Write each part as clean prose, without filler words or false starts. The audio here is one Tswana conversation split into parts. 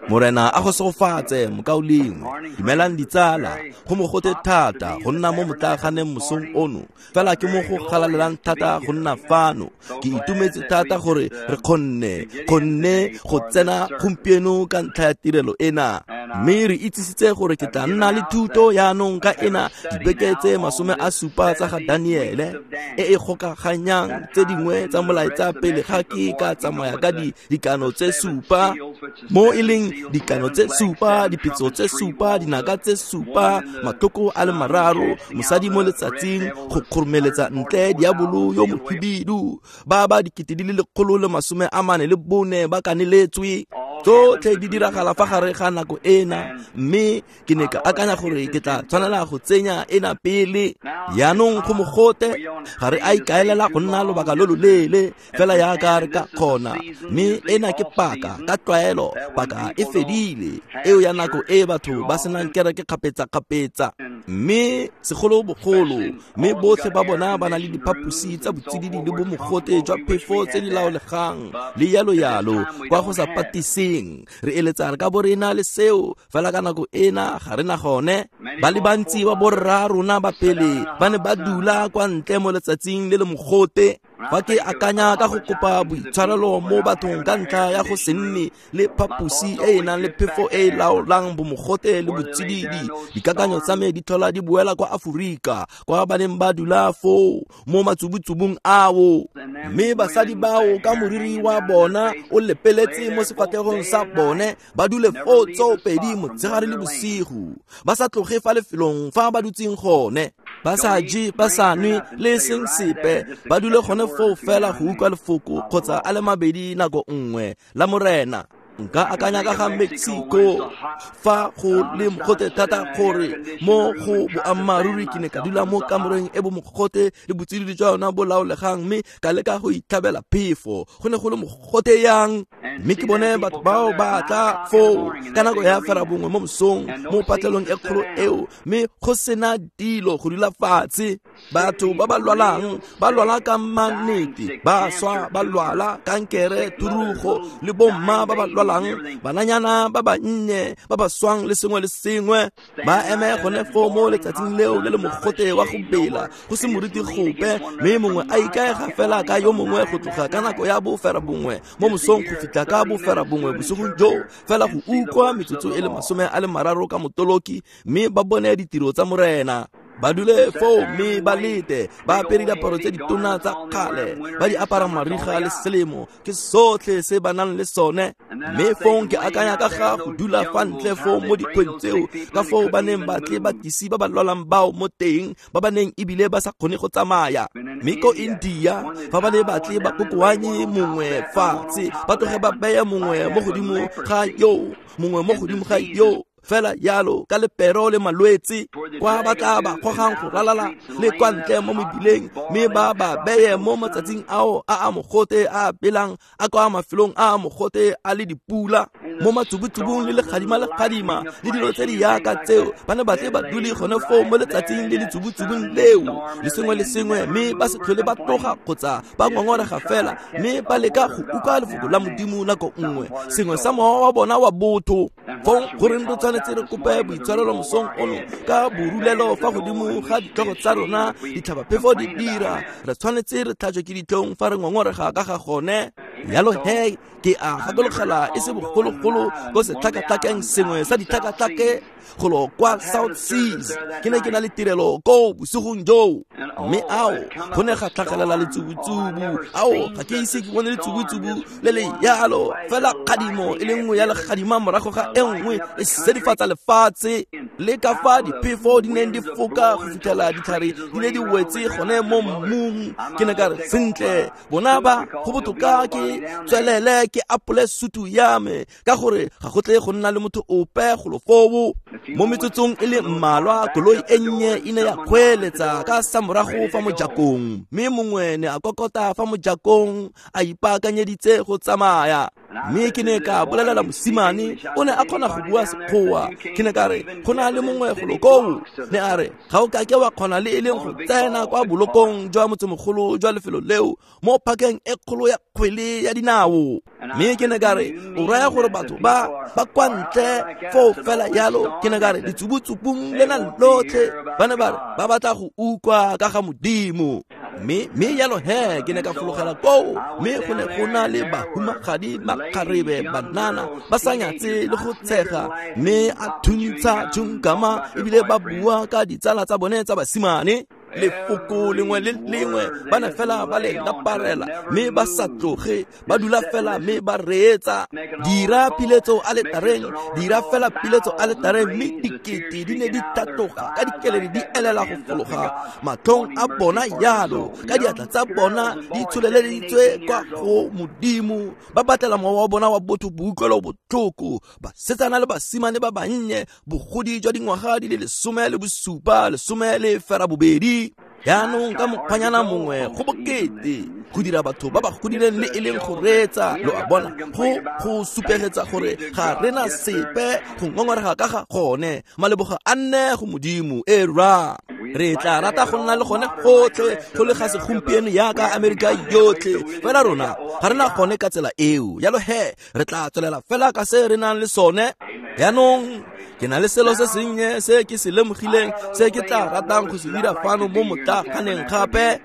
Morena a go segofatse mokaulengwe. Dumelang ditsala, go mogote thata go nna mo motlaaganeng mosong ono. Fela ke mo go galalelang thata go nna fano. Ke itumetse thata gore re kgonne go tsena gompieno ka ntlha ya tirelo ena. Mme re itsisitse gore ke tla nna le thuto yaanong ka ena dibeke tse 70 tsa ga Daniele e e gokaganyang tse dingwe tsa molaetsa pele ga ke ka tsamaya ka dikano tse 7, mo e leng dikano tse 7, dipetso tse 7, dinaka tse 7, matlhoko a le 3, mosadi mo letsatsing go kgoromeletsa ntle diabolo yo mohibidu, ba ba 144,000 ba kaneletswe. Tsotlhe di diragala fa gare ga nako ena, mme ke ne ka akanya gore ke tla tshwanela go tsenya ena pele. Yaanong go mogote, ga re a ikaelela go nna lobaka lo loleele fela yaka re ka kgona, mme ena ke paka ka tlwaelo, paka e fedile eo ya nako e batho ba senang kereke kgapetsa-kgapetsa, mme segolobogolo mme botlhe ba bona ba na le diphaposi tsa botsididi le bomogote jwa phefo tse di laolegang le yalo-yalo kwa go sa patiseng. Re eletsa re ka bo re na le seo, fela ka nako ena ga re na gone. Ba le bantsi ba borra rona ba pele ba ne ba dula kwa ntle mo letsatsing le le mogote. Fa ke akanya ka go kopa boitshwarelo mo bathong ka ntlha ya go se nne le phaposi e e nang le phefo e e laolang bomogote le botsididi, dikakanyo tsa me di tlhola di boela kwa Aforika, kwa ba neng ba dula foo mo matsubutsubung ao. Mme basadi bao ka moriri wa bona o lepeletse mo sefatlhegong sa bone, ba dule foo tsoopedi motshegare le bosigo, ba sa tloge fa lefelong fa ba dutseng gone, ba sa je, ba sa nwe le seng sepe, ba dule gone foo fela go utlwa lefoko kgotsa a le mabedi nako nngwe la Morena. Nka akanya ka ga Mexico fa go le mogote thata gore mo go boammaaruri ke ne ka dula mo kamoreng e bomogote le botsididi jwa yona bo laolegang, mme ka leka go itlhabela phefo. Go ne go le mogote yang, mme ke bone batho bao ba tla foo ka nako ya 9:30 mo mosong mo patlelong e kgolo eo, mme go sena dilo go dula fatshe. Batho ba ba lwalang ba lwala ka mannete, ba swa ba lwala kankere, thurugo, le bomma ba ba lwalang, bananyana ba bannye ba ba swang le sengwe le sengwe, ba eme gone foo mo letsatsing leo le le mogote wa go bela, go se moriti gope, mme mongwe a ikaega fela ka yo mongwe go tloga ka nako ya 9:30 mo mosong go fitlha ka 9:30 bosigong joo, fela go utlwa metsotso e le 30 ka motoloki, mme ba bone ditiro tsa Morena. Ba dule foo mme ba lete, ba apere diaparo tse ditona tsa kgale, ba di apara mariga le selemo, ke sotlhe se ba nang le sone. Mme fong ke akanya ka ga go dula fa ntle foo mo dikgweng tseo, ka foo ba neng ba tle ba tlise ba ba lwalang bao mo teng, ba ba neng ebile ba sa kgone go tsamaya. Mme ko India, fa ba ne ba tle ba kokoanye mongwe fatshe, ba tloge ba beye mongwe mo godimo ga yo, mongwe mo godimo ga yo, fela yalo ka lepero le malwetse, kwa ba tla ba gogang go ralala le kwa ntle mo mebileng, mme ba ba beye mo matsatsing ao a a mogote a belang a kwa mafelong a a mogote a le dipula, mo matsubutsubung le legadima legadima le dilo tse di yaka tseo, ba ne ba tle ba dule gone foo mo letsatsing le letsubutsubung leo le sengwe le sengwe, mme ba se tlhole ba tloga kgotsa ba ngongorega fela, mme ba leka go utlwa lefoko la Modimo nako nngwe, sengwe sa mowa wa bona wa botho. Fong goreng re tshwanetse re kope boitshwarelo mosong ono ka borulelo fa godimo ga ditlhogo tsa rona, ditlhabaphefo di dira, re tshwanetse re tlhajwe ke ditlhong fa re ngongorega ka ga gone. Yalo he, ke a gakologela e se bogologolo ko setlhakatlhakeng sengwe sa ditlhakatlhake golo kwa South Seas, ke ne ke na le tirelo koo bosigong joo, mme ao go ne ga tlhagelela letsubutsubu. Ao, ga ke ise ke bone letsubutsubu le le yalo, fela kgadimo e le nngwe ya legadima morago ga e nngwe e sedifatsa lefatshe, le ka fa diphefo di neng di foka go fitlhela ditlhare di ne di wetse gone mo mmung. Ke ne ka re, sentle, bona ba go botoka ke tswelele ke apole sutu ya me, ka gore ga go tle go nna le motho ope golo foo. Mo metsotsong e le mmalwa, koloi e nnye e ne ya kgweeletsa ka samorago fa mojakong, mme mongwe ne a kokota fa mojakong a ipaakanyeditse go tsamaya. Mme ke ne ka bolelela mosimane, o ne a kgona go bua Sekgowa. Ke ne ka re, go na le mongwe golo koo. Ne a re, ga o kake wa kgona le e leng go tsena kwa bolokong jwa motsemogolo jwa lefelo leo mo phakeng e kgolo ya kgwele ya dinao. Mme ke ne ka re, o raya gore batho ba kwa ntle foo fela yalo? Ke ne ka re, ditsubutsubung lena lotlhe ba ne ba re ba batla go utlwa ka ga Modimo. Mme yalo he, ke ne ka fologela koo, mme go ne go na le bahumagadi, makgarebe, banana ba sa nyatse le go tshega, mme a thuntsha tšhunkama ebile ba bua ka ditsala tsa bone tsa basimane. Lefoko lengwe le lengwe ba ne fela ba le laparela, mme ba sa tloge, ba dula fela mme ba reetsa. Dira piletso aletareng, dira fela piletso aletareng, mme dikete di ne di tatoga ka dikeledi di elela go fologa matlhong a bona yalo, ka diatla tsa bona di tsholeleditswe kwa go Modimo, ba batlela mowa wa bona wa botho boutlwelo botlhoko. Basetsana le basimane ba bannye, bogodi jwa dingwaga di le 17, 18. Jaanong ka mokgwanyana mongwe go bokete go dira batho ba ba godileng le e leng go reetsa, lo a bona, go supegetsa gore ga rena sepe go ngongorega ka ga gone. Maleboga a nne go Modimo. E ra re tla rata go nna le gone gotlhe go le ga segompieno yaka Amerika yotlhe, fela rona ga rena gone ka tsela eo. Yalo he, re tla tswelela fela ka se re nang le sone. Jaanong ke na le selo se sennye se ke se lemogileng se ke tla ratang go se dira fano mo motlaganeng gape.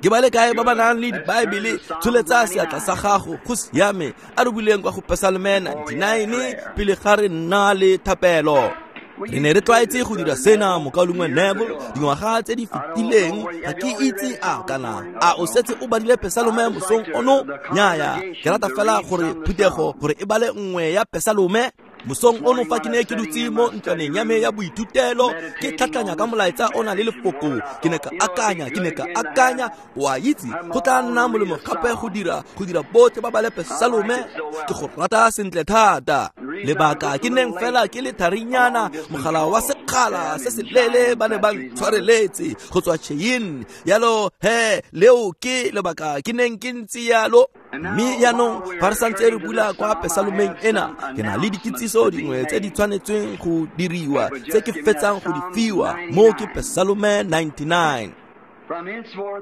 Ke ba le kae ba ba nang le dibaebele? Tsholetsa seatla sa gago. Go siame. A re buleng kwa go Pesalome 99 pele ga re nna le thapelo. Re ne re tlwaetse go dira sena, mokaulengwe Neville, dingwaga tse di fetileng. Ga ke itse a kana a o setse o badile Pesalome mosong ono. Nnyaya, ke rata fela gore phuthego gore e bale nngwe ya Pesalome. Mosong ono fa ke ne ke dutse mo ntlwaneng ya me ya boithutelo ke tlhatlhanya ka molaetsa o na le lefoko, ke ne ka akanya, wa itse, go tla nna molemo gape go dira botlhe ba bale Pesalome. Ke go rata sentle thata. Lebaka ke neng fela ke le tharinyana, mogala wa sekgala se se leele ba ne ba ntshwareletse go tswa Cheyenne. Yalo he, leo ke lebaka ke neng ke ntse yalo. Mme jaanong fa re santse re bula kwa Pesalomeng ena, ke na le dikitsiso dingwe tse di tshwanetsweng go diriwa tse ke fetsang go di fiwa. Mo ke Pesalome 99.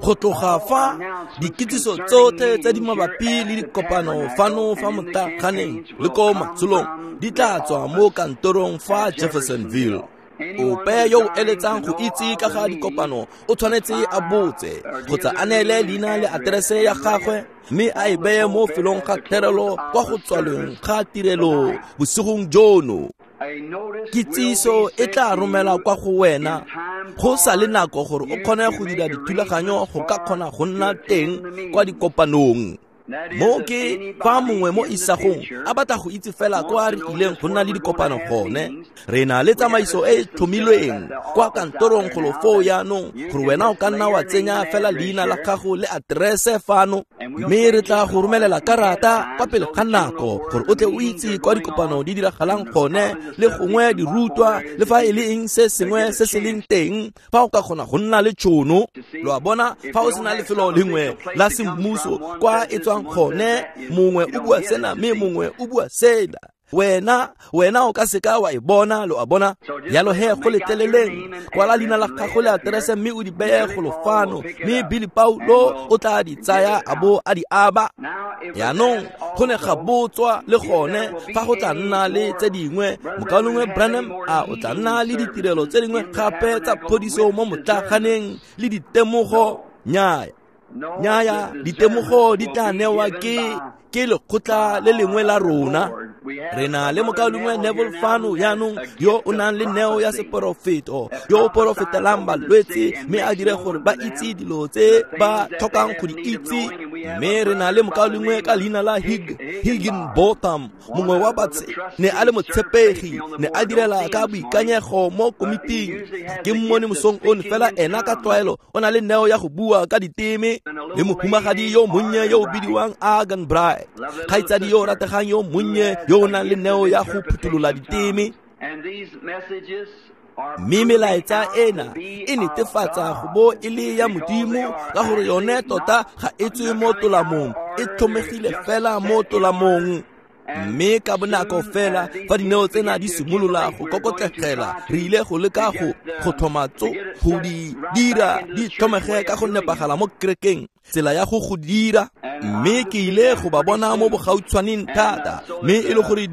Go tloga fa dikitsiso tsotlhe tse di mabapi le dikopano fano fa motlaganeng le ko matsholong di tla tswa mo kantorong fa Jeffersonville. Ope yo o eletsang go itse ka ga dikopano o tshwanetse a botse kgotsa a neele leina le aterese ya gagwe, mme a e beye mo felong ga therelo kwa go tswalweng ga tirelo bosigong jono. Kitsiso e tla romela kwa go wena go sa le nako gore o kgone go dira dithulaganyo go ka kgona go nna teng kwa dikopanong. Mo ke fa mongwe mo isagong a batla go itse fela kwa re ileng go nna le dikopano gone, re na le tsamaiso e e tlhomilweng kwa kantorong golo foo jaanong gore wena o ka nna wa tsenya fela leina la gago le aterese fano, mme re tla go romelela karata kwa pele ga nako gore o tle o itse kwa dikopano di diragalang gone, le gongwe dirutwa le fa e le eng se sengwe se se leng teng fa o ka kgona go nna le tšhono. Lo a bona, fa o sena lefelo lengwe la semmuso kwa e tswang gone, mongwe o bua sena mme mongwe o bua sela, wena o ka seka wa e bona. Lo a bona. Yalo he, go letleleleng, kwala leina la gago le aterese mme o di beye golo fano, mme Billy Paulo o tla di tsaya a bo a di aba. Jaanong go ne ga botswa le gone fa go tla nna le tse dingwe. Mokaulengwe Branham a o tla nna le ditirelo tse dingwe gape tsa phodiso mo motlaganeng le ditemogo? Nnyaya, ditemogo di tla newa ke lekgotla le lengwe la rona. Re na le mokaulengwe Neville fano jaanong yo o nang le neo ya seporofeto, yo o porofetelang balwetse mme a dire gore ba itse dilo tse ba tlhokang go di itse. Mme re na le mokaulengwe ka leina la Higginbotham, mongwe wa batse, ne a le motshepegi, ne a direla ka boikanyego mo komiting. Ke mmone mosong ono, fela ena ka tlwaelo o na le neo ya go bua ka diteme. Le mohumagadi yo monnye yo o bidiwang Agan Bright, kgaitsadi yo o rategang yo monnye yo o nang le neo ya go phuthulola diteme. Mme melaetsa ena e netefatsa go bo e le ya Modimo, ka gore yone tota ga e tswe mo tolamong, e tlhomegile fela mo tolamong. Mme ka bonako fela fa dineo tsena di simolola go kokotlegela, re ile go leka go tlhoma tso go di dira di tlhomege ka go nepagala mo kerekeng, tsela ya go dira. Mme ke ile go ba bona mo bogautshwaneng thata, mme e le gore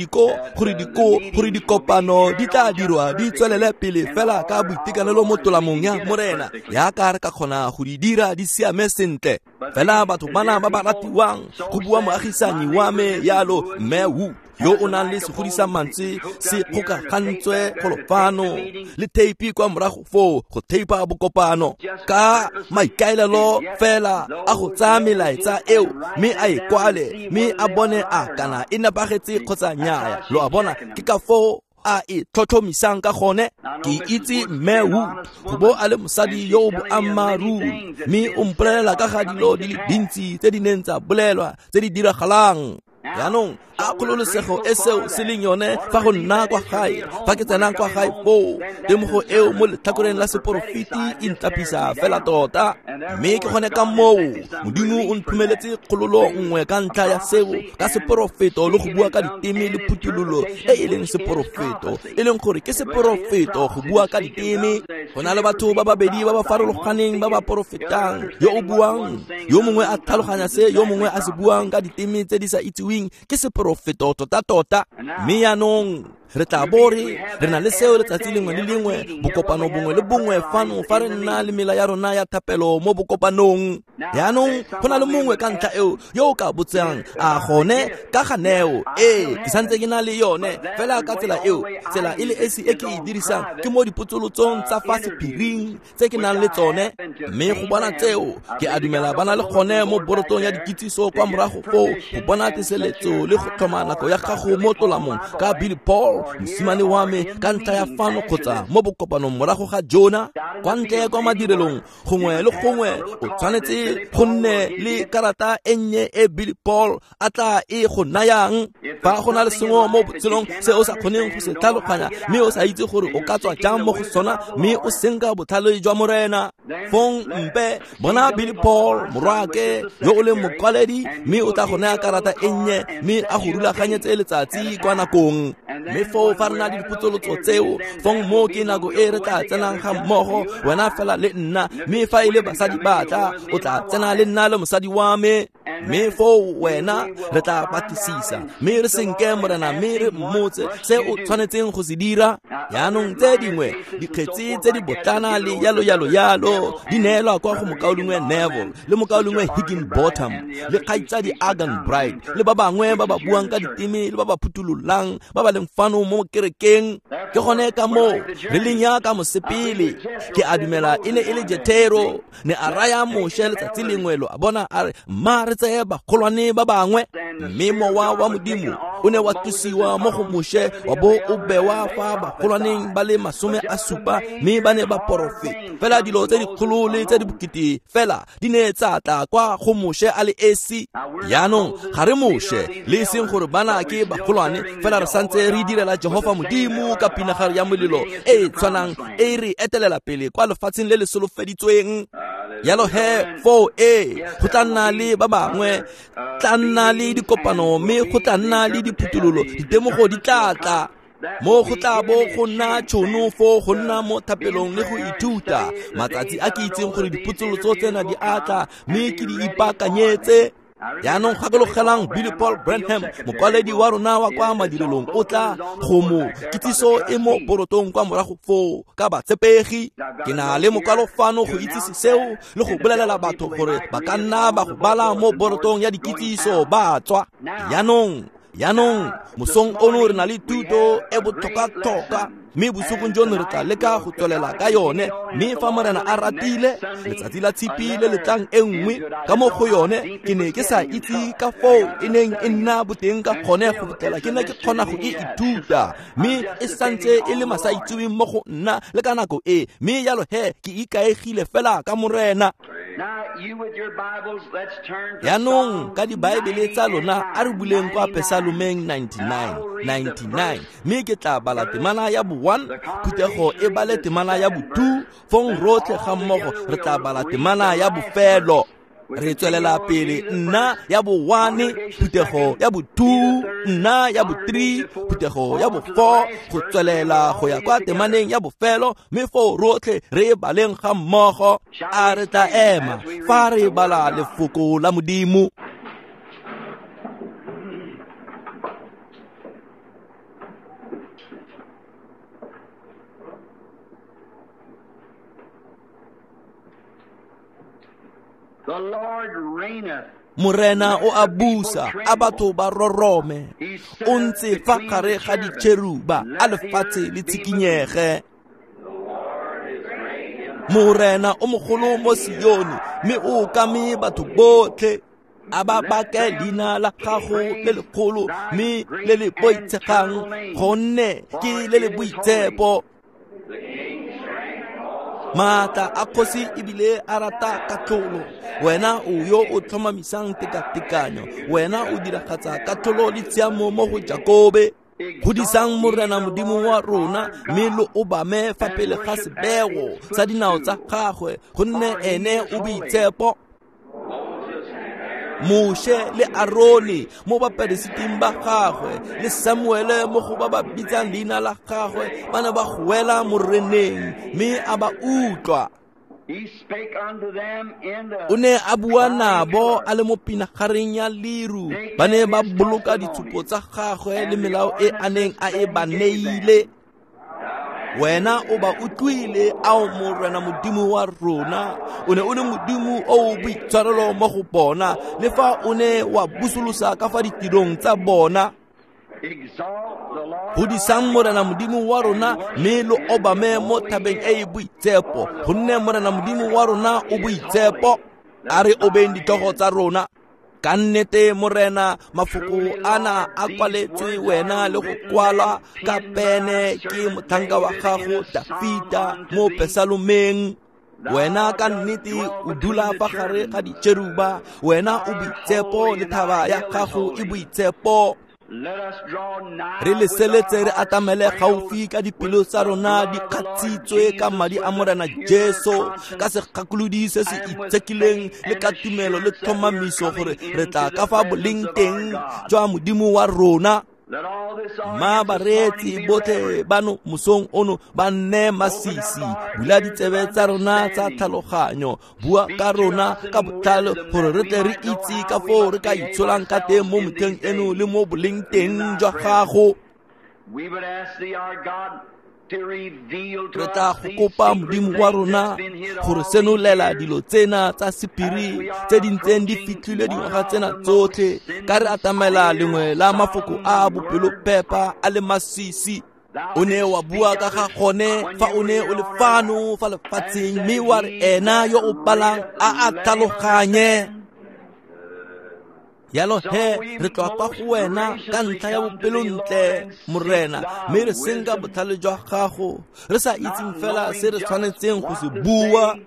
dikopano di tla dirwa di tswelele pele fela ka boitekanelo mo tolamong ya Morena, yaka re ka kgona go di dira di siame sentle. Fela batho bana ba ba ratiwang, go bua moagisanyi wa me yalo mme Wu, yo o nang le segodisa mantswe se kgokagantswe golo fano le theipi kwa morago foo go theipa bokopano, ka maikaelelo fela a go tsaya melaetsa eo mme a e kwale mme a bone a kana e nepagetse kgotsa nnyaya. Lo a bona, ke ka foo a e tlhotlhomisang ka gone. Ke itse mme Wu go bo a le mosadi yo o boammaaruri, mme o mpolelela ka ga dilo di le dintsi tse di neng tsa bolelwa tse di diragalang. Jaanong a kgololosego e seo se leng yone fa go nna kwa gae, fa ke tsena kwa gae foo, temogo eo mo letlhakoreng la seporofeti e ntlapisa fela tota. Mme ke gone ka moo Modimo o nthomeletse kgololo nngwe ka ntlha ya seo, ka seporofeto le go bua ka diteme le phuthololo e e leng seporofeto, e leng gore ke seporofeto go bua ka diteme. Go na le batho ba babedi ba ba farologaneng ba ba porofetang, yo o buang, yo mongwe a tlhaloganya se yo mongwe a se buang ka diteme tse di sa itsiweng, ke seporofeto tota-tota. Mme jaanong re tla bo re na le seo letsatsi lengwe le lengwe, bokopano bongwe le bongwe fano fa re nna le mela ya rona ya thapelo mo bokopanong. Jaanong go na le mongwe ka ntlha eo yo o ka botsang, a gone ka ga neo? Ee, ke santse ke na le yone fela ka tsela eo. Tsela e le esi e ke e dirisang ke mo dipotsolotsong tsa fa sephiring tse ke nang le tsone, mme go bona tseo ke a dumela ba na le gone mo borotong ya dikitsiso kwa morago foo, go bona teseletso le go tlhoma nako ya gago mo tolamong ka Billy Paul, mosimane wa me, ka ntlha ya fano kgotsa mo bokopanong morago ga Jona. Kwa ntle kwa madirelong gongwe le gongwe o tshwanetse go nne le karata e nnye e Billy Paul a tla e go nayang. Fa go na le sengwe mo botshelong se o sa kgoneng go se tlhaloganya, mme o sa itse gore o ka tswa jang mo go sona, mme o senka botlhale jwa Morena, fong mpe bona Billy Paul morwake yo o leng mokwaledi, mme o tla go naya karata e nnye mme a go rulaganyetse letsatsi kwa nakong. Mme foo fa re na le dipotsolotso tseo, fong mo ke nako e re tla tsenang ga mmogo, wena fela le nna, mme fa e le basadi ba tla, o tla tsena le nna le mosadi wa me. Mme foo wena re tla batlisisa, mme re senke Morena, mme re mmotse se o tshwanetseng go se dira. Jaanong tse dingwe dikgetsi tse di botlana le yalo yalo yalo di neelwa kwa go mokaulengwe Neville le mokaulengwe Higginbotham le kgaitsadi Argan Bright le ba bangwe ba ba buang ka diteme le ba ba phuthulolang ba ba leng fano mo kerekeng. Ke gone ka moo re leng yaka mosepele. Ke a dumela e ne e le Jethero ne a raya Moshe letsatsi lengwe, lo a bona, a re mma re tseye bagolwane ba bangwe. Mme mowa wa Modimo o ne wa tlosiwa mo go Moshe wa bo o bewa fa bagolwaneng ba le 70, mme ba ne ba porofeta fela dilo tse dikgolo le tse di bokete fela di ne tsa tla kwa go Moshe a le esi. Jaanong ga re Moshe le e seng gore bana ke bagolwane, fela re santse re direla Jehofa Modimo ka pinagare ya molelo e e tshwanang e re etelela pele kwa lefatsheng le le solofeditsweng. Yalo he foo e go tla nna le ba bangwe, tla nna le dikopano, mme go tla nna le diphuthololo, ditemogo di tla tla. Mo go tla bo go nna tšhono foo go nna mo thapelong le go ithuta. Matsatsi a ke itseng gore dipotsolotso tsena di a tla, mme ke di ipaakanyetse. Jaanong gakologelang Billy Paul Branham, mokwaledi wa rona wa kwa madirelong, o tla go mo kitsiso e mo borotong kwa morago foo ka batshepegi. Ke na le mokwalo fano go itsise seo le go bolelela batho gore ba ka nna ba go bala mo borotong ya dikitsiso ba tswa. Jaanong mosong ono re na le thuto e botlhokwa-tlhokwa, mme bosigong jono re tla leka go tswelela ka yone. Mme fa Morena a ratile, letsatsi la tshipi le letlang e nngwe ka mo go yone, ke ne ke sa itse ka foo e neng e nna boteng ka gone go fitlhela ke ne ke kgona go e ithuta, mme e santse e le masaitseweng mo go nna le ka nako e. Mme jalo he ke ikaegile fela ka Morena. Jaanong ka dibaebele tsa lona a re buleng kwa Pesalomeng 99, mme ke tla bala temana ya bo 1, phuthego e bale temana ya bo 2, fong rotlhe ga mmogo re tla bala temana ya bofelo. Re tswelela pele, nna ya bo 1, phuthego ya bo 2, nna ya bo 3, phuthego ya bo 4, go tswelela go ya kwa temaneng ya bofelo, mme foo rotlhe re baleng ga mmogo. A re tla ema fa re bala lefoko la Modimo. The Lord reigneth. Morena o a busa, a batho ba rorome. O ntse fa gare ga ditšheruba, a lefatshe le tshikinyege. Morena o mogolo mo Sione, mme o okame batho botlhe. A ba bake leina la gago le legolo, mme le le boitshegang, gonne ke le le boitshepo. Maatla a kgosi ebile a rata katlholo. Wena o yo o tlhomamisang tekatekanyo, wena o diragatsa katlholo le tshiamo mo go Jakobe. Godisang Morena Modimo wa rona, mme lo obame fa pele ga sebego sa dinao tsa gagwe, gonne ene o boitshepo. Moshe le Arone mo baperesiting ba gagwe, le Samuele mo go ba ba bitsang leina la gagwe, ba ne ba goela Moreneng, mme a ba utlwa. O ne a bua nabo a le mo pinagareng ya leru, ba ne ba boloka ditshupo tsa gagwe le melao e a neng a e ba neile. Wena o ba utlwile, ao Morena Modimo wa rona. O ne o le Modimo o o boitshwarelo mo go bona, le fa o ne wa busolosa ka fa ditirong tsa bona. Godisang Morena Modimo wa rona, mme lo obame mo thabeng e e boitshepo, gonne Morena Modimo wa rona o boitshepo. A re obeng ditlhogo tsa rona. Ka nnete Morena, mafoko ana a kwaletswe wena le go kwalwa ka pene ke motlhanka wa gago Dafita mo Pesalomeng. Wena ka nnete o dula fa gare ga ditšheruba, wena o boitshepo le thaba ya gago e boitshepo. Re leseletse re atamele gaufi ka dipelo tsa rona di kgatshitswe ka madi a Morena Jesu, ka segakolodi se se itshekileng le ka tumelo le tlhomamiso gore re tla ka fa boleng teng jwa Modimo wa rona. Ma bareetsi botlhe bano mosong ono ba nne masisi, bula ditsebe tsa rona tsa tlhaloganyo, bua ka rona ka botlhale gore re tle re itse ka foo re ka itsholang ka teng mo motlheng eno le mo boleng teng jwa gago. Re tla go kopa Modimo wa rona gore senolela dilo tsena tsa sephiri tse di ntseng di fitlhile dingwaga tsena tsotlhe, ka re atamela lengwe la mafoko a bopelopepa a le masisi. O ne wa bua ka ga gone fa o ne o le fano fa lefatsheng, mme wa re ena yo o palang a a tlhaloganye. Yalo he, re tloa kwa go wena ka ntlha ya bopelontle, Morena, mme re senka botlhale jwa gago, re sa itseng fela se re tshwanetseng go se bua.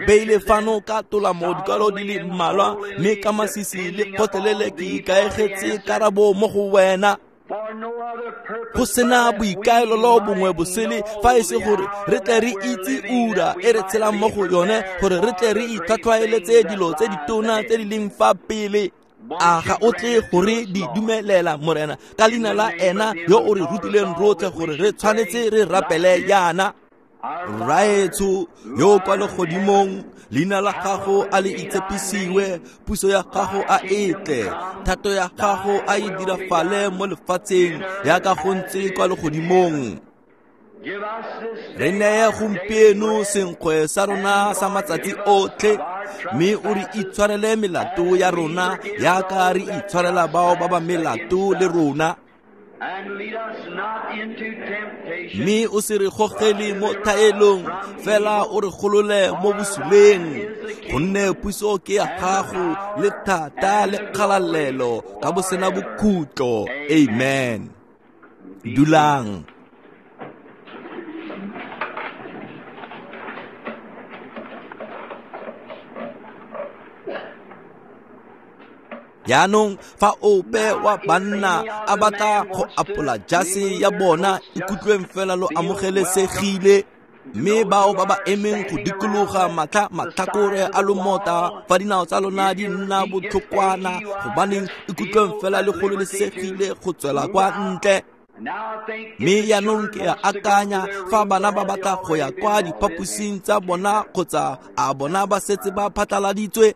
Beile fano ka tolamo dikwalo di le mmalwa, mme ka masisi le kgotlelele ke ikaegetse karabo mo go wena. Go sena boikaelelo bongwe bosele fa e se gore re tle re itse ura e re tshelang mo go yone, gore re tle re itlhwatlhwaeletse dilo tse ditona tse di leng fa pele. A ga o tle gore di dumelela, Morena, ka leina la ena yo o re rutileng rotlhe gore re tshwanetse re rapele yana. Rraetsho yo kwa legodimong, leina la gago a le itshepisiwe, puso ya gago a e tle, thato ya gago a e dirafale mo lefatsheng yaka go ntse kwa legodimong. Re neye gompieno senkgwe sa rona sa matsatsi otlhe, mme o re itshwarele melato ya rona yaka re itshwarela bao ba ba melato le rona. Mme o se re gogele mo thaelong, fela o re golole mo bosuleng, gonne puso ke ya gago le thata le kgalalelo ka bosena bokhutlo. Amen. Dulang. Jaanong fa ope wa banna a batla go apola jase ya bona, ikutlweng fela lo amogelesegile. Mme bao ba ba emeng go dikologa matlha matlhakore a lomota, fa dinao tsa lona di nna botlhokwana, gobaneng ikutlweng fela le gololesegile go tswela kwa ntle. Mme jaanong ke a akanya fa bana ba batla go ya kwa diphaposing tsa bona kgotsa a bona ba setse ba phatlaladitswe.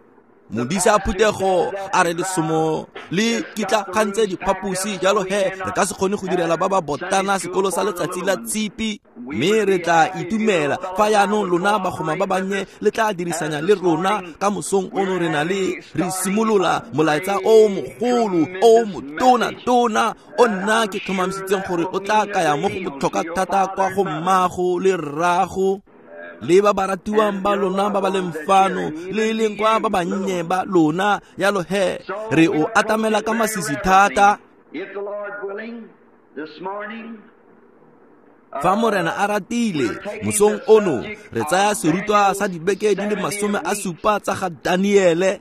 Modisa phuthego a re lesomo le kitlagantse diphaposi, jalo he re ka se kgone go direla ba ba botana sekolo sa letsatsi la tshipi. Mme re tla itumela fa jaanong lona bagoma ba bannye le tla dirisanya le rona ka mosong ono. Re na le re simolola molaetsa o mogolo o motona-tona o nna ke tlhomamisitseng gore o tla kaya mo go botlhokwa thata kwa go mmago le rrago le ba ba ratiwang ba lona ba ba leng fano le leng kwa ba bannye ba lona. Jalo he re o atamela ka masisi thata. Fa Morena a ratile, mosong ono re tsaya serutwa sa dibeke di le 70 tsa ga Daniele.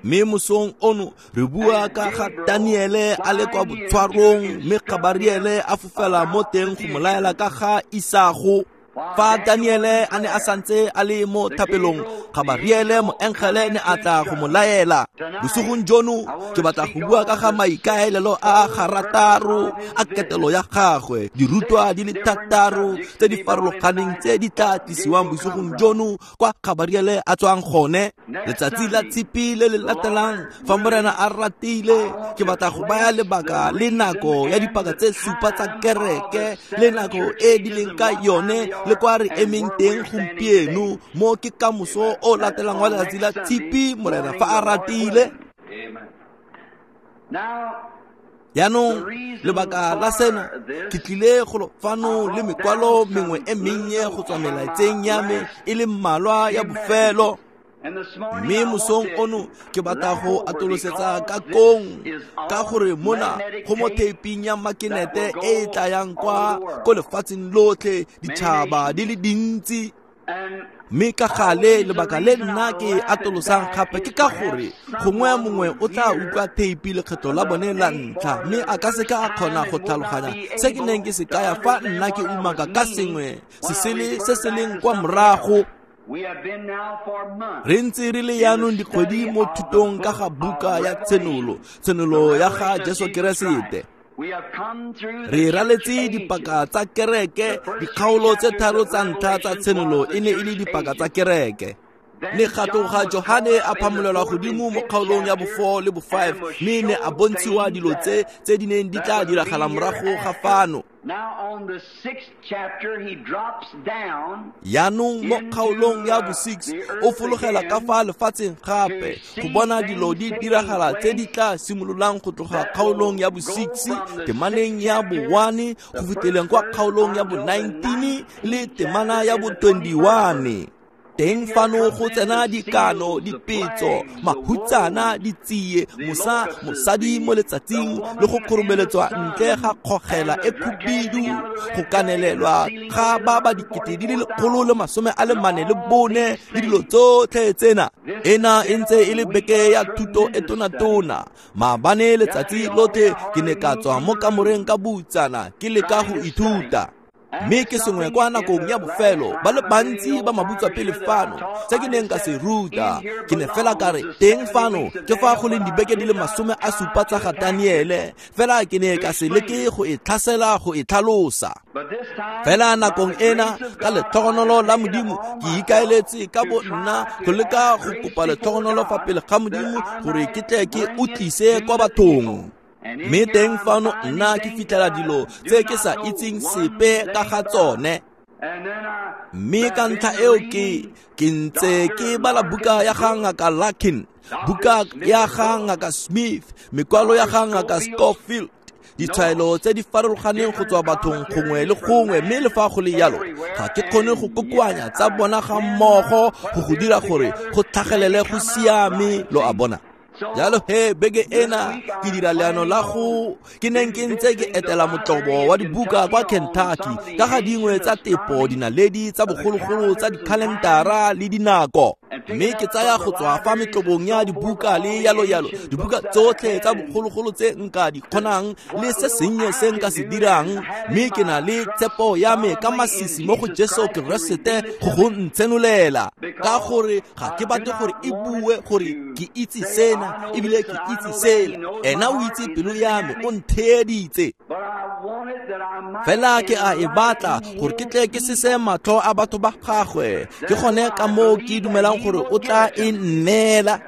Mme mosong ono re bua ka ga Daniele a le kwa botshwarong, mme Gabariele a fofela mo teng go mo laela ka ga isago. Fa Daniele a ne a santse a le mo thapelong, Gabariele moengele ne a tla go mo laela. Bosigong jono ke batla go bua ka ga maikaelelo a garataro a ketelo ya gagwe, dirutwa di le 6 tse di farologaneng tse di tla tlisiwang bosigong jono kwa Gabariele a tswang gone. Letsatsi la tshipi le le latelang, fa Morena a ratile, ke batla go baya lebaka le nako ya dipaka tse 7 tsa kereke le nako e di leng ka yone le kwa re emeng teng gompieno. Mo ke kamoso o latelang wa letsatsi la tshipi, Morena fa a ratile. Jaanong lebaka la sena, ke tlile go fano le mekwalo mengwe e mennye go tswa melaetseng ya me e le mmalwa ya bofelo. Mme mosong ono ke batla go atolosetsa ka kong, ka gore mona go mo theiping ya makenete e e tlayang kwa ko lefatsheng lotlhe, ditšhaba di le dintsi. Mme ka gale lebaka le nna ke atolosang gape ke ka gore gongwe mongwe o tla utlwa theipi lekgetho la bone la ntlha, mme a ka seka a kgona go tlhaloganya se ke neng ke se kaya fa nna ke umaka ka sengwe se sele se se leng kwa morago. Re ntse re le jaanong dikgwedi mo thutong ka ga buka ya Tshenolo, Tshenolo ya ga Jesu Keresete. Re raletse dipaka tsa kereke, dikgaolo tse 3 tsa ntlha tsa Tshenolo e ne e le dipaka tsa kereke. Le ga Johane a phamolelwa godimo mo kgaolong ya bo-4 le bo-5, mme ne a bontshiwa dilo tse tse di neng di tla diragala morago ga fano. Jaanong mo kgaolong ya bo-6 o fologela ka fa lefatsheng gape go bona dilo di diragala tse di tla simololang go tloga kgaolong ya bo-6 temaneng ya bo-1 go fitlheleng kwa kgaolong ya bo-19 le temana ya bo-21. Teng fano go tsena dikano, dipetso, mahutsana, ditsie, mosadi mo letsatsing le go kgoromeletswa ntle ga kgogela e khubidu, go kanelelwa ga ba ba 144,000 le dilo tsotlhe tsena. Ena e ntse e le beke ya thuto e tona-tona. Maabane letsatsi lotlhe ke ne ka tswa mo kamoreng ka butsana ke leka go ithuta. Mme ke sengwe kwa nakong ya bofelo, ba le bantsi ba mabutswa pele fano tse ke neng ka se ruta. Ke ne fela ka re teng fano ke fa go leng dibeke di le 70 tsa ga Daniele, fela ke ne ka se leke go e tlhasela go e tlhalosa. Fela nakong ena ka letlhogonolo la Modimo ke ikaeletse ka bo nna go leka go kopa letlhogonolo fa pele ga Modimo gore ke tle ke o tlise kwa bathong. Mme teng fano nna ke fitlhela dilo tse ke sa itseng sepe ka ga tsone. Mme ka ntlha eo ke ntse ke bala buka ya ga Ngaka Larkin, buka ya ga Ngaka Smith, mekwalo ya ga Ngaka Scofield, ditshwaelo tse di farologaneng go tswa bathong gongwe le gongwe, mme le fa go le jalo ga ke kgone go kokoanya tsa bona ga mmogo go go dira gore go tlhagelele go siame, lo a bona. Jalo he beke ena ke dira leano la go ke neng ke ntse ke etela motlobo wa dibuka kwa Kentucky ka ga dingwe tsa tepo dinaledi tsa bogologolo tsa dikhalentara le dinako. Mme ke tsaya go tswa fa metlobong ya dibuka le yalo-yalo, dibuka tsotlhe tsa bogologolo tse nka di kgonang le se sennye se nka se dirang, mme ke na le tshepo ya me ka masisi mo go Jesu Keresete go go ntshenolela, ka gore ga ke batle gore e bue gore ke itse sena ebile ke itse sela. Ena o itse pelo ya me, o ntheeditse. Fela ke a e batla gore ke tle ke sese matlho a batho ba gagwe. Ke gone ka moo ke dumelang gore o tla e nneela.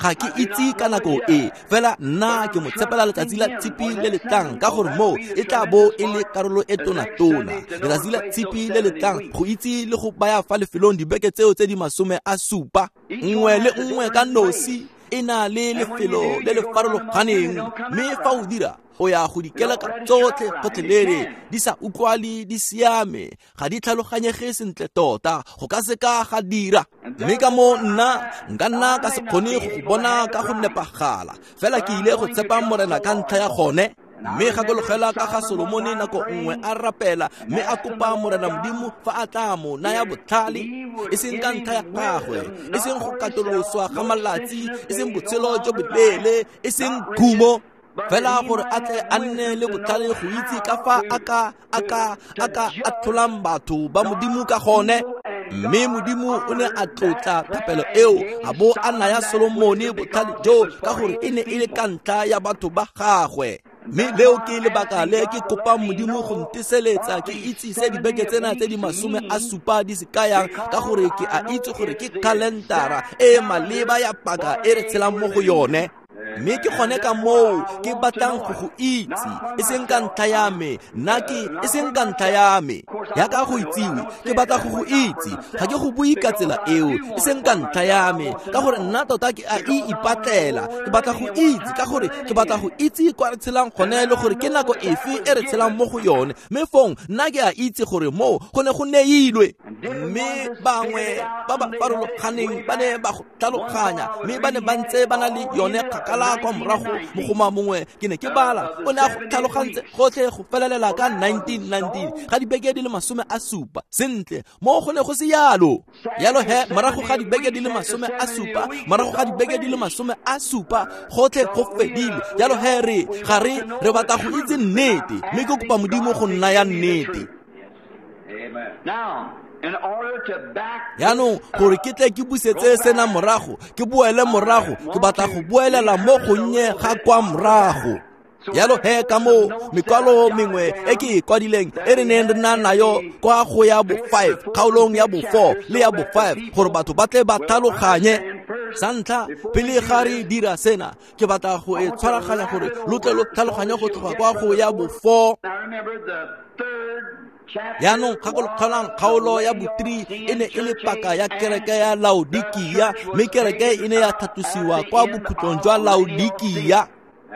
Ga ke itse ka nako e, fela nna ke mo tshepela letsatsi la tshipi le le tlang, ka gore moo e tla bo e le karolo e tona-tona. Letsatsi la tshipi le le tlang go itse le go baya fa lefelong dibeke tseo tse di 70, nngwe le nngwe ka nosi e na le lefelo le le farologaneng, mme fa o dira o ya go dikeleka tsotlhe gotlhelele, di sa utlwale di siame, ga di tlhaloganyege sentle tota, go ka seka ga dira. Mme ka moo nna nka nna ka se kgone go bona ka go nepagala, fela ke ile go tshepa Morena ka ntlha ya gone. Mme gakologela ka ga Solomone nako nngwe a rapela mme a kopa Morena Modimo fa a tla mo naya botlhale, e seng ka ntlha ya gagwe, e seng go katoloswa ga malatsi, e seng botshelo jo boleele, e seng khumo, fela gore a tle a nne le botlhale go itse ka fa a ka atlholang batho ba Modimo ka gone. Mme Modimo o ne a tlotla thapelo eo, a bo a naya Solomone botlhale jo, ka gore e ne e le ka ntlha ya batho ba gagwe. Mme leo ke lebaka le ke kopang Modimo go nteseletsa ke itse se dibeke tsena tse di 70 di se kayang, ka gore ke a itse gore ke kalendara e maleba ya paka e re tshelang mo go yone. Mme ke gone ka moo ke batlang go go itse, e seng ka ntlha ya me, nna ke e seng ka ntlha ya me, yaka go itsiwe, ke batla go go itse, ga ke go bue ka tsela eo, e seng ka ntlha ya me, ka gore nna tota ke a e ipatlela. Ke batla go itse ka gore ke batla go itse kwa re tshelang gone le gore ke nako efe e re tshelang mo go yone. Mme fong nna ke a itse gore moo go ne go neilwe. Mme bangwe ba ba farologaneng ba ne ba go tlhaloganya, mme ba ne ba ntse ba na le yone kgakala kwa morago. Mogoma mongwe ke ne ke bala, o ne a go tlhalogantse gotlhe go felelela ka 1919 ga dibeke di le 70. Sentle, mo go ne go se yalo. Yalo he, morago ga dibeke di le 70, morago ga dibeke di le 70, gotlhe go fedile. Yalo he re ga re batla go itse nnete, mme ke kopa Modimo go nna ya nnete. Yaanong gore ke tle ke busetse sena morago, ke boele morago, ke batla go boelela mo gonnye ga kwa morago. Yalo he ka moo mekwalo mengwe e ke e kwadileng e re neng re na nayo kwa go ya bo 5, kgaolong ya bo 4 le ya bo 5, gore batho ba tle ba tlhaloganye. Sa ntlha, pele ga re dira sena, ke batla go e tshwaraganya gore lo tle lo tlhaloganye go tloga kwa go ya bo 4. Yaanong gakologelang kgaolo ya bo 3 e ne e le paka ya kereke ya Laodikia, mme kereke e ne ya tlhatlosiwa kwa bokhutlong jwa Laodikia.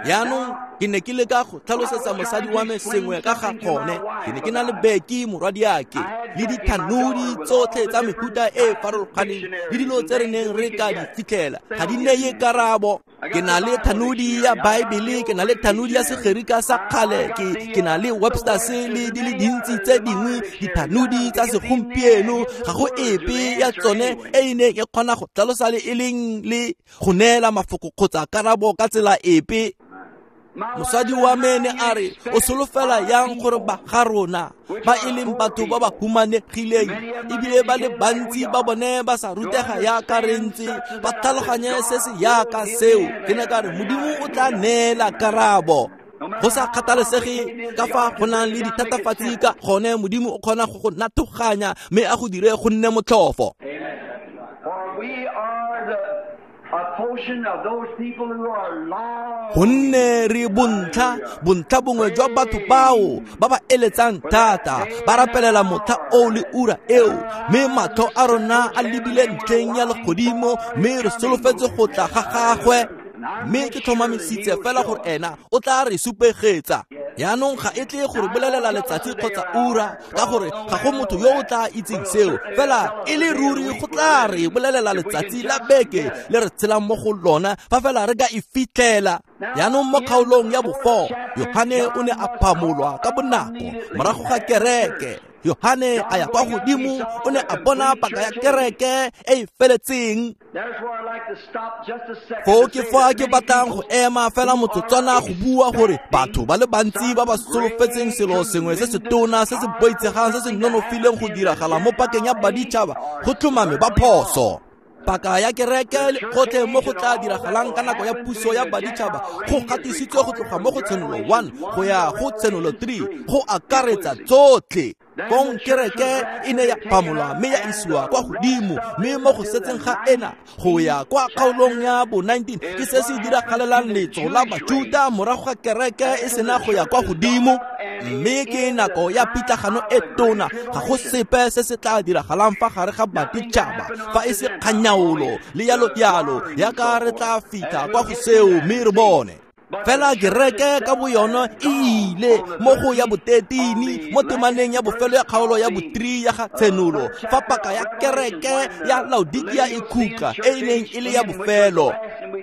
Yaanong ke ne ke leka go tlhalosetsa mosadi wa me sengwe ka ga gone. Ke ne ke na le Beki morwadiake le dithanodi tsotlhe tsa mefuta e farologaneng le dilo tse re neng re ka di fitlhela, ga di neye karabo. Ke na le thanodi ya Baebele, ke na le thanodi ya Segerika sa kgale, ke na le Webster's le di le dintsi tse dingwe dithanodi tsa segompieno. Ga go epe ya tsone e e neng e kgona go tlhalosa le e leng le go neela mafoko kgotsa karabo ka tsela epe. Mosadi wa me ne a re, o solofela yang gore ba ga rona ba e leng batho ba ba humanegileng ebile ba le bantsi ba bone ba sa rutega yaka re ntse, ba tlhaloganye se se yaka seo. Ke ne ka re Modimo o tla neela karabo. Go sa kgathalesege ka fa go nang le dithatafatsi ka gone, Modimo o kgona go go nathoganya mme a go dire go nne motlhofo. Gonne re bontlha bongwe jwa batho bao ba ba eletsang thata, ba rapelela motlha oo le ura eo, mme matlho a rona a lebile ntlheng ya legodimo, mme re solofetse go tla ga gagwe. Mme ke tlhomamisitse fela gore ena o tla re supegetsa. Yaanong ga e tle gore bolelela letsatsi kgotsa ura, ka gore ga go motho yo o tla itseng seo, fela e le ruri go tla re bolelela letsatsi la beke le re tshelang mo go lona fa fela re ka e fitlhela. Yaanong mo kgaolong ya bo 4, Yohane o ne a phamolwa ka bonako morago ga kereke. Yohane a ya kwa godimo o ne a bona paka ya kereke e e feletseng. Foo ke fa ke batlang go ema fela motsotswana go bua gore batho ba le bantsi ba ba solofetseng selo sengwe se se tona se se boitshegang se se nonofileng go diragala mo pakeng ya baditšhaba go tlhomame ba phoso. Paka ya kereke le gotlhe mo go tla diragalang ka nako ya puso ya baditšhaba go gatisitswe go tloga mo go Tshenolo 1 go ya go Tshenolo 3 go akaretsa tsotlhe. Fong kereke e ne ya phamolwa mme ya isiwa kwa godimo, mme mo go setseng ga ena go ya kwa kgaolong ya bo 19 ke se se diragalelang letso la Bajuda morago ga kereke e sena go ya kwa godimo. Mme ke nako ya pitlagano e tona, ga go sepe se se tla diragalang fa gare ga baditšhaba fa e se kganyaolo le yalo yalo, yaka re tla fitlha kwa go seo mme re bone. Fela kereke ka boyona e ile mo go ya bo-13 mo temaneng ya bofelo ya kgaolo ya bo-3 ya ga Tshenolo, fa paka ya kereke ya Laodikia e khutla e e neng e le ya bofelo.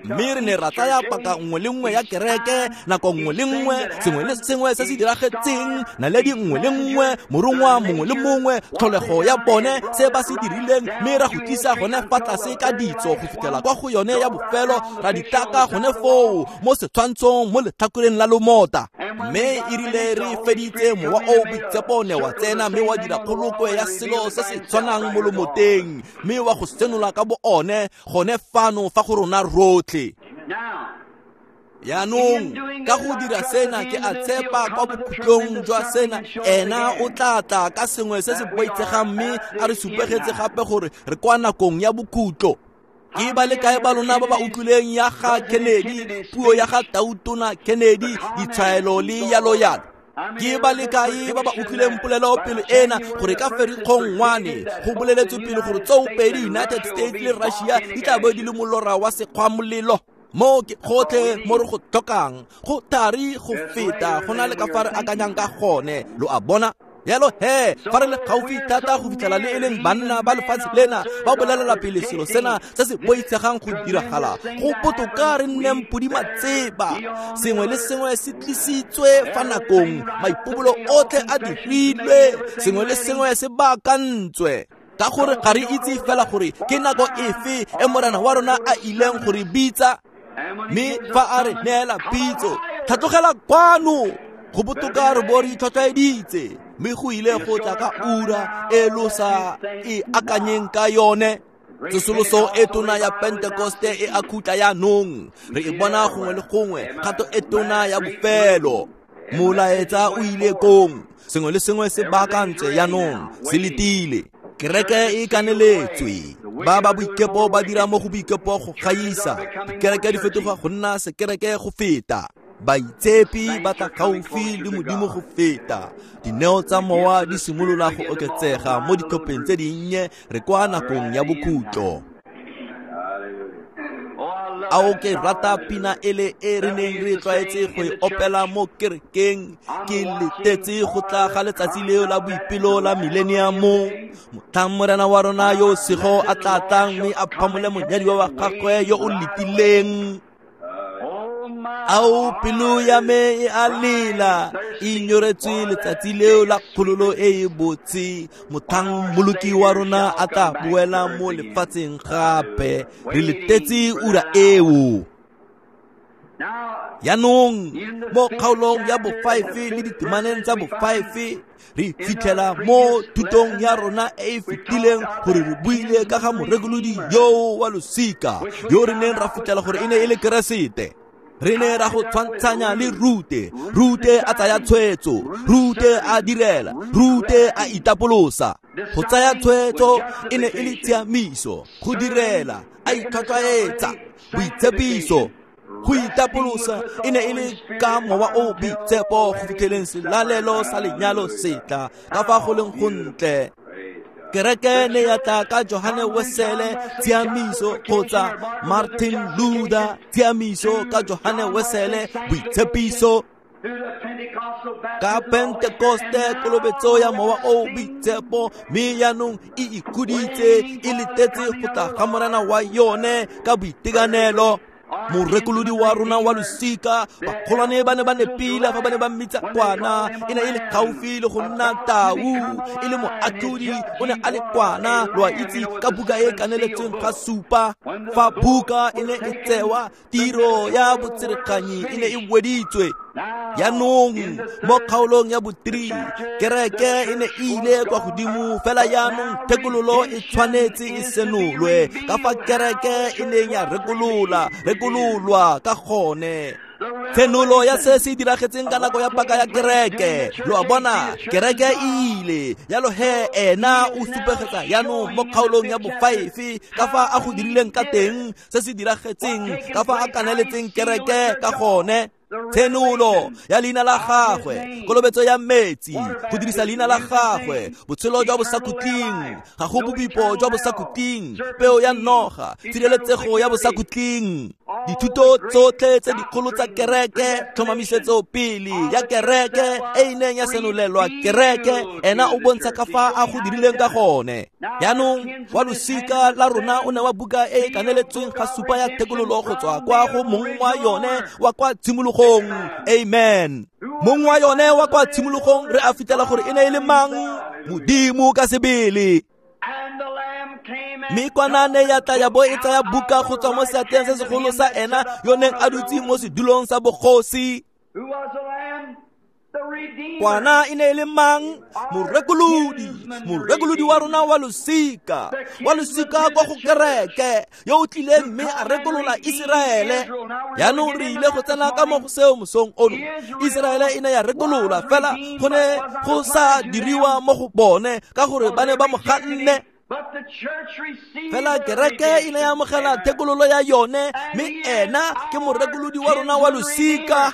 Mme re ne ra tsaya paka nngwe le nngwe ya kereke, nako nngwe le nngwe, sengwe le sengwe se se diragetseng, naledi nngwe le nngwe, morongwa mongwe le mongwe, tlholego ya bone, se ba se dirileng, mme ra go tlisa gone fa tlase ka ditso go fitlhela kwa go yone ya bofelo, ra di taka gone foo mo setshwantshong mo letlhakoreng la lomota. Mme e rile re feditse, mowa o boitshepo ne wa tsena mme wa dira kgolokwe ya selo se se tshwanang mo lomoteng, mme wa go senola ka bo one gone fano fa go rona rotlhe. Yaanong ka go dira sena ke a tshepa kwa bokhutlong jwa sena ena o tla tla ka sengwe se se boitshegang mme a re supegetse gape gore re kwa nakong ya bokhutlo. Ke ba le kae ba lona ba ba utlwileng ya ga Kennedy, puo ya ga Tautona Kennedy, ditshwaelo le yalo yalo? Ke ba le kae ba ba utlwileng polelo pele ena gore ka Ferikgong 1 go boleletswe pele gore tsoopedi United States le Russia di tla bo di le molora wa sekgwamolelo? Mo ke gotlhe mo re go tlhokang, go thari go feta go na le ka fa re akanyang ka gone, lo a bona? Yalo he, fa re le gaufi thata go fitlhela le e leng banna ba lefatshe lena ba bolelela pele selo sena se se boitshegang go diragala, go botoka re nneng podimatseba. Sengwe le sengwe se tlisitswe fa nakong, maipobolo otlhe a dirilwe, sengwe le sengwe se baakantswe. Ka gore ga re itse fela gore ke nako efe e Morena wa rona a ileng go re bitsa, mme fa a re neela pitso, tlhatlogela kwano, go botoka re bo re itlhwatlhwaeditse, mme go ile go tla ka ura e lo sa e akanyeng ka yone. Tsosoloso e tona ya Pentekoste e a khutla yaanong, re e bona gongwe le gongwe, kgato e tona ya bofelo. Molaetsa o ile kong, sengwe le sengwe se baakantswe yaanong, se letile. Kereke e kaneletswe, ba ba boikepo ba dira mo go boikepo go gaisa, dikereke di fetoga go nna sekereke go feta, baitshepi ba tla gaufi le Modimo go feta, dineo tsa mowa di simolola go oketsega mo ditlhopheng tse dinnye, re kwa nakong ya bokhutlo. Ao ke rata pina ele e re neng re tlwaetse go e opela mo kerekeng, ke letetse go tla ga letsatsi leo la boipelo la millennium, motlhang Morena wa rona yo sego a tla tlang mme a phamole monyadiwa wa gagwe yo o letileng. Ao pelo ya me e a lela, e nyoretswe letsatsi leo la kgololo e e botse, motlhang Mmoloki wa rona a tla boela mo lefatsheng gape, re letetse ura eo. Yaanong mo kgaolong ya bo-5 le ditemaneng tsa bo-5 re fitlhela mo thutong ya rona e e fetileng gore re buile ka ga morekolodi yoo wa losika yo re neng ra fitlhela gore e ne e le Keresete. Re ne ra go tshwantshanya le Rute. Rute a tsaya tshwetso, Rute a direla, Rute a itapolosa. Go tsaya tshwetso e ne e le tshiamiso, go direla a itlhwatlhwaetsa, boitshepiso. Go itapolosa e ne e le ka mowa o boitshepo go fitlheleng selalelo sa lenyalo setla ka fa go leng gontle. Kereke ne ya tla ka Johane Wesele, tshiamiso, kgotsa Martin Luther, tshiamiso, ka Johane Wesele, boitshepiso. Ka Pentekoste kolobetso ya mowa o boitshepo, mme yaanong e ikhuditse, e letetse go tla ga Morena wa yone ka boitekanelo. Morekolodi wa rona wa losika, bagolwane ba ne ba nepile fa ba ne ba mmitsa kwana, e ne e le gaufi le go nna tau, e le moatlhodi, o ne a le kwana, lo a itse ka buka e kaneletsweng ga supa. Fa buka e ne e tsewa, tiro ya botsereganyi e ne e weditswe. Jaanong mo kgaolong ya bo-3, kereke e ne e ile kwa godimo, fela jaanong thekololo e tshwanetse e senolwe ka fa kereke e neng ya rekololwa ka gone. Tshenolo ya se se diragetseng ka nako ya paka ya kereke, lo a bona, kereke e ile yalo he ena o supegetsa jaanong mo kgaolong ya bo-5 ka fa a go dirileng ka teng, se se diragetseng ka fa a kaneletseng kereke ka gone. Tshenolo ya leina la gagwe, kolobetso ya metsi, go dirisa leina la gagwe, botshelo jwa bosakhutleng, ga go bobipo jwa bosakhutleng, peo ya noga, tshireletsego ya bosakhutleng, dithuto tsotlhe tse dikgolo tsa kereke, tlhomamisetso pele ya kereke e e neng ya senolelwa kereke, ena o bontsha ka fa a go dirileng ka gone. Jaanong wa losika la rona o ne wa buka e e kaneletsweng ga supa ya thekololo go tswa kwa go mong wa yone wa kwa tshimologong. Amen. Mong wa yone wa kwa tshimologong re a fitlhela gore e ne e le mang? Modimo ka sebele. Mme kwana ne ya tla ya bo e tsaya buka go tswa mo seatleng se segolo sa ena yo neng a dutse mo sedulong sa bogosi. Kwana e ne e le mang? Morekolodi, morekolodi wa rona wa losika, wa losika kwa go kereke, yo o tlileng mme a rekolola Iseraele. Jaanong re ile go tsena ka mo go seo mosong ono. Iseraele e ne ya rekolola, fela go ne go sa diriwa mo go bone ka gore ba ne ba mo ganne. Fela kereke e ne ya amogela thekololo ya yone, mme ena ke morekolodi wa rona wa losika.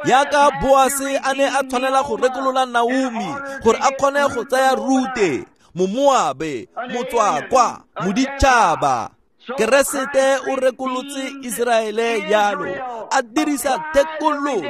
Yaka Boase a ne a tshwanela go rekolola Naomi gore a kgone go tsaya Rute, Momoabe, motswakwa, moditšhaba. Keresete o rekolotse Iseraele yalo, a dirisa thekololo,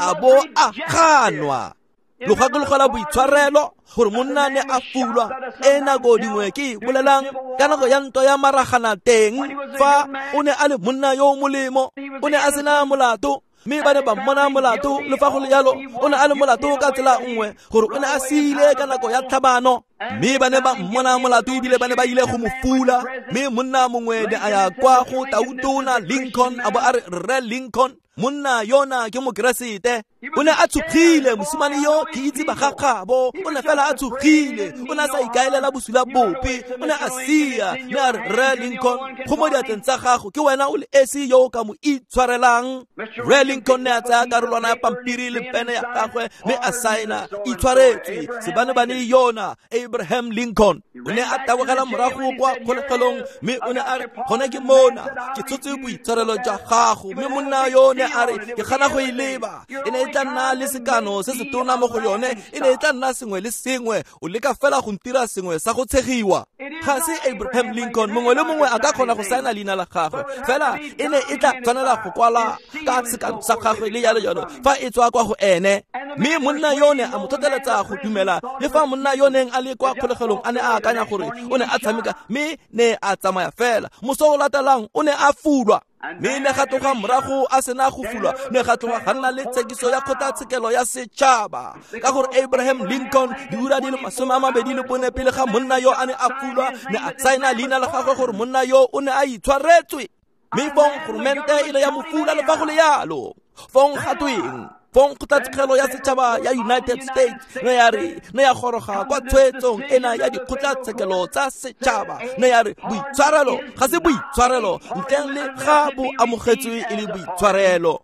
a bo a ganwa. Lo gakologela boitshwarelo gore monna ne a fulwa e nako dingwe ke bolelang ka nako ya ntwa ya maragana teng, fa o ne a le monna yo o molemo, o ne a sena molato, mme ba ne ba mmona molato. Le fa go le jalo, o ne a le molato ka tsela nngwe gore o ne a siile ka nako ya tlhabano, mme ba ne ba mmona molato ebile ba ne ba ile go mo fula. Mme monna mongwe ne a ya kwa go tautona Lincoln, a bo a re, Rre Lincoln, monna yona ke mokeresete. O ne a tshogile, mosimane yo ke itse bagagabo, o ne fela a tshogile, o ne a sa ikaelela bosula bope, o ne a sia. Ne a re, Rre Lincoln, go mo diatleng tsa gago, ke wena o le esi yo o ka mo itshwarelang. Rre Lincoln ne a tsaya karolwana ya pampiri le pene ya gagwe mme a saena, itshwaretswe sebanebane yona Abraham Lincoln. O ne a tabogela morago kwa kgolegelong mme o ne a re, gone ke mona, ke tshotse boitshwarelo jwa gago. Mme monna yo ne a re, ke gana go e leba, e ne e tla nna le sekano se se tona mo go yone, e ne e tla nna sengwe le sengwe, o leka fela go ntira sengwe sa go tshegiwa. Ga se Abraham Lincoln, mongwe le mongwe a ka kgona go saena leina la gagwe, fela e ne e tla tshwanela go kwala ka sekano sa gagwe le jalo jalo fa e tswa kwa go ene. Mme monna yo ne a mo tlhotlheletsa go dumela, le fa monna yo neng a le kwa kgolegelong a ne a akanya gore o ne a tshameka, mme ne a tsamaya fela. Moso o latelang o ne a fulwa, mme ne ga tloga morago a sena go fulwa, ne ga tloga ga nna le tshekiso ya kgotlatshekelo ya setšhaba, ka gore Abraham Lincoln diura di le 24 pele ga monna yo a ne a fulwa, ne a saena leina la gagwe gore monna yo o ne a itshwaretswe. Mme fong goromente e le ya mo fula le fa go le yalo. Fong ga tweng? Fong kgotlatshekelo ya setšhaba ya United States ne ya re, ne ya goroga kwa tshwetsong ena ya dikgotlatshekelo tsa setšhaba, ne ya re boitshwarelo ga se boitshwarelo ntleng le ga bo amogetswe e le boitshwarelo.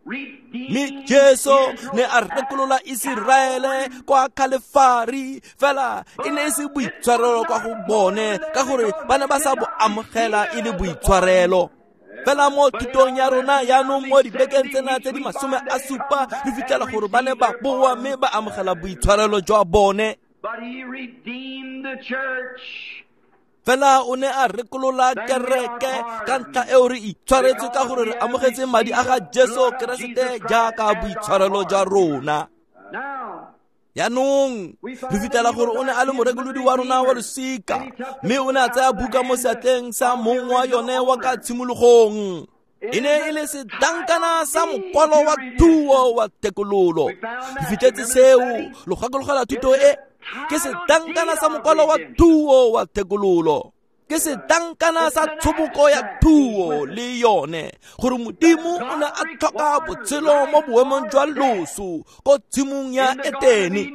Mme Jesu ne a rekolola Iseraele kwa Kalefari, fela e ne e se boitshwarelo kwa go bone ka gore ba ne ba sa bo amogela e le boitshwarelo. Fela mo thutong ya rona jaanong mo dibekeng tsena tse di 70 re fitlhela gore ba ne ba boa mme ba amogela boitshwarelo jwa bone. Fela o ne a rekolola kereke ka ntlha eo re itshwaretswe ka gore re amogetse madi a ga Jesu Keresete jaaka boitshwarelo jwa rona. Jaanong re fitlhela gore o ne a le morekolodi wa rona wa losika, mme o ne a tsaya buka mo seatleng sa mong wa yone wa ka tshimologong. E ne e le sedankana sa mokwalo wa thuo wa thekololo. Re fitlhetse seo, lo gakologela thuto e, ke sedankana sa mokwalo wa thuo wa thekololo. Ke sedankana sa tshoboko ya thuo le yone, gore Modimo o ne a tlhoka botshelo mo boemong jwa loso ko tshimong ya Etene.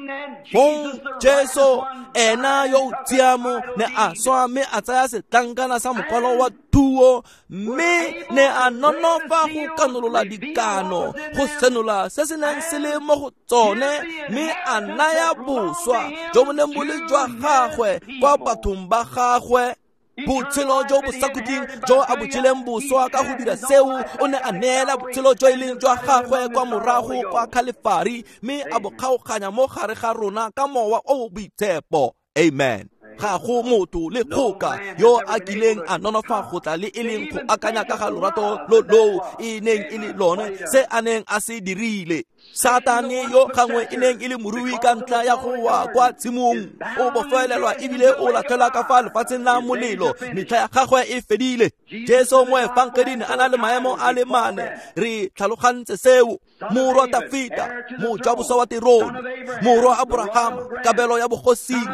Fong Jesu ena yo o tshiamo ne a swa mme a tsaya setlankana sa mokwalo wa thuo, mme ne a nonofa go kanolola dikano, go senola se se neng se le mo go tsone, mme a naya boswa jo bo neng bo le jwa gagwe kwa bathong ba gagwe. Botshelo jo bo sa khutleng jo a bo jeleng boswa ka go dira seo, o ne a neela botshelo jo e leng jwa gagwe kwa morago kwa Khalefari, mme a bo kgaoganya mo gare ga rona ka mowa o o boitshepo. Amen. Ga go motho le kgoka yo a kileng a nonofa go tla le e leng go akanya ka ga lorato lo loo e neng e le lone, se a neng a se dirile. Satane yo gangwe e neng e le morui ka ntlha ya go wa kwa tshimong, o bofelelwa ebile o latlhelwa ka fa lefatsheng la molelo, metlha ya gagwe e fedile. Jesu mo efangeding a na le maemo a le mane, re tlhalogantse seo. Morwa Dafita, mojaboswa wa terone, morwa Abrahama, kabelo ya bogosing,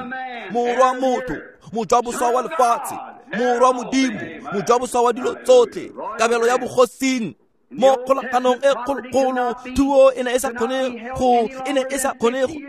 morwa motho, mojaboswa wa lefatshe, morwa Modimo, mojaboswa wa dilo tsotlhe, kabelo ya bogosing. Mo kgolaganong e kgolokgolo, thuo e ne e sa kgone go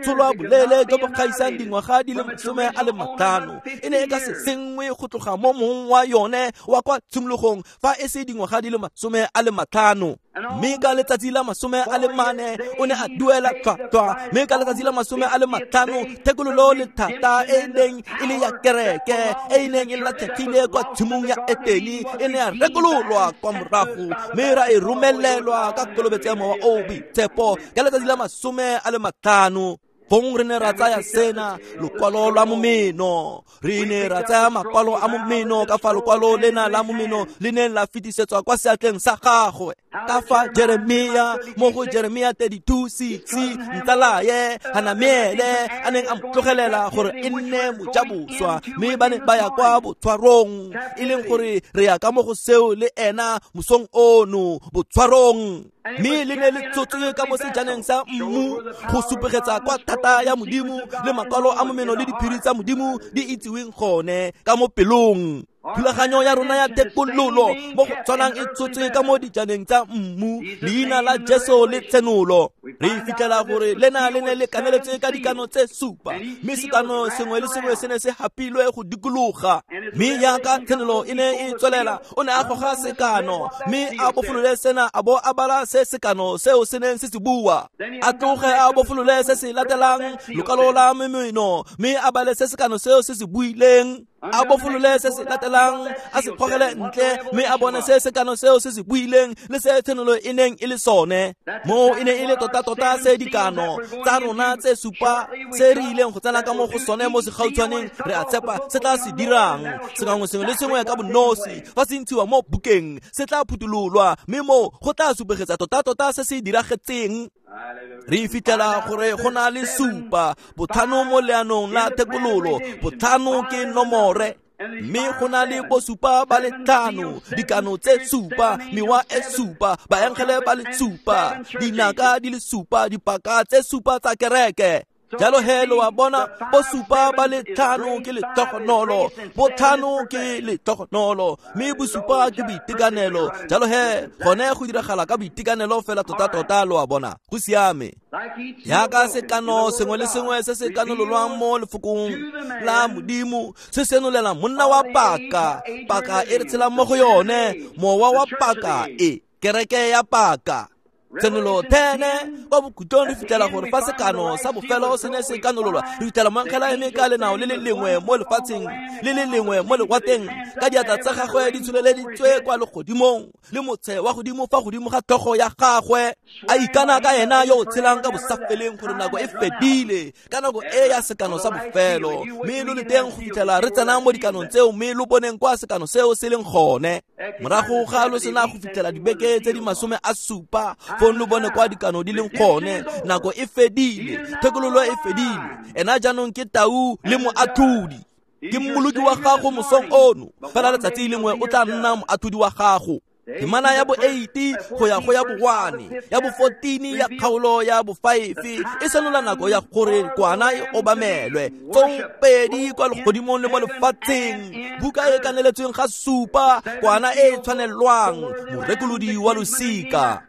tsholwa boleele jo bo gaisang dingwaga di le 50. E ne e ka se sengwe go tloga mo mong wa yone wa kwa tshimologong fa e se dingwaga di le 50. Mme ka letsatsi la 40 o ne a duela tlhwatlhwa, mme ka letsatsi la 50 thekololo le thata e neng e le ya kereke e e neng e latlhegile kwa tshimong ya Etene e ne ya rekololwa kwa morago, mme ra e romelelwa ka kolobetso ya mowa o boitshepo ka letsatsi la 50. Fong re ne ra tsaya sena, lokwalo lwa momeno. Re ne ra tsaya makwalo a momeno ka fa lokwalo lena la momeno le neng la fetisetswa kwa seatleng sa gagwe. Ka fa Jeremia, mo go Jeremia 32:6, ntsalaye Hanamiele a neng a mo tlogelela gore e nne mojaboswa, mme ba ne ba ya kwa botshwarong, e leng gore re ya ka mo go seo le ena mosong ono, botshwarong. Mme le ne le tshotswe ka mo sejaneng sa mmu go supegetsa kwa thata ya Modimo le makwalo a momeno le diphiri tsa Modimo di itsiweng gone ka mo pelong. Thulaganyo ya rona ya thekololo mo go tshwanang e tshotswe ka mo dijaneng tsa mmu, leina la Jesu le tshenolo. Re fitlhela gore lena le ne le kaneletswe ka dikano tse 7, mme sekano sengwe le sengwe se ne se hapilwe go dikologa. Mme jaaka tshenolo e ne e tswelela, o ne a goga sekano, mme a bofolole sena a bo a bala se sekano seo se neng se se bua. A tloge a bofolole se se latelang, lokwalo la momeno, mme a bale se sekano seo se se buileng. A bofolole se se latelang, a se gogele ntle, mme a bone se sekano seo se se buileng le se tshenolo e neng e le sone. Mo e ne e le tota-tota se dikano tsa rona tse 7 se re ileng go tsena ka mo go sone mo segautshwaneng, re a tshepa se tla se dirang. Sengwe sengwe le sengwe ka bonosi fa se ntshiwa mo bukeng se tla phuthololwa, mme mo go tla supegetsa tota-tota se se diragetseng. Re fitlhela gore go na le 7, botlhano mo leanong la thekololo, botlhano ke nomore, mme go na le bosupa ba le 5, dikano tse 7, mewa e 7, baengele ba le 7, dinaka di le 7, dipaka tse 7 tsa kereke. Jalo he lo a bona, bosupa ba le 5 ke letogonolo, botlhano ke letogonolo, mme bosupa ke boitekanelo. Jalo he gone go diragala ka boitekanelo fela tota-tota, lo a bona, go siame. Jaaka sekano sengwe le sengwe se se kanololwang mo lefokong la Modimo se senolela monna wa paka, paka e re tshelang mo go yone, mowa wa paka e, kereke ya paka. Tshenolo 10 kwa bokhutlong re fitlhela gore fa sekano sa bofelo se ne se kanololwa, re fitlhela moangela eme ka lenao le le lengwe mo lefatsheng le le lengwe mo lewatleng, ka diatla tsa gagwe di tsholeleditswe kwa legodimong le motshe wa godimo fa godimo ga tlhogo ya gagwe, a ikana ka ena yo o tshelang ka bosafeleng gore nako e fedile, ka nako e ya sekano sa bofelo. Mme lo le teng go fitlhela re tsena mo dikanong tseo, mme lo boneng kwa sekano seo se leng gone. Morago ga lo sena go fitlhela dibeke tse di 70 fong lo bone kwa dikano di leng gone. Nako e fedile, thekololo e fedile. Ena jaanong ke tau le moatlhodi. Ke mmoloki wa gago mosong ono, fela letsatsi lengwe o tla nna moatlhodi wa gago. Temana ya bo 8 go ya go ya bo 1, ya bo 14 ya kgaolo ya bo 5 e senola nako ya gore kwana e obamelwe. Tsopedi kwa legodimong le mo lefatsheng, buka e kaneletsweng ga supa, kwana e tshwanelwang, morekolodi wa losika.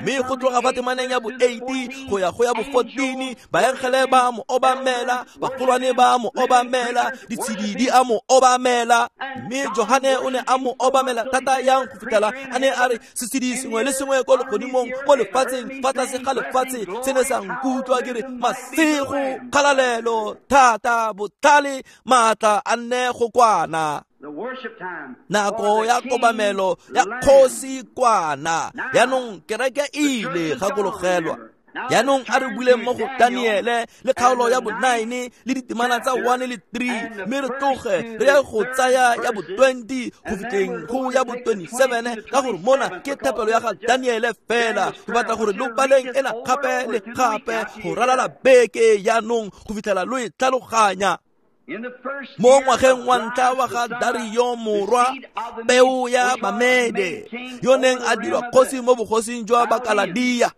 Mme go tloga fa temaneng ya bo 8 go ya go ya bo 14, baengele ba mo obamela, bagolwane ba mo obamela, ditshedi di a mo obamela. Mme Johane o ne a mo obamela thata yang go fitlhela a ne a re setshedi sengwe le sengwe ko legodimong, mo lefatsheng, fa tlase ga lefatshe, se ne sa nkutlwa ke re masego, kgalalelo, thata, botlhale, maatla a nne go kwana. Nako ya kobamelo ya kgosi kwana. Yaanong kereke e ile gakologelwa. Yaanong a re buleng mo go Daniele le kgaolo ya bo 9 le ditemana tsa 1 le 3, mme re tloge re ye go tsaya ya bo 20 go fitlheng go ya bo 27, ka gore mona ke thapelo ya ga Daniele fela. Ke batla gore lo baleng ena gape le gape go ralala beke yaanong go fitlhela lo e tlhaloganya. Mo ngwageng wa ntlha wa ga Dario morwa peo ya Bamede, yo neng a dirwa kgosi mo bogosing jwa Bakaladia.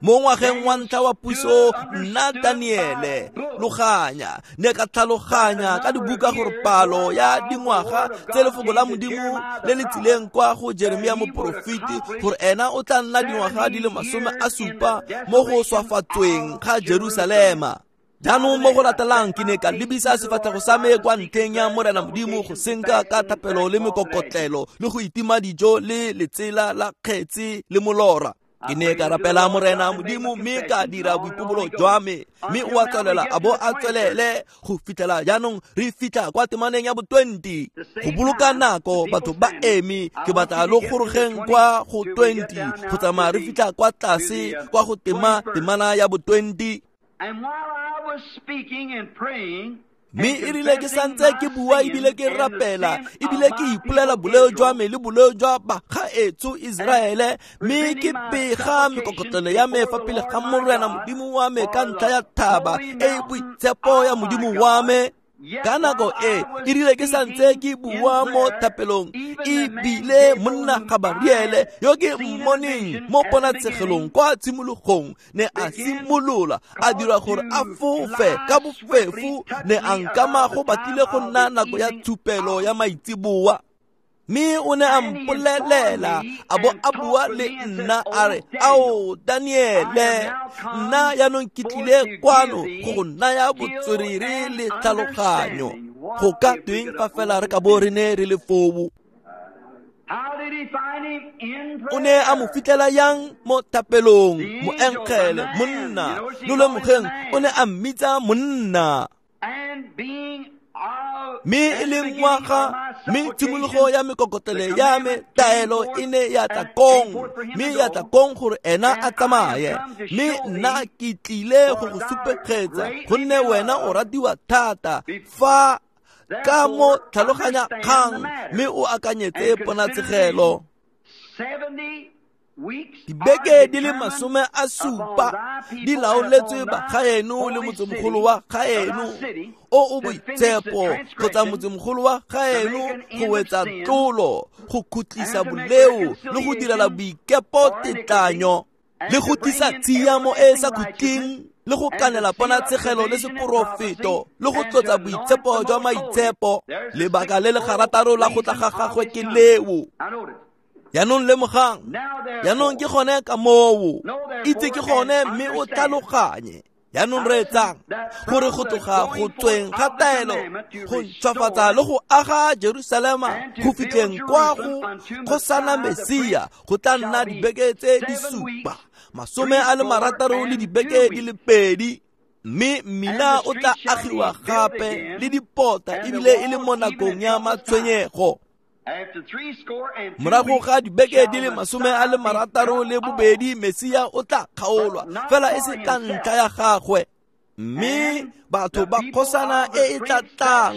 Mo ngwageng wa ntlha wa puso, nna Daniele loganya ne ka tlhaloganya ka dibuka gore palo ya dingwaga tse lefoko la Modimo le le tsileng kwa go Jeremia moporofeti gore ena o tla nna dingwaga di le 70 mo go swafatsweng ga Jerusalema. Jaanong mo go latelang ke ne ka lebisa sefatlhego sa me kwa ntlheng ya Morena Modimo go senka ka thapelo le mekokotlelo le go itima dijo le letsela la kgetse le molora. Ke ne ka rapela Morena Modimo mme ka dira boipobolo jwa me, mme o a tswelela a bo a tswelele go fitlhela jaanong re fitlha kwa temaneng ya bo 20. Go boloka nako batho ba eme, ke batla lo gorogeng kwa go 20 go tsamaya re fitlha kwa tlase kwa go temana ya bo 20. Mme e rile ke santse ke bua ebile ke rapela ebile ke ipolela boleo jwa me le boleo jwa bagaetsho Iseraele, mme ke bega mekokotlelo ya me fa pele ga Morena Modimo wa me ka ntlha ya thaba e e boitshepo ya Modimo wa me. Ka nako e e rile ke santse ke bua mo thapelong, ebile monna Gabariele yo ke mmoneng mo ponatshegelong kwa tshimologong ne a simolola a dira gore a fofe ka bofefo, ne a nkama go batlile go nna nako ya tshupelo ya maitseboa. Mme o ne a mpolelela a bo a bua le nna a re, ao Daniele, nna jaanong ke tlile kwano go go naya botswerere le tlhaloganyo. Go ka tweng fa fela re ka bo re ne re le foo? O ne a mo fitlhela yang mo thapelong, moengele, monna. Lo lemogeng, o ne a mmitsa monna. Mme e le ngwaga, mme tshimologo ya mekokotlelo ya me, taelo e ne ya tla kong, mme ya tla kong gore ena a tsamaye. Mme nna ke tlile go go supegetsa, gonne wena o ratiwa thata fa ka mo tlhaloganya kgang, mme o akanyetse ponatshegelo. Dibeke di le 70 di laoletswe bagaeno le motsemogolo wa gaeno o o boitshepo, kgotsa motsemogolo wa gaeno go wetsa tlolo, go khutlisa boleo le go direla boikepo tetlanyo, le go tlisa tshiamo e e sa khutleng, le go kanela ponatshegelo le seporofeto, le go tlotsa boitshepo jwa maitshepo. Lebaka le le garataro la go tla ga gagwe ke leo. Yaanong lemogang, yaanong ke gone ka moo, itse ke gone mme o tlhaloganye. Yaanong reetsang gore go tloga go tsweng ga taelo go ntšhwafatsa le go aga Jerusalema go fitlheng kwa go kgosana Mesia go tla nna dibeke tse di 7, 60 le dibeke di le 2. Mme mmila o tla agiwa gape le dipota ebile e le mo nakong ya matshwenyego. Morago ga dibeke di le 62, Mesia o tla kgaolwa, fela e se ka ntlha ya gagwe. Mme batho ba kgosana e e tla tlang,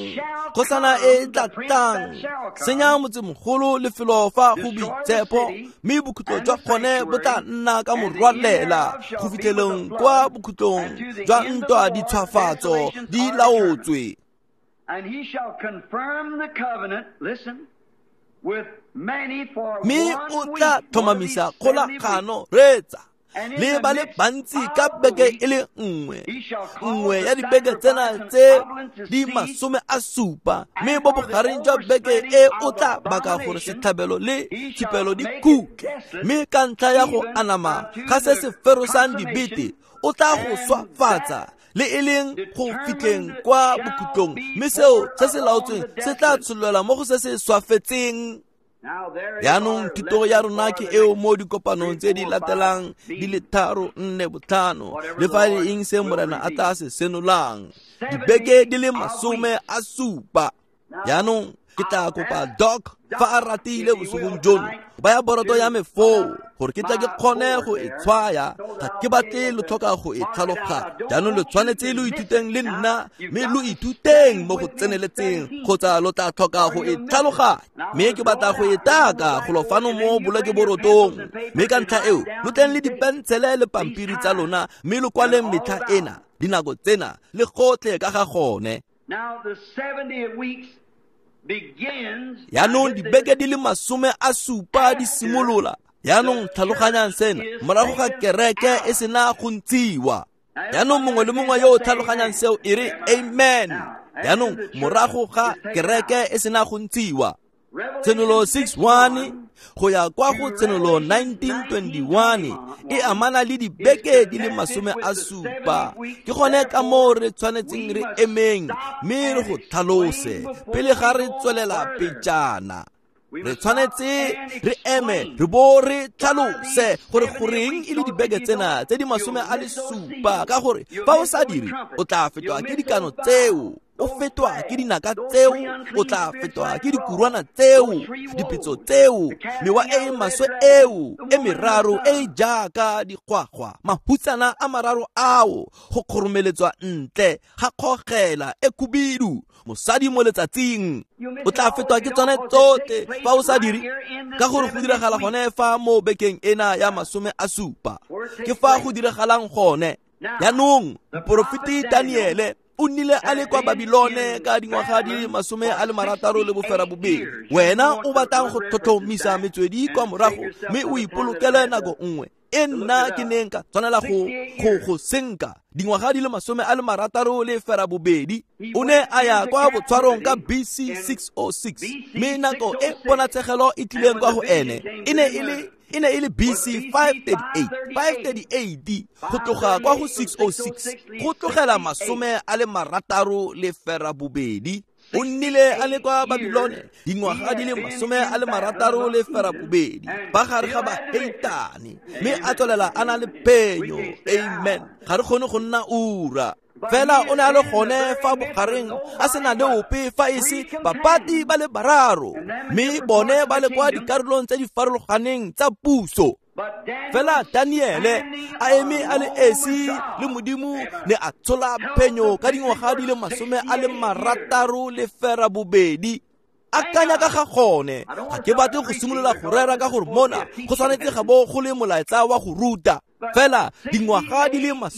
kgosana e e tla tlang, senya motsemogolo lefelo fa go boitshepo, mme bokhutlo jwa gone bo tla nna ka morwalela go fitlheleng kwa bokhutlong jwa ntwa ditshwafatso di laotswe. And he shall confirm the covenant, listen, with many for Mme one o week, tla one of tlhomamisa these 70 weeks. kgolagano, reetsa, And in le the ba le midst bantsi of ka the beke week, e le nngwe. he shall cause Nngwe the ya dibeke tsena sacrifice and tse oblates to di cease, 70, mme and mo for the bogareng jwa beke overspreading e o of tla baka gore abomination, setlhabelo le he shall tshupelo di make it khutle. desolate, Mme ka ntlha ya go even anama unto ga se the se ferosang dibete, consummation, o tla go and swafatsa that le e leng go fitlheng determined kwa shall bokhutlong, be mme seo poured se se upon laotsweng the se tla desolate. tshololelwa mo go se se swafetseng. Now there is Jaanong our thuto ya lesson rona for ke the eo next mo dikopanong 3, tse di 4, 5 latelang di le B, 3, 4, 5, whatever le the fa e le Lord eng se will Morena a reveal. tla se senolang. 70 Dibeke di le of weeks. 70. Now, Jaanong ke tla I'll kopa ask Doc fa a Doc ratile if he bosigong will jono tonight go baya boroto ya to me put foo up gore ke tle ke my kgone board go e there tshwaya. so Ga that ke I'll be batle able lo to tlhoka go e mark it out. tlhaloganya. I don't Jaanong lo want you tshwanetse to lo miss ithuteng it. le Now, nna, you've mme got lo to ithuteng study mo go with me in tseneletseng 17, kgotsa lo tla tlhoka or go e you'll miss it. tlhaloganya. Now, I'm Mme going ke to draw batla it go e out here on the taka golo blackboard, fano and mo then you bring your bolokeborotong. pencils and Mme papers ka and ntlha write eo lo down tleng le these dates, dipensele le these pampiri tsa times, lona, mme lo and kwaleng all metlha about ena, it. dinako tsena le gotlhe ka ga gone. Now, the 70 weeks begins, now Jaanong get this, dibeke di le 70 di after simolola. Jaanong the tlhaloganyang church sena is morago ga taken kereke e out. sena go ntshiwa. Now, Jaanong everybody mongwe le understands mongwe that? yo o Say tlhaloganyang amen. seo e re amen. Now, after Jaanong the church morago ga is taken out, kereke e sena go ntshiwa, Tshenolo Revelation 6:1 6:1 go ya kwa go to Tshenolo Revelation 19:21 e 19:21 amana le is dibeke di le connected with the 70. 70 weeks. Ke gone ka Therefore, moo re tshwanetseng we re must emeng stop mme re and go explain tlhalose before pele ga we re go tswelela further. pejana. We Re must stop tshwanetse and re eme explain re bo re why tlhalose these gore 70 goreng weeks, e le because if dibeke you don't, tsena tse di you'll miss those 70, seals, ka gore you'll fa o miss sa those dire o trumpets, tla fetwa you'll ke miss dikano those tseo, vials, o those fetwa ke plagues, dinaka those tseo, three o unclean tla spirits fetwa like ke frogs, dikurwana tseo, those three dipetso woes, tseo, the casting mewa out e e of the red maswe dragon, eo the e woman and the meraro e e son. jaaka dikgwagwa, mahutsana a mararo ao go kgoromeletswa ntle ga kgogela e khubidu, mosadi mo letsatsing. You'll miss O it tla all fetwa if ke you tsone don't, because it tsotlhe takes fa o place sa right dire, here in the ka gore go 70th diragala week. gone fa mo bekeng ena ya 70. Where it Ke takes fa go place. diragalang gone. Now, Jaanong the moporofeti prophet Daniel Daniele o nnile a le had kwa been Babilone in ka dingwaga di le Babylon for 68 68 years. You. Wena want o to batlang run go references tlhotlhomisa back metswedi kwa and save morago yourself mme some o the time that I ipolokele had nako to nngwe e look it nna ke up. neng ka tshwanela go 68 go years. go senka dingwaga di le 68. He O ne went a ya into kwa botshwarong ka captivity BC in 606, BC mme nako e 606. ponatshegelo e And tlileng when kwa the go vision ene came e to ne him e le e ne e le was BC BC 538, 538. 538 go tloga kwa go 538 from 606 606 go leaves tlogela 68. 68. O nnile a le 68 kwa Babilone years he dingwaga di had le been in Babylon 68 among heathen and ba gare still ga had the victory. baheitane, mme a Amen. tswelela a na le We phenyo. can't stay Amen. out. Ga re kgone go nna ura. But Fela he o had ne a le been in the gone very fa midst with bogareng a sena nobody le but ope fa e three se bapati companions, ba le bararo, and them in mme different bone parts of ba the le kwa kingdom. dikarolong tse di farologaneng tsa puso. But Daniel Fela Daniele standing a eme a le alone with esi le God, Modimo amen, ne a tshola held phenyo the ka victory dingwaga for di le 68 years. 68. Thank Akanya ka God. ga gone. I don't Ga want to ke start batle go preaching simolola go because rera this ka is gore supposed to be mona a go teaching tshwanetse ga message. bo go le molaetsa wa go ruta. But Fela dingwaga di le 68 years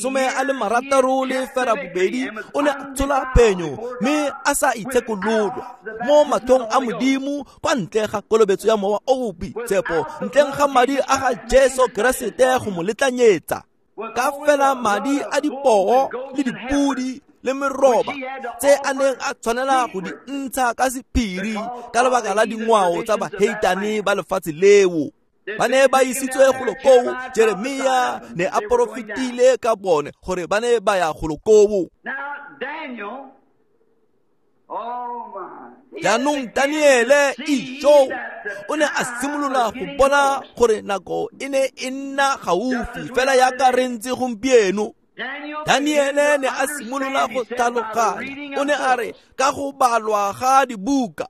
he had kept the victory 68 and was o ne a tshola undefiled phenyo before mme God a sa itshekololwa without the mo baptism of mathong the a Holy Ghost, Modimo kwa ntle ga kolobetso ya mowa o o boitshepo, without the ntleng blood ga of madi Jesus a ga Christ making Jesu intercession Keresete for go mo him, letlanyetsa. with Ka only fela the blood madi of a bulls dipoo and goats le and heifers, dipudi le which meroba he had to tse a offer neng a tshwanela go di secret ntsha ka sephiri because ka of lebaka the la heathen dingwao tsa traditions of that baheitane land. ba lefatshe leo. They'd Ba been ne ba taken isitswe down there. golo koo. Jeremiah Jeremia prophesied of them ne that a they were going down. porofetile ka bone gore ba ne ba ya golo koo. Now Daniel, oh my, he had Jaanong began to Daniele see ijo that the o ne a time was simolola go getting bona close. gore nako e ne e nna Just gaufi as we fela are yaka re today. ntse gompieno. Daniel began Daniele to ne a simolola understand, go he said, by the tlhaloganya. reading O of ne a re books. ka go balwa ga dibuka.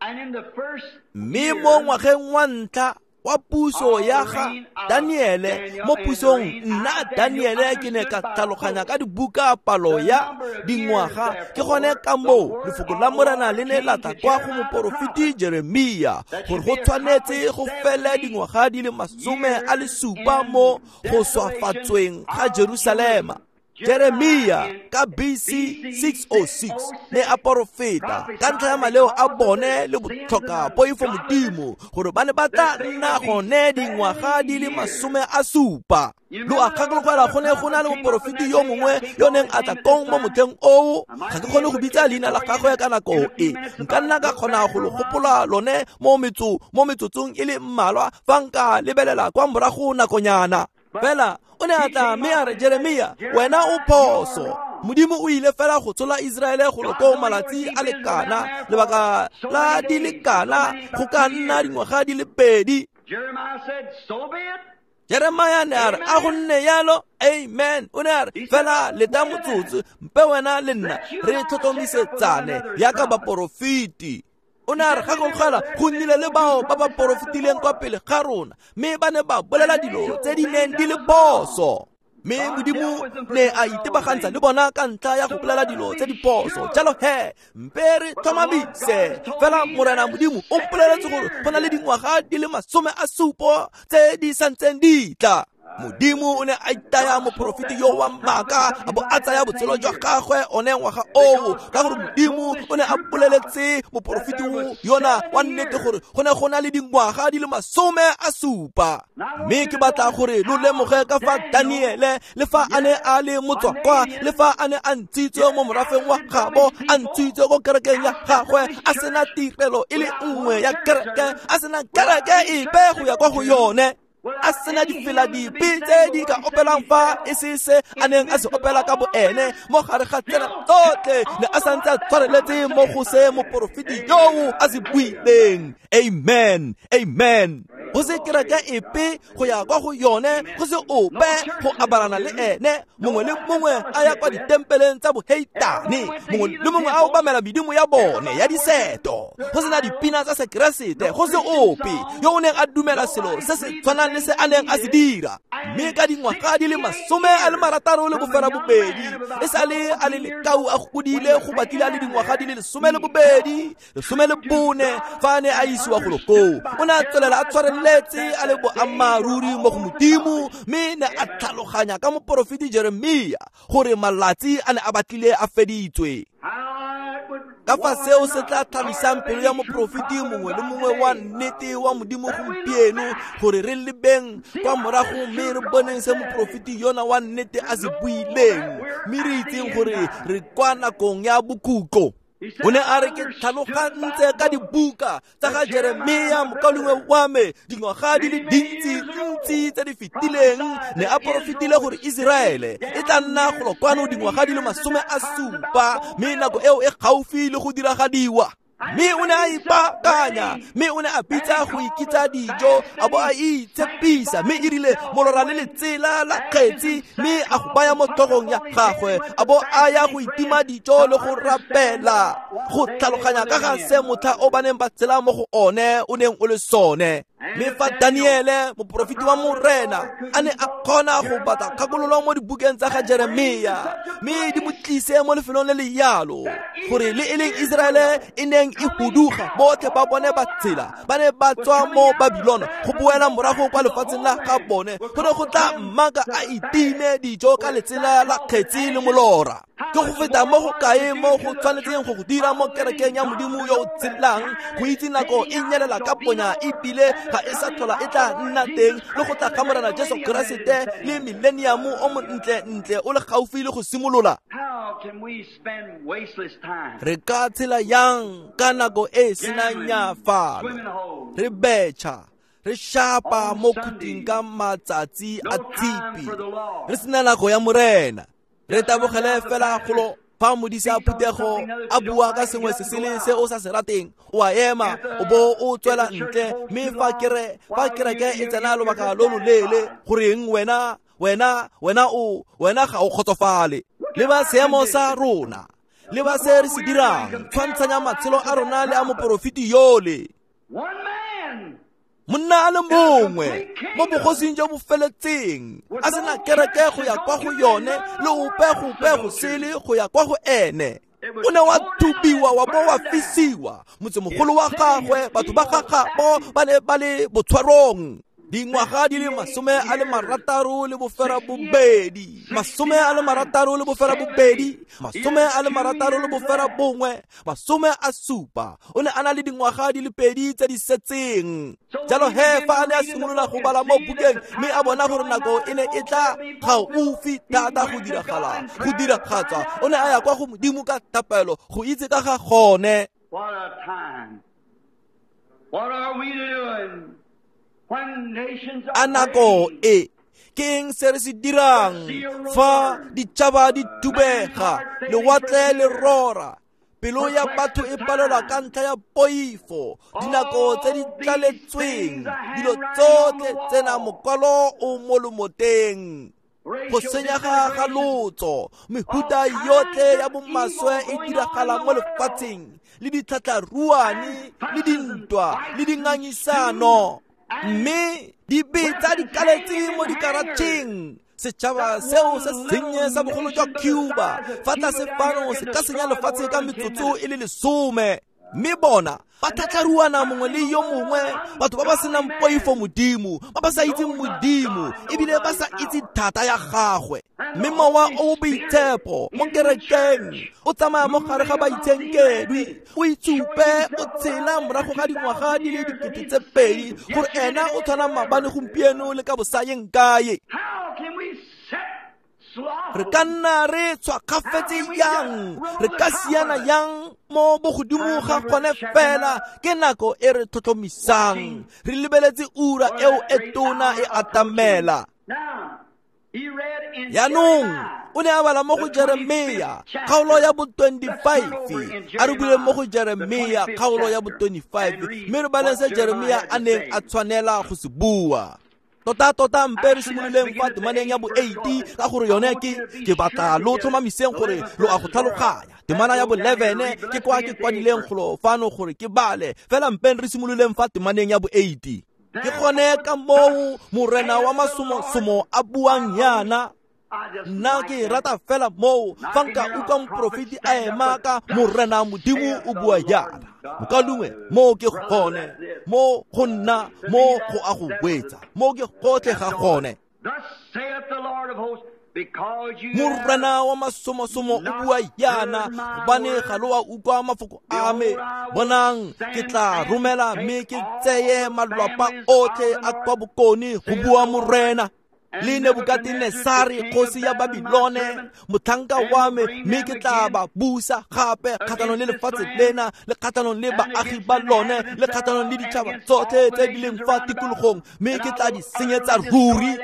And in the first Mme mo year ngwageng wa ntlha wa puso ya ga Daniele mo pusong nna Daniele ke ne ka tlhaloganya ka dibuka palo ya dingwaga. Ke gone ka moo lefoko la Morena le ne la tla kwa go moporofeti Jeremia gore go tshwanetse go fele dingwaga di le 70 mo go swafatsweng ga Jerusalema. Jeremia ka BC 606 ne a porofeta ka ntlha ya maleo a bone le botlhoka poifo Modimo gore ba ne ba tla nna gone dingwaga di le 70. Lo a gakologelwa go ne go na le moporofeti yo mongwe yo neng a tla kong mo motlheng oo. Ga ke kgone go bitsa leina la gagwe ka nako e, nka nna ka kgona go lo gopola lone mo metsotsong e le mmalwa fa nka lebelela kwa morago nakonyana. Fela o ne a tla mme a re, Jeremia, wena o phoso. Modimo o ile fela go tshola Iseraele go lo malatsi a lekana, lebaka la di lekana go ka nna dingwaga di le 2. Jeremiah ne a re, a go nne yalo, amen. O ne a re, fela leta motsotso, mpe wena le nna re tlhotlhomisetsane yaka baporofeti. O ne a re, gakologelwa go nnile le bao ba ba porofetileng kwa pele ga rona, mme ba ne ba bolela dilo tse di neng di le phoso. Mme Modimo ne a itebagantsha le bona ka ntlha ya go bolela dilo tse di phoso. Jalo he, mpe re tlhomamise fela Morena Modimo o mpoleletse gore go na le dingwaga di le 70 tse di santseng di tla. Modimo o ne a itaya moporofeti yo wa maaka a bo a tsaya botshelo jwa gagwe one ngwaga oo, ka gore Modimo o ne a boleletse moporofeti yona wa nnete gore go ne go na le dingwaga di le 70. Mme ke batla gore lo lemoge ka fa Daniele le fa a ne a le motswakwa, le fa a ne a ntshitswe mo morafeng wa gabo, a ntshitswe ko kerekeng ya gagwe, a sena tirelo e le nngwe ya kereke, a sena kereke epe go ya kwa go yone, a sena difela dipe tse di ka opelang fa e se se a neng a se opela ka boene mo gare ga tsena tsotlhe, ne a santse a tshwareletse mo go se moporofeti yoo a se buileng. Amen, amen. Go se kereke epe go ya kwa go yone, go se ope go abalana le ene. Mongwe le mongwe a ya kwa ditempeleng tsa boheitane, mongwe le mongwe a obamela medimo ya bone ya diseto. Go sena dipina tsa sekeresete, go se ope yo o neng a dumela selo se se tshwanang le se a neng a se dira. Mme ka dingwaga di le 68, e sale a le lekau a godile go batlile a le dingwaga di le 12, 14 fa a ne a isiwa golo koo. O ne a tswelela a tshwareletse a le boammaaruri mo go Modimo, mme ne a tlhaloganya ka moporofeti Jeremia gore malatsi a ne a batlile a feditswe. Ka fa seo se tla tlhalosang pelo ya moporofeti mongwe le mongwe wa nnete wa Modimo gompieno, gore re lebeng kwa morago mme re boneng se moporofeti yona wa nnete a se buileng, mme re itseng gore re kwa nakong ya bokhutlo. O ne a re, ke tlhalogantse ka dibuka tsa ga Jeremia mokaulengwe wa me dingwaga di le dintsi-ntsi tse di fetileng, ne a porofetile gore Iseraele e tla nna golo kwano dingwaga di le 70, mme nako eo e gaufi le go diragadiwa. Mme o ne a ipaakanya, mme o ne a bitsa go ikitsa dijo, a bo a itshepisa, mme e rile molora le letsela la kgetsi, mme a go baya mo tlhogong ya gagwe, a bo a ya go itima dijo le go rapela, go tlhaloganya ka ga se motlha o ba neng ba tshela mo go one o neng o le sone. Mme fa Daniele moporofeti wa Morena a ne a kgona go batla kgakololo mo dibukeng tsa ga Jeremia, mme di mo tlise mo lefelong le le yalo gore le e leng Iseraele e neng e huduga, botlhe ba bone ba tsela ba ne ba tswa mo Babilona go boela morago kwa lefatsheng la ga bone, go ne go tla mmaka a itime dijo ka letsela la kgetsi le molora. Ke go feta mo go kae mo go tshwanetseng go go dira mo kerekeng ya Modimo yo o tshelang, go itse nako e nyelela ka ponya ebile ga e sa tlhola e tla nna teng, le go tla ga Morena Jesu Keresete le millennium o montle-ntle o le gaufi le go simolola. Re ka tshela yang ka nako e senang nyafalo, re betšha, re shapa mo khuting ka matsatsi a tshipi, re sena nako ya Morena? Re tabogele fela golo fa modisa a phuthego a bua ka sengwe se sele se o sa se rateng, o a ema o bo o tswela ntle. Mme fa kereke e tsena lobaka lo loleele, goreng wena ga o kgotsofale. Le ba seemo sa rona, le ba se re se dirang, tshwantshanya matshelo a rona le a moporofeti yole. Monna a le mongwe mo bogosing jo bo feletseng a sena kereke go ya kwa go yone le ope gope go sele go ya kwa go ene. O ne wa thubiwa wa bo wa fisiwa. Motsemogolo wa gagwe, batho ba gagabo ba ne ba le botshwarong dingwaga di le 68, 68, 61, 70. O ne a na le dingwaga di le 2 tse di setseng. Jalo he fa a ne a simolola go bala mo bukeng mme a bona gore nako e ne e tla gaufi thata go diragala, go diragatswa, o ne a ya kwa go Modimo ka thapelo go itse ka ga gone. What a time. What are we doing? A nako e ke eng se re se dirang fa ditšhaba di thubega, lewatle le rora, pelo ya batho e palelwa ka ntlha ya poifo, dinako tse di tlaletsweng, dilo tsotlhe tsena mokwalo o mo lomoteng, go senyega ga lotso, mehuta yotlhe ya bomaswe e diragala mo lefatsheng, le ditlhatlharuane, le dintwa, le dingangisano, mme dibetsa di kaletse mo dikaratšheng. Setšhaba seo se sennye sa bogolo jwa Cuba fa tlase fano se ka senya lefatshe ka metsotso e le 10. Mme bona ba tlhatlharuana mongwe le yo mongwe, batho ba ba senang poifo Modimo, ba ba sa itseng Modimo ebile ba sa itse thata ya gagwe. Mme mowa o boitshepo mo kerekeng o tsamaya mo gare ga baitshenkedwi, o itsupe o tshela morago ga dingwaga di le 2000 gore ena o tshwana maabane gompieno le ka bosayeng kae. Re ka nna re tshwakgafetse yang, re ka siana yang mo bogodimo ga gone fela ke nako e re tlhotlhomisang, re lebeletse ura eo e tona e atamela. Jaanong o ne a bala mo go Jeremia kgaolo ya bo 25. A re buleng mo go Jeremia kgaolo ya bo 25 mme re baleng se Jeremia a neng a tshwanela go se bua. Tota mpe re simololeng fa temaneng ya bo 8 ka gore yone ke batla lo tlhomamiseng gore lo a go tlhaloganya. Temana ya bo 11 ke kwa ke kwadileng golo fano gore ke bale, fela mpe re simololeng fa temaneng ya bo 8. Ke gone ka moo morena wa masomosomo a buang yana. Nna ke rata fela moo fa nka utlwa moporofeti a ema ka morena Modimo o bua yana. Mokalungwe mo ke gone, mo go nna, mo go a go wetsa, mo ke gotlhe ga gone. Morena wa masomosomo o bua yana, gobane ga lo a utlwa mafoko a me. Bonang, ke tla romela mme ke tseye malwapa otlhe a kwa bokone, go bua morena. Le Nebukatenesare kgosi ya Babilone motlhanka wa me, mme ke tla ba busa gape kgatlhanong le lefatshe lena, le kgatlhanong le baagi ba lone, le kgatlhanong le ditšhaba tsotlhe tse di leng fa tikologong, mme ke tla di senyetsa ruri.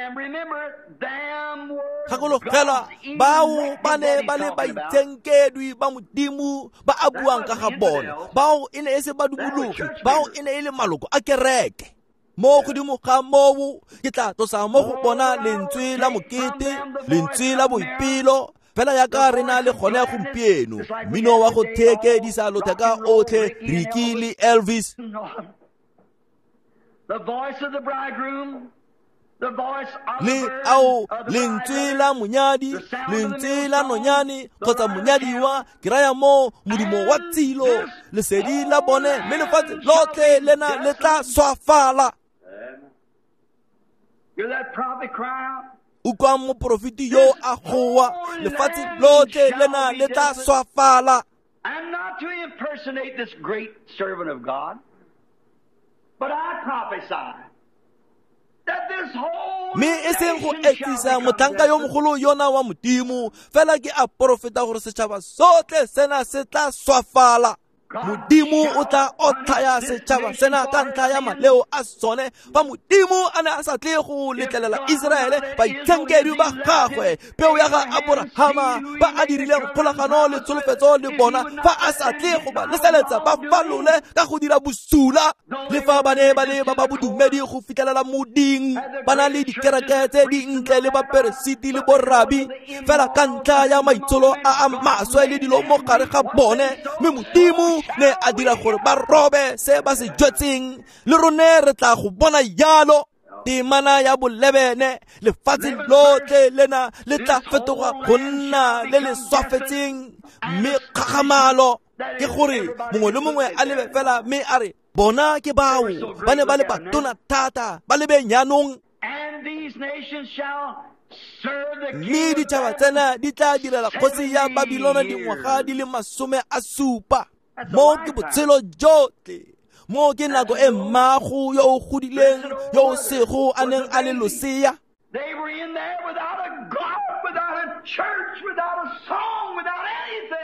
Gakologelwa bao ba ne ba le baitshenkedwi ba Modimo ba a buang ka ga bona, bao e ne e se badumologi, bao e ne e le maloko a kereke. Mo godimo ga moo ke tla tlosa mo go bona lentswe la mokete, lentswe la boipelo, fela yaka re na le gone gompieno, mmino wa go thekedisa lotheka otlhe, Ricky le Elvis. Le ao lentswe la monyadi, lentswe la nonyane kgotsa monyadiwa, ke raya mo modumo wa tsilo, lesedi la bone, mme lefatshe lotlhe lena le tla swafala. Utlwang moporofeti yo a goa, lefatshe lotlhe lena le tla swafala. And not to impersonate this great servant of God, but I prophesy mme e seng go etsisa motlhanka yo mogolo yona wa Modimo, fela ke a porofeta gore setšhaba sotlhe sena se tla swafala. Modimo o tla otlhaya setšhaba sena ka ntlha ya maleo a sone. Fa Modimo a ne a sa tle go letlelela Iseraele baitshenkedwi ba gagwe, peo ya ga Aborahama ba a dirileng kgolagano le tsholofetso le bona, fa a sa tle go ba leseletsa ba falole ka go dira bosula, le fa ba ne ba le ba ba bodumedi go fitlhelela moding, ba na le dikereke tse dintle le baperesiti le borabi, fela ka ntlha ya maitsholo a a maswe le dilo mo gare ga bone, mme Modimo Modimo ne a dira gore ba robe se ba se jwetseng le rone re tla go bona jalo. Temana ya bolebene lefatshe lotlhe lena le tla fetoga go nna le le swafetseng mme kgagamalo ke gore mongwe le mongwe a lebe fela mme a re bona ke bao ba ne ba le batona thata ba lebe nyanong. Mme ditšhaba tsena di tla direla kgosi ya Babilona dingwaga di le 70. Mo ke botshelo jotlhe. Mo ke nako e mmago yo o godileng yo o sego a neng a le losea.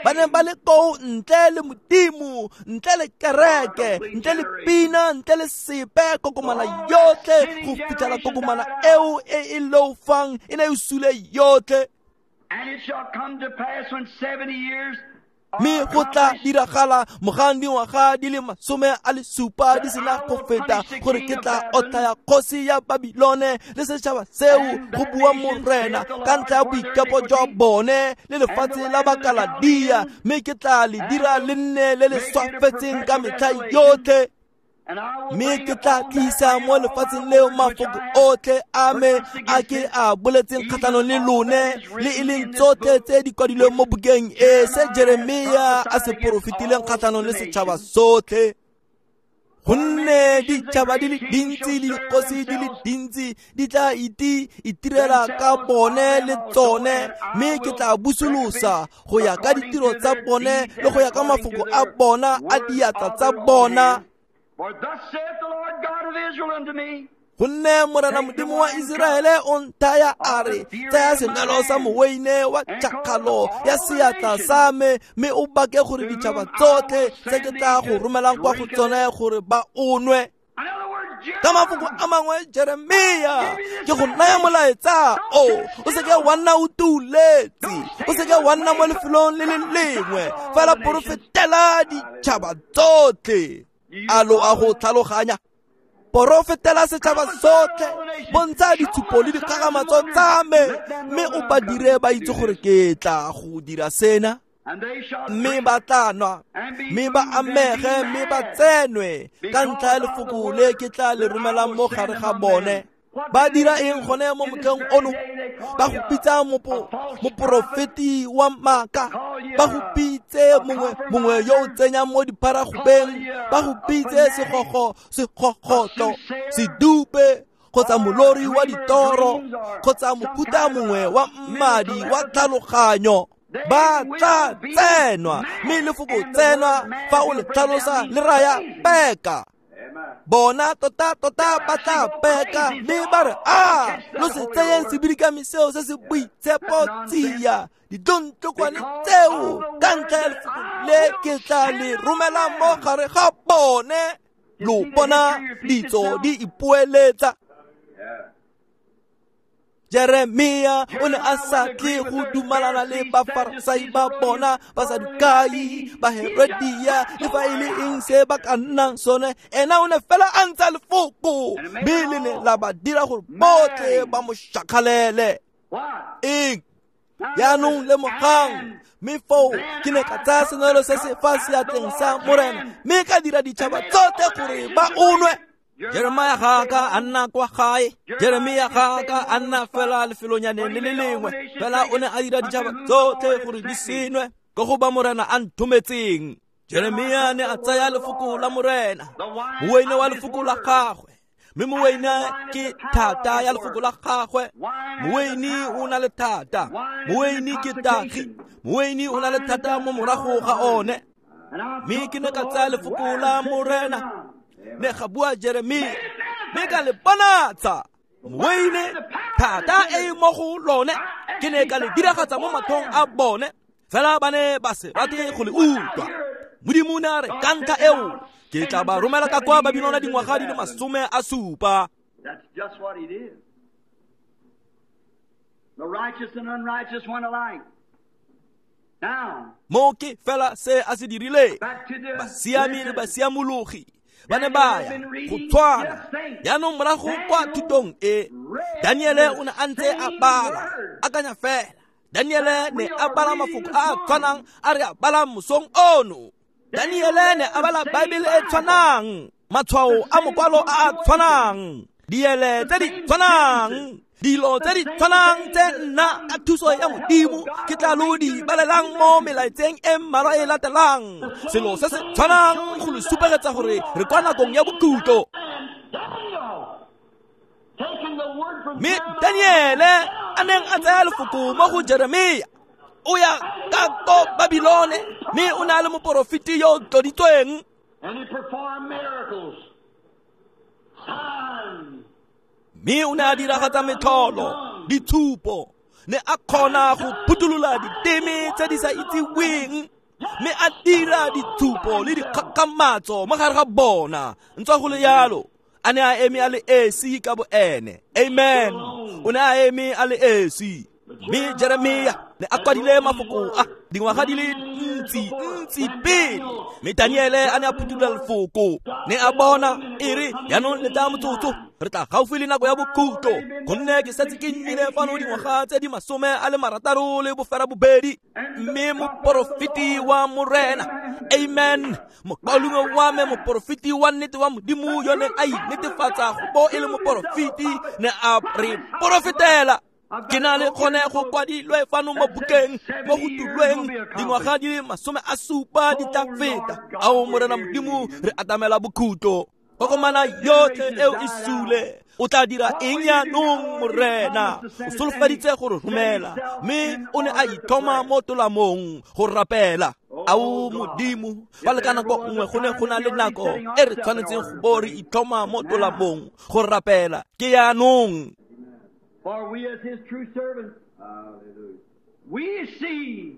Ba ne ba le koo ntle le Modimo, ntle le kereke, ntle le pina, ntle le sepe, kokomana yotlhe go fitlhela kokomana eo e e loufang e ne e sule yotlhe. Mme go tla diragala mogang dingwaga di le 70 di sena go feta gore ke tla otlhaya kgosi ya Babilone le setšhaba seo, go bua Morena, ka ntlha ya boikepo jwa bone le lefatshe la Bakaladia, mme ke tla le dira le nne le le swafetseng ka metlha yotlhe. Mme ke tla tlisa mo lefatsheng leo mafoko otlhe a me a ke a boletseng kgatlhanong le lone, le e leng tsotlhe tse di kwadilweng mo bukeng e se Jeremia a se porofetileng kgatlhanong le setšhaba sotlhe. Gonne ditšhaba di le dintsi le dikgosi di le dintsi di tla itirela ka bone le tsone, mme ke tla busolosa go ya ka ditiro tsa bone le go ya ka mafoko a bona a diatla tsa bona. Gonne Morena Modimo wa Iseraele o nthaya a re, tsaya senwelo sa moweine wa tšhakgalo ya seatla sa me, mme o bake gore ditšhaba tsotlhe tse ke tla go romelang kwa go tsone gore ba o nwe. Ka mafoko a mangwe, Jeremia, ke go naya molaetsa o o seke wa nna o tuletse, o seke wa nna mo lefelong le le lengwe, fela porofetela ditšhaba tsotlhe. A lo a go tlhaloganya? Porofetela setšhaba sotlhe, bontsha ditshupo le dikgagamatso tsa me, mme o ba dire ba itse gore ke tla go dira sena. Mme ba tla nwa, mme ba amege, mme ba tsenwe ka ntlha ya lefoko le ke tla le romelang mo gare ga bone. Ba dira eng gone mo motlheng ono? Ba go pitsa moporofeti wa maaka, ba go pitse mongwe yo o tsenyang mo dipharagobeng, ba go pitse segogotlo, sedupe, kgotsa molori wa ditoro, kgotsa mofuta mongwe wa mmadi wa tlhaloganyo. Ba tla tsenwa, mme lefoko tsenwa fa o le tlhalosa le raya peka. Bona tota tota ba tla peka, mme ba re, a lo se tseyeng sebidikami seo se se boitshepo tsia, ditlontlokwane tseo ka ntlha ya lefoko le ke tla le romela mo gare ga bone. Lo bona ditso di ipoeletsa. Jeremia o ne a sa tle go dumalana le Bafarasai ba bona, Basadukai, Baherodia, le fa e le eng se ba ka nnang sone. Ena o ne fela a ntsha lefoko, mme le ne la ba dira gore botlhe ba mo shakgalele. Eng? Jaanong lemogang, mme foo ke ne ka tsaya senwelo se se fa seatleng sa Morena, mme ka dira ditšhaba tsotlhe gore ba o nwe. Jeremia ga ka a nna kwa gae, Jeremia ga ka a nna fela lefelonyaneng le le lengwe, fela o ne a dira ditšhaba tsotlhe gore di senwe ka go ba Morena a nthometseng. Jeremia ne a tsaya lefoko la Morena, moweine wa lefoko la gagwe, mme moweine ke thata ya lefoko la gagwe. Moweine o na le thata, moweine ke tagi, moweine o na le thata mo morago ga one. Mme ke ne ka tsaya lefoko la Morena, ne ga bua Jeremia, mme ka le bonatsa. Moweine thata e mo go lone, ke ne ka le diragatsa mo matlhong a bone, fela ba ne ba se rate go le utlwa. Modimo ne a re, ka ntlha eo ke tla ba romela ka kwa Babilona dingwaga di le 70. That's just what he did. The righteous and unrighteous one alike. Now, Mo ke fela se a se dirileng. Basiami le basiamologi ba ne ba ya go tshwana. Jaanong morago kwa thutong e, Daniele o ne a ntse a bala, akanya fela. Daniele ne a bala mafoko a a tshwanang a re a balang mosong ono. Daniele ne a bala Baebele e tshwanang, matshwao a mokwalo a a tshwanang, diele tse di tshwanang, dilo tse di tshwanang tse nna ka thuso ya Modimo ke tla lo di balelang mo melaetseng e mmalwa e latelang. Selo se se tshwanang go le supegetsa gore re kwa nakong ya bokhutlo. Mme Daniele a neng a tsaya lefoko mo go Jeremia, o ya ka ko Babilone, mme o ne a le moporofeti yo o tloditsweng. Mme o ne a diragatsa metlholo, ditshupo, ne a kgona go phuthulola diteme tse di sa itseweng, mme a dira ditshupo le dikgakgamatso mo gare ga bona. Ntswa go le yalo, a ne a eme a le esi ka boene. Amen. O ne a eme a le esi. Mme Jeremia ne a kwadile mafoko a dingwaga di le ntsi ntsi pele. Mme Daniele a ne a phuthulola lefoko, ne a bona e re jaanong le tla motsotso, re tla gaufi le nako ya bokhutlo, gonne ke setse ke nnile fano dingwaga tse di 68. Mme moporofeti wa Morena, amen, mokaulengwe wa me, moporofeti wa nnete wa Modimo yo neng a inetefatsa go bo e le moporofeti, ne a re porofetela. Ke na le kgone go kwadilwe fano mo bukeng mo go tulweng dingwaga di le 70 di tla feta. Ao Morena Modimo, re atamela bokhutlo. Kokomana yotlhe eo e sule. O tla dira eng jaanong, Morena? O solofeditse go re romela, mme o ne a itlhoma mo tolamong go rapela. Ao Modimo, fa le ka nako nngwe go ne go na le nako e re tshwanetseng go bo re itlhoma mo tolamong go rapela, ke jaanong. For we as his true servants, we see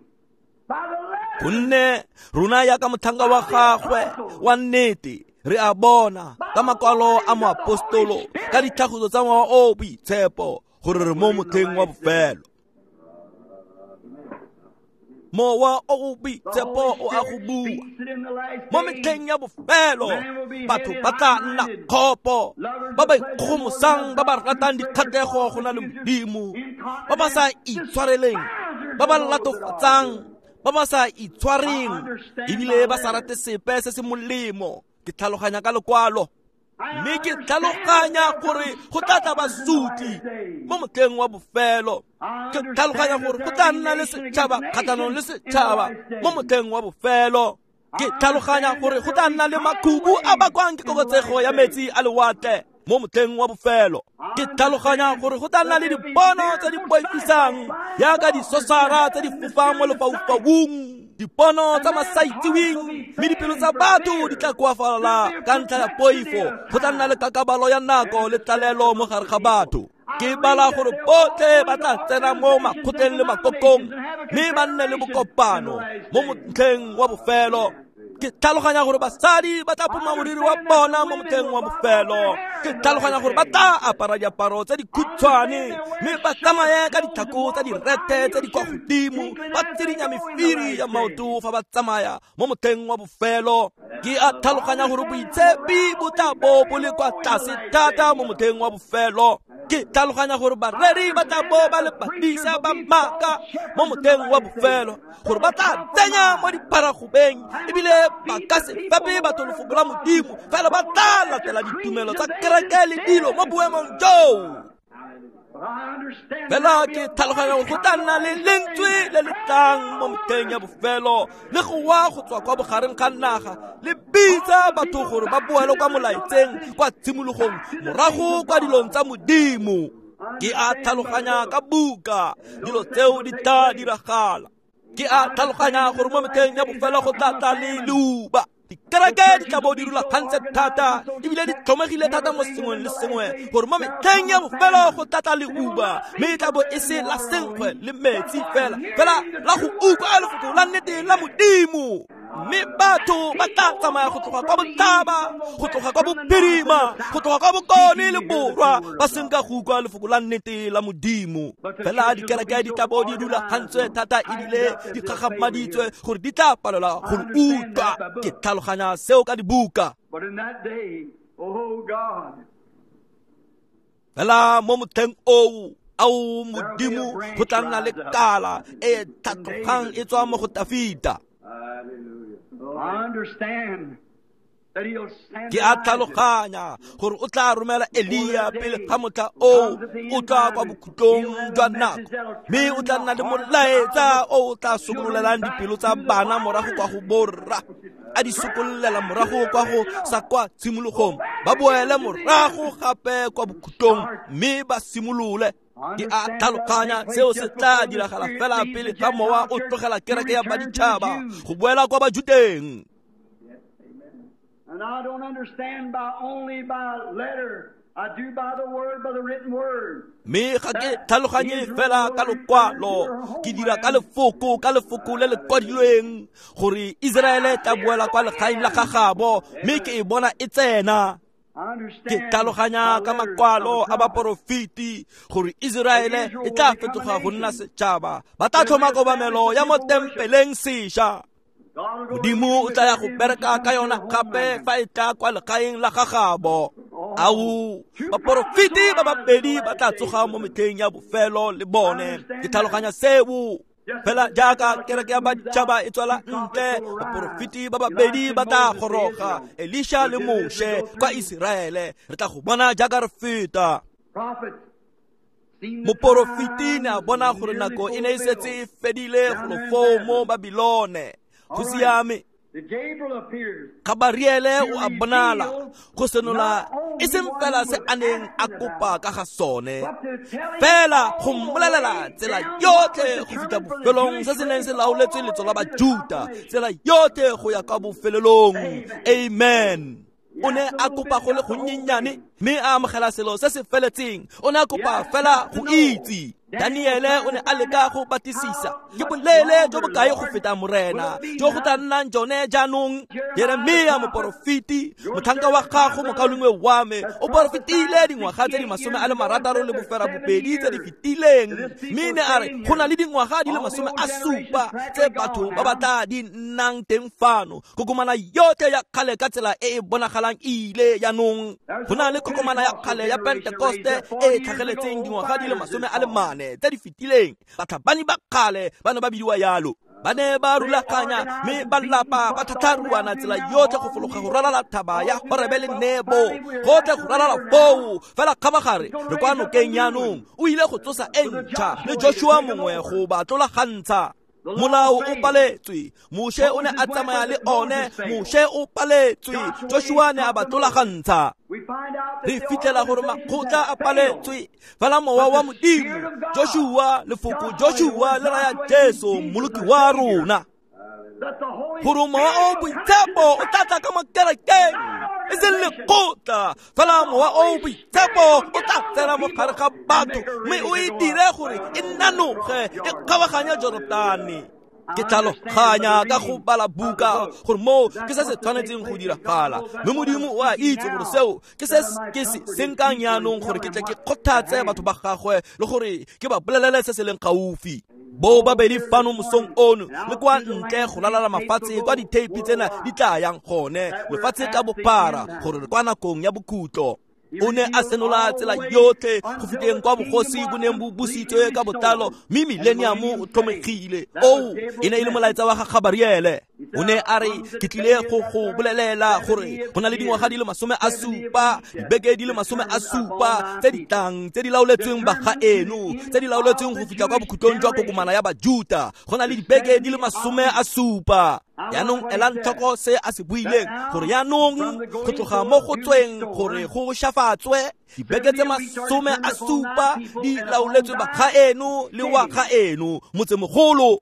by the letter. Gonne rona yaka motlhanka wa gagwe wa nnete, re a bona ka makwalo a moapostolo, ka ditlhagiso tsa Mowa o o Boitshepo, gore re mo motlheng wa bofelo. Mowa o o Boitshepo o a go bua. Mo metlheng ya bofelo, batho ba tla nna kgopo, ba ba ikgogomosang, ba ba ratang dikgatlhego go na le Modimo, ba ba sa itshwareleng, ba ba latofatsang, ba ba sa itshwareng, ebile ba sa rate sepe se se molemo. Ke tlhaloganya ka lekwalo, mme ke tlhaloganya gore go tla tla basotli mo motlheng wa bofelo. Ke tlhaloganya gore go tla nna le setšhaba kgatlhanong le setšhaba mo motlheng wa bofelo. Ke tlhaloganya gore go tla nna le makhubu a bakwang ke koketsego ya metsi a lewatle mo motlheng wa bofelo. Ke tlhaloganya gore go tla nna le dipono tse di boifisang jaaka disosara tse di fofang mo lefaufaung, dipono tsa masaitseweng, mme dipelo tsa batho di tla koafala ka ntlha ya poifo. Go tla nna le kakabalo ya nako le tlalelo mo gare ga batho. Ke bala gore botlhe ba tla tsena mo makgotleng le makokong, mme ba nne le bokopano mo motlheng wa bofelo. Ke tlhaloganya gore basadi ba tla phuma moriri wa bona mo motlheng wa bofelo. Ke tlhaloganya gore ba tla apara diaparo tse dikhutshwane, mme ba tsamaye ka ditlhako tsa direthe tse di kwa godimo, ba tsirinya mefiri ya maoto fa ba tsamaya mo motlheng wa bofelo. Ke a tlhaloganya gore boitshepi bo tla bo bo le kwa tlase thata mo motlheng wa bofelo. Ke tlhaloganya gore bareri ba tla bo ba le badisa ba maaka mo motlheng wa bofelo, gore ba tla tsenya mo diparagobeng, ebile ba ka se fepe batho lefoko la Modimo, fela ba tla latela ditumelo tsa kereke le dilo mo boemong joo. Fela ke tlhaloganya gore go tla nna le lentswe le le tlang mo motlheng ya bofelo, le go wa go tswa kwa bogareng ga naga, le bitsa batho gore ba boele kwa molaetseng, kwa tshimologong, morago kwa dilong tsa Modimo. Ke a tlhaloganya ka buka dilo tseo di tla diragala. Ke a tlhaloganya gore mo metlheng ya bofelo go tla tla le leuba. Dikereke di tla bo di rulagantse thata, ebile di tlhomegile thata mo sengweng le sengwe, gore mo metlheng ya bofelo go tla tla leuba, mme e tla bo e se la senkgwe le metsi fela, fela la go utlwa lefoko la nnete la Modimo. Mme batho ba tla tsamaya go tloga kwa botlhaba, go tloga kwa bophirima, go tloga kwa bokone le borwa, ba senka go utlwa lefoko la nnete la Modimo. Fela dikereke di tla bo di rulagantswe thata ebile di kgakgamaditswe gore di tla palelwa go le utlwa. Ke tlhaloganya seo ka dibuka. Fela mo motlheng oo, ao Modimo, go tla nna le kala e tlhatlogang e tswa mo go Tafita. Ke a tlhaloganya gore o tla romela Elia pele ga motlha o o tla kwa bokhutlong jwa nako, mme o tla nna le molaetsa o o tla sokololelang dipelo tsa bana morago kwa go borra, a di sokololela morago kwa go sa kwa tshimologong, ba boele morago gape kwa bokhutlong mme ba simolole. Ke a tlhaloganya seo se tla diragala fela pele ga mowa o tlogela kereke ya baditšhaba go boela kwa Bajuteng. And I don't understand by only by letter. I do by the word, by the written word. Mme ga ke tlhaloganye fela ka lokwalo, ke dira ka lefoko le le kwadilweng gore Iseraele tla boela kwa legaeng la gagabo, mme ke e bona e tsena. Ke tlhaloganya ka makwalo a baporofeti gore Iseraele e tla fetoga go nna setšhaba, ba tla tlhoma kobamelo ya mo tempeleng sešwa. Modimo o tla ya go bereka ka yona gape fa e tla kwa legaeng la gagabo. Ao, baporofeti ba babedi ba tla tsoga mo metlheng ya bofelo le bone. Ke tlhaloganya seo. Fela jaaka kereke ya baditšhaba e tswela ntle, baporofeti ba babedi ba tla goroga, Elisha le Moshe kwa Iseraele. Re tla go bona jaaka re feta. Moporofeti ne a bona gore nako e ne e setse e fedile golo foo mo Babilone. Go siame. Gabariele o a bonala go senola e seng fela se a neng a kopa ka ga sone, fela go mmolelela tsela yotlhe go fitlha bofelong se se neng se laoletswe letso la Bajuta, tsela yotlhe go ya kwa bofelelong. Amen. O ne a kopa go le gonnyenyane mme a amogela selo se se feletseng. O ne a kopa fela go itse. Daniele o ne a leka go batlisisa ke boleele jo bokae go feta morena jo go tla nnang jone jaanong. Jeremia moporofeti, motlhanka wa gago mokaulengwe wa me, o porofetile dingwaga tse di 68 tse di fetileng, mme ne a re go na le dingwaga di le 70 tse batho ba ba tla di nnang teng fano. Kokomana yotlhe ya kgale ka tsela e e bonagalang e ile jaanong. Go na le kokomana ya kgale ya Pentekoste e e tlhageletseng dingwaga di le 40 tse di fetileng. Batlhabani ba kgale ba ne ba bidiwa yalo. Ba ne ba rulaganya mme ba lapa ba tlhatlharuana tsela yotlhe go fologa go ralala thaba ya Horebe le Nebo, gotlhe go ralala foo. Fela kgabagare re kwa nokeng jaanong. O ile go tsosa e ntšha le Joshua mongwe go ba tlolagantsha. Molao o paletswe, Moshe o ne a tsamaya le one, Moshe o paletswe, Joshua ne a ba tlolagantsha. Re fitlhela gore makgotla a paletswe, fela mowa wa Modimo, Joshua, lefoko Joshua le raya Jesu, mmoloki wa rona. Gore mowa o boitshepo o tla tla ka mo kerekeng, e seng lekgotla, fela mowa o boitshepo o tla tsena mo gare ga batho mme o e dire gore e nanoge e kgabaganye Jorodane. Ke tlhaloganya ka go bala buka gore moo ke se se tshwanetseng go diragala, mme Modimo o a itse gore seo ke se ke se senkang jaanong gore ke tle ke kgothatse batho ba gagwe le gore ke ba bolelele se se leng gaufi. Bo babedi fano mosong ono le kwa ntle go lalala mafatshe kwa ditheipi tsena di tla yang gone, lefatshe ka bophara, gore re kwa nakong ya bokhutlo. O ne a senola tsela yotlhe go fitlheng kwa bogosi bo neng bo busitswe ka botlalo, mme millennium o tlhomegile. Oo e ne e le molaetsa wa ga Gabariele. O ne a re ke tlile go go bolelela gore go na le dingwaga di le 70, dibeke di le 70 tse di tlang, tse di laoletsweng ba ga eno, tse di laoletsweng go fitlha kwa bokhutlong jwa kokomana ya Bajuta. Go na le dibeke di le 70. Jaanong elang tlhoko se a se buileng, gore jaanong go tloga mo go tsweng gore go shafatswe dibeke tse 70 di laoletswe ba ga eno le wa ga eno, motsemogolo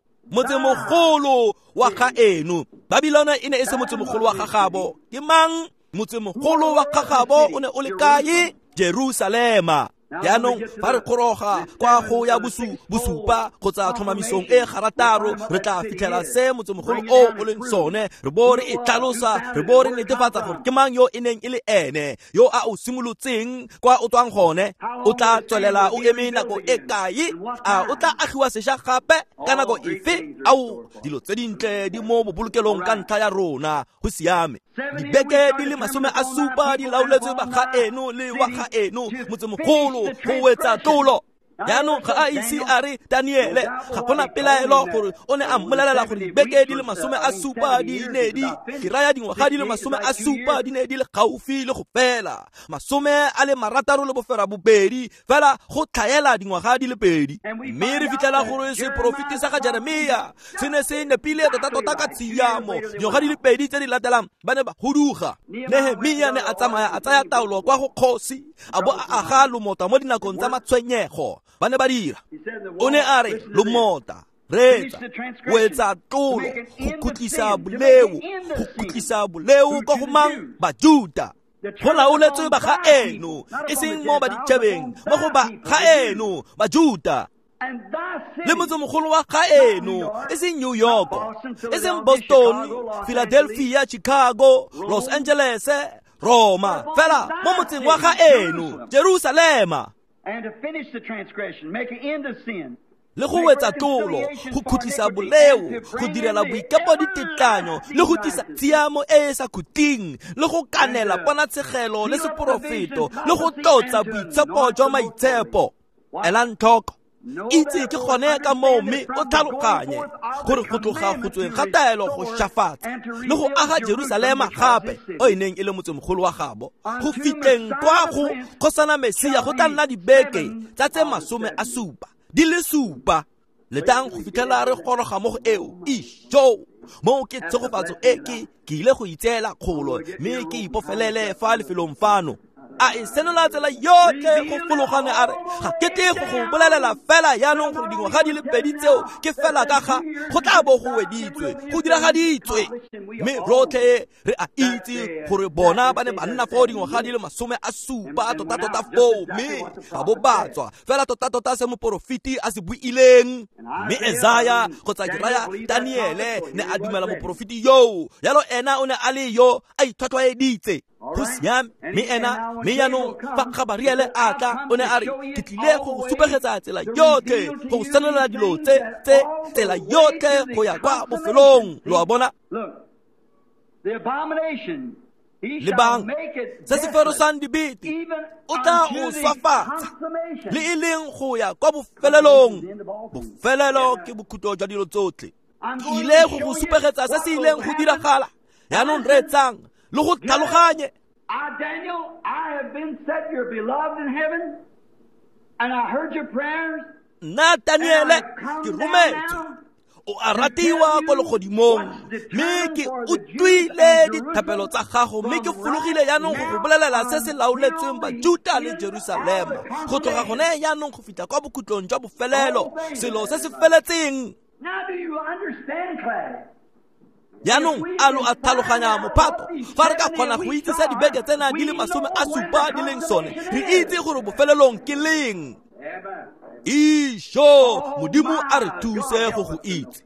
wa ga eno. Babilone e ne e se motsemogolo wa gagabo. Ke mang motsemogolo wa gagabo? O ne o le kae? Jerusalema. Jaanong fa re goroga kwa go ya bosupa kgotsa tlhomamisong e garataro, re tla fitlhela se motsemogolo o o leng sone, re bo re e tlhalosa, re bo re netefatsa gore ke mang yo e neng e le ene yo a o simolotseng kwa o tswang gone. O tla tswelela o eme nako e kae? A o tla agiwa sešwa gape ka nako efe? Ao, dilo tse dintle di mo bobolokelong ka ntlha ya rona. Go siame. Dibeke di le 70 di laoletswe ba ga eno le wa ga eno, motsemogolo go wetsa tlolo. Jaanong ga a ise a re Daniele, ga gona pelaelo gore o ne a mmolelela gore dibeke di le 70 di ne di ke raya dingwaga di le 70 di ne di le gaufi le go fela, 62 fela go tlhaela dingwaga di le 2. Mme re fitlhela gore seporofeti sa ga Jeremia se ne se nepile tota-tota ka tshiamo. Dingwaga di le 2 tse di latelang ba ne ba huduga. Nehemia ne a tsamaya a tsaya taolo kwa go kgosi, a bo a aga lomota mo dinakong tsa matshwenyego. Ba ne ba dira. O ne a re lomota, reetsa, o etsa tlolo go khutlisa boleo, go khutlisa boleo kwa go mang? Bajuta. Go laoletswe ba ga eno, e seng mo baditšhabeng, mo go ba ga eno, Bajuta. Le motsemogolo wa ga eno, e seng New York, e seng Boston, Philadelphia, Chicago, Los Angeles, Roma, fela mo motseng wa ga eno, Jerusalema. And to finish the transgression, make an end of sin. Le go wetsa tlolo, go khutlisa boleo, go direla boikepo ditetlanyo, le go tlisa tshiamo e e sa khutleng, le go kanela ponatshegelo le seporofeto, le go tlotsa boitshepo jwa maitshepo. Elang tlhoko, itse ke gone ka moo, mme o tlhaloganye gore go tloga go tsweng ga taelo go shafatsa le go aga Jerusalema gape, o e neng e le motsemogolo wa gabo, go fitlheng kwa go kgosana Mesia go tla nna dibeke tsa tse 70 di le 7. Letang go fitlhela re goroga mo go eo. Isho, moo ke tshegofatso e ke ile go itseela kgolo, mme ke ipofelele fa lefelong fano. A e senola tsela yotlhe go fologane, a re ga ke tle go go bolelela fela jaanong gore dingwaga di le 2 tseo ke fela ka ga go tla bo go weditswe, go diragaditswe. Mme rotlhe re a itse gore bona ba ne ba nna foo dingwaga di le 70 tota-tota foo, mme ga bo ba tswa fela tota-tota se moporofeti a se buileng. Mme Esaya kgotsa ke raya Daniele ne a dumela moporofeti yoo, jalo ena o ne a le yo a itlhwatlhwaeditse. Go siame. Mme ena, mme jaanong fa Gabariele a tla, o ne a re ke tlile go go supegetsa tsela yotlhe, go go senolela dilo tse tsela yotlhe go ya kwa bofelong. Lo a bona? Lebang se se ferosang dibete, o tla o swafatsa le e leng go ya kwa bofelelong. Bofelelo ke bokhutlo jwa dilo tsotlhe. Ke ile go go supegetsa se se ileng go diragala. Jaanong reetsang le go tlhaloganye. I, Daniel, I have been set your beloved in heaven, and I heard your prayers. Nna Daniele ke rometswe, o a ratiwa ko legodimong, mme ke utlwile dithapelo tsa gago, mme ke fologile jaanong go go bolelela se se laoletsweng Bajuta le Jerusalema, go tloga gone jaanong go fitlha kwa bokhutlong jwa bofelelo, selo se se feletseng. Now do you understand, class? Jaanong a lo a tlhaloganya mophato? Fa re ka kgona go itse se dibeke tsena di le 70 di leng sone, re itse gore bofelelong ke leng. Isho, Modimo a re thuse go go itse.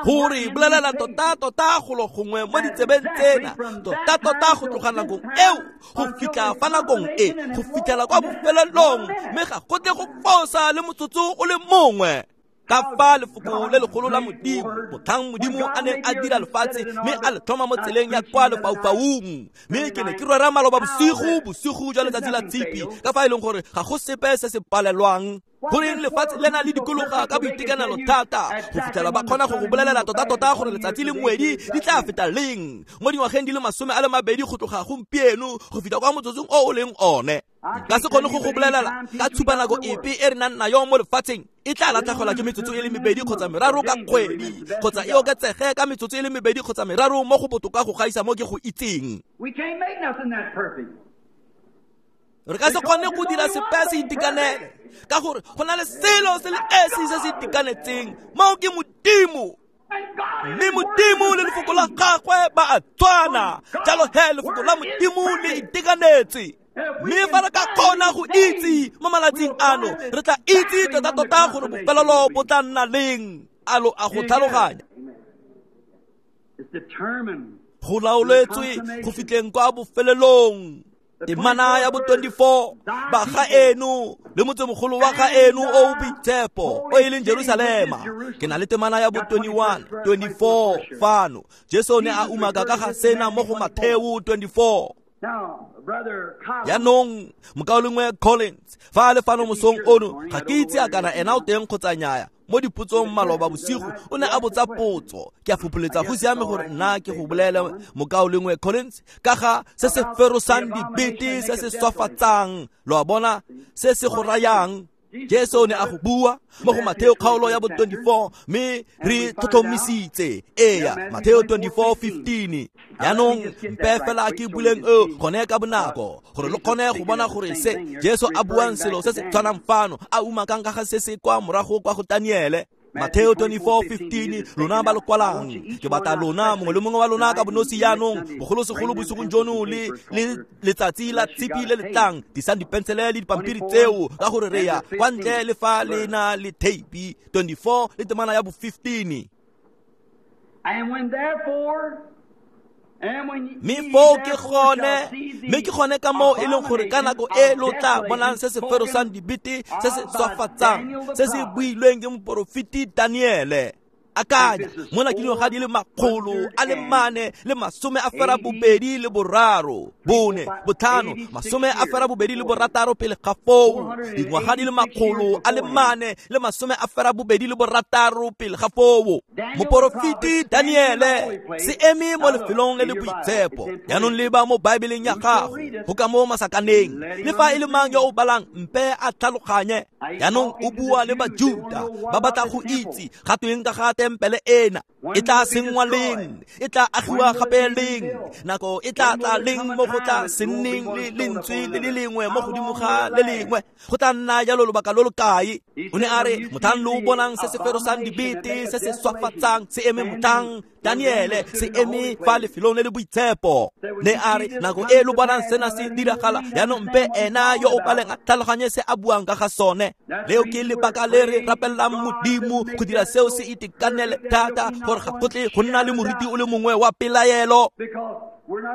Go re bolelela tota-tota golo gongwe mo ditsebeng tsena, tota-tota go tloga nakong eo go fitlha fa nakong e, go fitlhela kwa bofelelong, mme ga go tle go fosa le motsotso o le mongwe. Ka fa lefoko le legolo la Modimo, motlhang Modimo a neng a dira lefatshe mme a le tlhoma mo tseleng ya kwa lefaufaung. Mme ke ne ke rera maloba bosigo, bosigo jwa letsatsi la Tshipi, ka fa e leng gore ga go sepe se se palelwang. Goreng lefatshe le na le dikologa ka boitekanelo thata, go fitlhela ba kgona go go bolelela tota-tota gore letsatsi le ngwedi di tla feta leng mo dingwageng di le 22 go tloga gompieno go fitlha kwa motsotsong o o leng one. Ka se kgone go go bolelela ka tshupa nako epe e re nang nayo mo lefatsheng e tla latlhegelwa ke metsotso e le 2 kgotsa 3 ka kgwedi, kgotsa e oketsege ka metsotso e le 2 kgotsa 3 mo go botoka go gaisa mo ke go itseng. Re ka se kgone go dira sepe se itekanele, ka gore go na le selo se le esi se se itekanetseng, moo ke Modimo. Mme Modimo le lefoko la gagwe ba a tshwana, jalo he lefoko la Modimo le itekanetse. Mme fa re ka kgona go itse mo malatsing ano, re tla itse tota-tota gore bofelelo bo tla nna leng. A lo a go tlhaloganya? Go laoletswe go fitlheng kwa bofelelong. Temana ya bo 24, ba ga eno le motsemogolo wa ga eno o boitshepo o e leng Jerusalema. Ke na le temana ya bo 21, 24 fano. Jesu ne a umaka ka ga sena mo go Matheo 24. Jaanong mokaulengwe Collins fa a le fano mosong ono, ga ke itse a kana ena o teng kgotsa nnyaya. Mo dipotsong maloba bosigo o ne a botsa potso. Ke a fopholetsa go siame gore nna ke go bolele mokaulengwe Collins ka ga se se ferosang dibete, se se swafatsang, lo a bona, se se go rayang. Jesu ne a go bua mo go Mateo kgaolo ya bo 24, mme re tlhotlhomisitse. Eya, Mateo 24:15. Jaanong mpe fela ke buleng eo gone ka bonako gore lo kgone go bona gore se Jesu a buang selo se se tshwanang fano, a umakang ka ga se se kwa morago kwa go Daniele. Mateo 24:15, lona ba lo kwalang, ke batla lona mongwe le mongwe wa lona ka bonosi jaanong, bogolosegolo bosigong jono le letsatsi la tshipi le le tlang, disang dipensele le dipampiri tseo ka gore re ya kwa ntle le fa le na le theipi. 24 le temana ya bo 15. Mme foo ke gone, mme ke gone ka moo e leng gore ka nako e lo tla bonang se se ferosang dibete, se se swafatsang, se se builweng ke moporofeti Daniele. Akanya, mona ke dingwaga di le 483, 4, 5, 86 pele ga foo. Dingwaga di le 486 pele ga foo. Moporofeti Daniele se eme mo lefelong le le boitshepo. Jaanong leba mo Baebeleng ya gago, go ka mo masakaneng. Le fa e le mang yo o balang, mpe a tlhaloganye. Jaanong o bua le Bajuta ba batla go itse ga tweng ka ga tempele ena, e tla senngwa leng, e tla agiwa gape leng, nako e tla tla leng mo go tla se nneng le lentswe le le lengwe mo godimo ga le lengwe, go tla nna jalo lobaka lo lo kae. O ne a re motlhang lo bonang se se ferosang dibete, se se swafatsang, se eme motlhang Daniele se eme fa lefelong le le boitshepo. Ne a re nako e lo bonang sena se diragala, jaanong mpe ena yo o baleng a tlhaloganye se a buang ka ga sone. Leo ke lebaka le re rapelelang Modimo go dira seo se itekanele thata, gore ga go tle go nna le moriti o le mongwe wa pelaelo,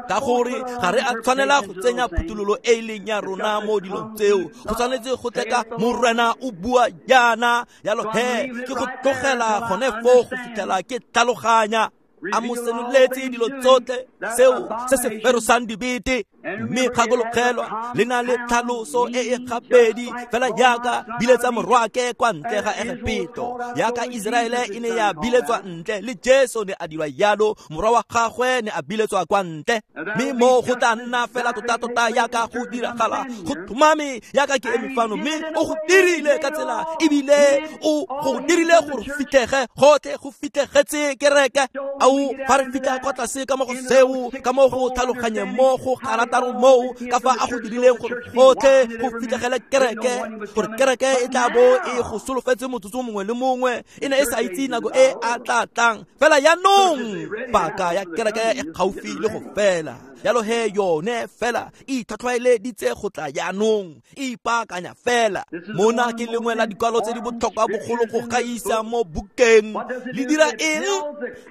ka gore ga re a tshwanela go tsenya phuthololo e e leng ya rona mo dilong tseo. Go tshwanetse go tle ka Morena o bua jaana, jalo he ke go tlogela gone foo go fitlhela ke tlhaloganya. A mo senoletse dilo tsotlhe seo se se ferosang dibete. Mme gakologelwa le na le tlhaloso e e gabedi fela jaaka biletsa morwake kwa ntle ga Egepeto, jaaka Iseraele e ne ya biletswa ntle, le Jesu ne a dirwa jalo, morwa wa gagwe ne a biletswa kwa ntle. Mme mo go tla nna fela tota-tota jaaka go diragala, go tlhomame jaaka ke eme fano, mme o go dirile ka tsela, ebile o go dirile gore fitlhege gotlhe, go fitlhegetse kereke. Ao fa re fitlha kwa tlase ka mo go seo, ka mo go tlhaloganyeng mo go garataro moo, ka fa a go dirileng gore gotlhe go fitlhegele kereke, gore kereke e tla bo e go solofetse motsotso mongwe le mongwe, e ne e sa itse nako e a tla tlang. Fela jaanong paka ya kereke e gaufi le go fela, jalo he yone fela e itlhwatlhwaeleditse go tla jaanong, e ipaakanya fela. Mona ke lengwe la dikwalo tse di botlhokwa bogolo go gaisa mo bukeng. Le dira eng?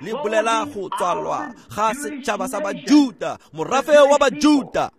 Le bolela go tswalwa ga setšhaba sa Bajuta, morafe wa Bajuta.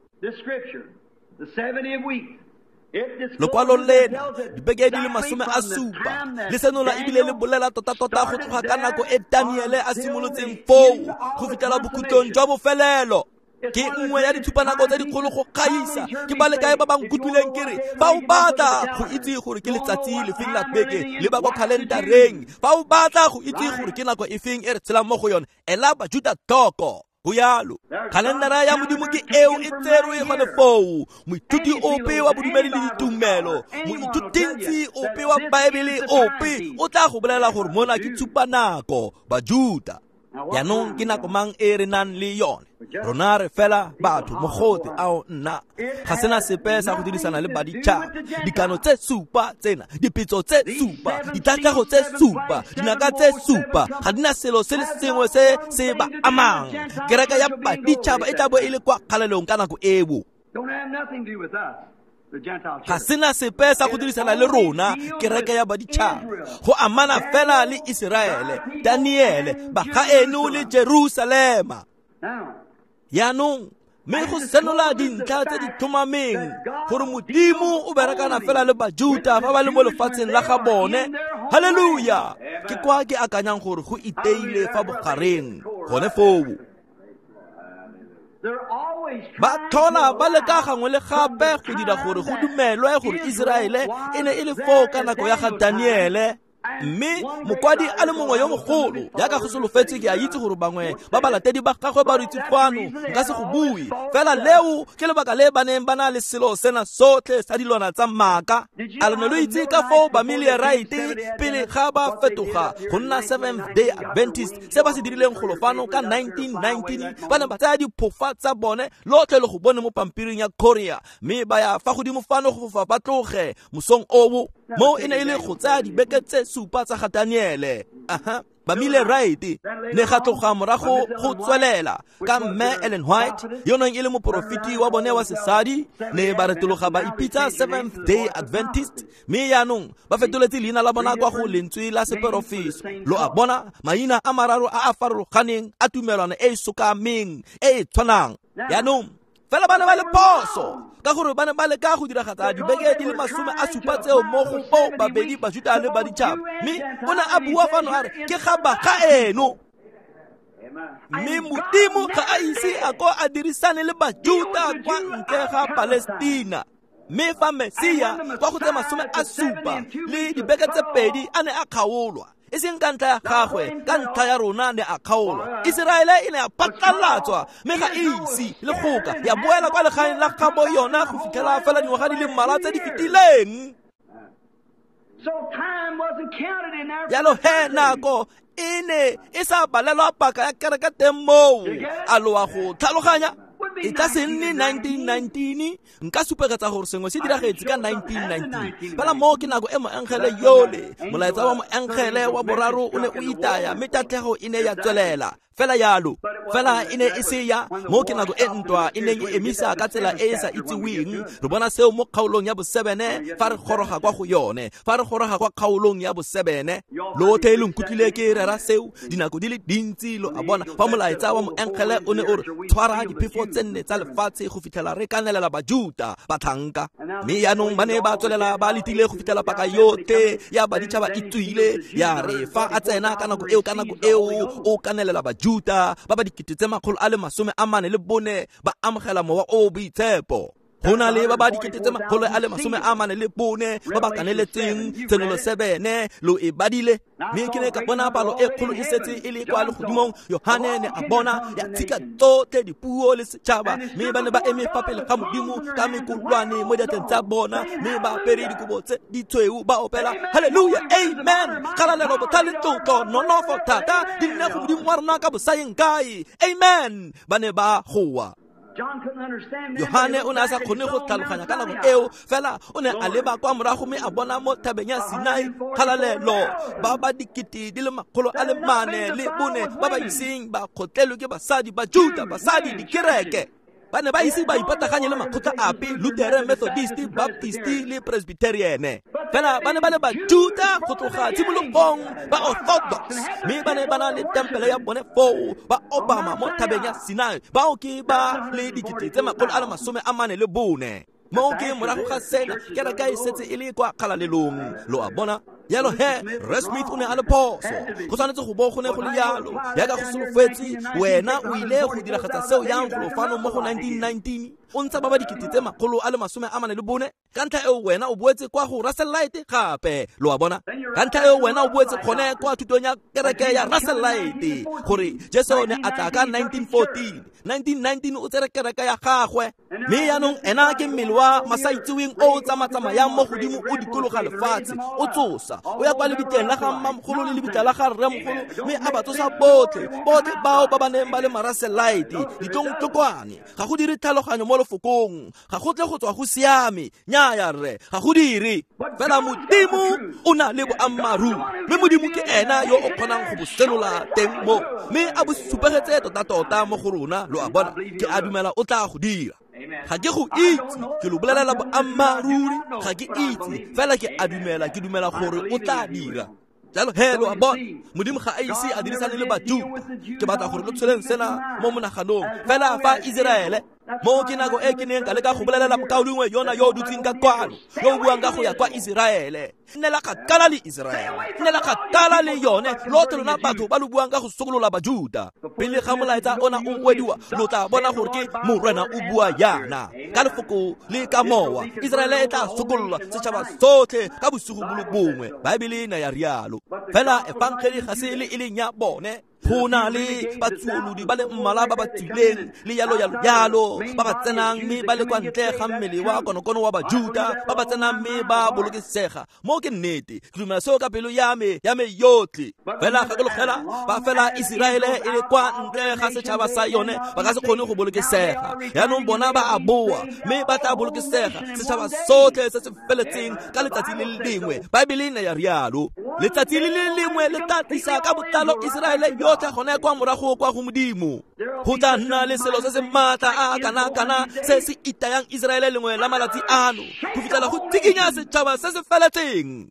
Lokwalo lena, dibeke di le 70, le senola ebile le bolela tota-tota go tloga ka nako e Daniele a simolotseng foo go fitlhela bokhutlong jwa bofelelo. Ke nngwe ya ditshupanako tse dikgolo go gaisa. Ke ba le kae ba ba nkutlwileng ke re, fa o batla go itse gore ke letsatsi lefeng la beke, leba kwa khalentareng. Fa o batla go itse gore ke nako efeng e re tshelang mo go yone, ela Bajuta tlhoko. Go jalo, khalendara ya Modimo ke eo e tserwe gone foo. Moithuti ope wa bodumedi le ditumelo, moithutintsi ope wa Baebele ope o tla go bolela gore mona ke tshupanako, Bajuta. Jaanong ke nako mang e re nang le yone? Rona re fela batho mogote ao nna ga sena sepe sa go dirisana le baditšhaba. Dikano tse 7 tsena, dipetso tse 7, ditatlhego tse 7, dinaka tse 7, ga di na selo se le sengwe se se ba amang. Kereke ya baditšhaba e tla bo e le kwa kgalelong ka nako eo. Ga sena sepe sa go dirisana le rona, kereke ya baditšhaba. Go amana fela le Iseraele, Daniele, bagaeno le Jerusalema. Jaanong mme go senola dintlha tse di tlhomameng gore Modimo o berekana fela le Bajuta ba ba le mo lefatsheng la ga bone. Haleluya! Ke kwa ke akanyang gore go iteile fa bogareng gone foo. Ba tlhola ba leka gangwe le gape go dira gore go dumelwe gore Iseraele e ne e le foo ka nako ya ga Daniele. Mme mokwadi a le mongwe yo mogolo jaaka go solofetse, ke a itse gore bangwe ba balatedi ba gagwe ba ritse fano, nka se go bue fela leo ke lebaka le ba neng ba na le selo sena sotlhe sa dilwana tsa maaka. A lo ne lo itse ka foo Bamillerite pele ga ba fetoga go nna Seventh Day Adventist se ba se dirileng golo fano ka 1919, ba ne ba tsaya diphofa tsa bone lotlhe le go bone mo pampiring ya Korea, mme ba ya fa godimo fano go fofa ba tloge mosong oo. Mo e ne e le go tsaya dibeke tse supa tsa ga Daniele. Aha, Bamillerite ne ga tloga morago go tswelela ka mme Ellen White yo neng e le moporofeti wa bone wa sesadi, ne ba retologa ba ipitsa Seventh Day Adventist, mme yaanong ba fetoletse leina la bona kwa go lentswe la seperofeso. Lo a bona, maina a mararo a a farologaneng a tumelwana e e sokameng e e tshwanang. Yaanong fela ba ne ba le phoso ka gore ba ne ba leka go diragatsa dibeke di le 70 tseo mo go bo babedi Bajuta le baditšhaba, mme o ne a bua fano a re ke ga ba ga eno. Mme Modimo ga a ise a ko a dirisane le Bajuta kwa ntle ga Palestina. Mme fa Mesia kwa go tse 70 le dibeke tse pedi a ne a kgaolwa, e seng ka ntlha ya gagwe, ka ntlha ya rona ne a kgaolwa. Iseraele e ne ya phatlalatswa mme ga e ise le goka ya boela kwa legaeng la gabo yona go fitlhela fela dingwaga di le mmalwa tse di fetileng. Jalo he nako e ne e sa balelwa paka ya kereke teng moo. A lo a go tlhaloganya? E tla se nne 1919, nka supegetsa gore sengwe se diragetse ka 1919. Fela moo ke nako e moengele yole, molaetsa wa moengele wa boraro o ne o itaya, mme tatlhego e ne ya tswelela fela yalo. Fela e ne e se ya mo ke nako e ntwa e neng e emisa ka tsela e e sa itseweng. Re bona seo mo kgaolong ya bo-7 fa re goroga kwa go yone, fa re goroga kwa kgaolong ya bo-7. Lotlhe lo nkutlwile ke rera seo dinako di le dintsi, lo a bona, fa molaetsa wa moengele o ne o re tshwara diphefo tse nne tsa lefatshe go fitlhela re kanelela Bajuta batlhanka. Mme yaanong ba ne ba tswelela ba letile go fitlhela paka yotlhe ya baditšhaba e tswile, ya re fa a tsena ka nako eo o kanelela Bajuta ba ba 444,000 ba amogela mowa o boitshepo. Go na le ba ba 444,000 ba ba kaneletseng Tshenolo 7, lo e badile. Mme ke ne ka bona palo e kgolo e setse e le kwa legodimong. Yohane ne a bona ya tshika tsotlhe dipuo le setšhaba, mme ba ne ba eme fa pele ga Modimo ka mekolwane mo diatleng tsa bona, mme ba apere dikobo tse ditshweu ba opela haleluya, amen, kgalalelo, botlhale, tlotlo, nonofo, thata di nne go Modimo wa rona ka bosaeng kae, amen. Ba ne ba goa. Yohane o ne a sa kgone go tlhaloganya ka nako eo, fela o ne a leba kwa morago mme a bona mo thabeng ya Sinai kgalalelo ba ba 444,000 ba ba iseng ba kgotlelwe ke basadi ba Juta, basadi dikereke. Ba ne ba ise ba ipataganye le makgotla ape, Lutheran, Methodist, Baptist le Presbyterian. Fela ba ne ba le Bajuta go tloga tshimologong, ba Orthodox, mme ba ne ba na le tempele ya bone foo, ba obama mo thabeng ya Sinai. Bao ke ba le 444,000. Mo ke morago ga sena kereke e setse e le kwa kgalalelong, lo a bona. Yalo he, Rre Smith o ne a le phoso. Go tshwanetse go bo go ne go le yalo. Jaaka go solofetse, wena o ile go diragatsa seo yang golo fano mo go 1919, o ntsha ba ba 444,000. Ka ntlha eo wena o boetse kwa go Russellite gape, lo a bona. Ka ntlha eo wena o boetse gone kwa thutong ya kereke ya Russellite, gore Jesu ne a tla ka 1914. 1919 o tsere kereke ya gagwe, mme yaanong ena ke mmele wa masaitseweng o o tsamatsamayang mo godimo o dikologa lefatshe, o tsosa, o ya kwa lebitleng la ga mmamogolo le lebitla la ga rremogolo, mme a ba tsosa botlhe, botlhe bao ba ba neng ba le Marussellite, ditlongtlokwane. Ga go dire tlhaloganyo mo lefokong, ga go tle go tswa go siame, nnyaya rre, ga go dire. Fela Modimo o na le boammaaruri, mme Modimo ke ena yo o kgonang go bo senola teng mo, mme a bo supegetse tota-tota mo go rona, lo a bona. Ke a dumela o tla go dira. Ga ke go itse, ke lo bolelela boammaaruri, ga ke itse, fela ke a dumela, ke dumela gore o tla dira. Jalo he, lo a bona, Modimo ga a ise a dirisane le Bajuta. Ke batla gore lo tsholeng sena mo monaganong. Fela fa Iseraele Mo ke nako e ke neng ka leka go bolelela mokaulengwe yona yo o dutseng ka kwano, yo o buang ka go ya kwa Iseraele. Nnela kgakala le Iseraele, nnela kgakala le yone, lotlhe lona batho ba lo buang ka go sokolola Bajuda. Pele ga molaetsa ona o wediwa, lo tla bona gore ke Morena o bua yana ka lefoko le ka mowa. Iseraele e tla sokololwa setšhaba sotlhe ka bosigo bo le bongwe. Baebele e ne ya rialo. Fela efangeli ga se le e leng ya bone. Go na le batsuolodi ba le mmalwa ba ba tswileng le yalo yalo yalo, ba ba tsenang mme ba le kwa ntle ga mmele wa konokono wa Bajuda, ba ba tsenang mme ba bolokesega. Mo ke nnete, ke dumela seo ka pelo ya me yotlhe. Fela gakologela ba fela Iseraele e le kwa ntle ga setšhaba sa yone, ba ka se kgone go bolokesega. Yaanong bona ba a boa mme ba tla bolokesega, setšhaba sotlhe se se feletseng ka letsatsi le le lengwe. Baebele e ne ya rialo. Letsatsi le le lengwe le tla tlisa ka botlalo Iseraele yotlhe gone kwa morago kwa go Modimo. Go tla nna le selo se se maatla a kana-kana se se itayang Iseraele lengwe la malatsi ano, go fitlhela go tsikinya setšhaba se se feletseng.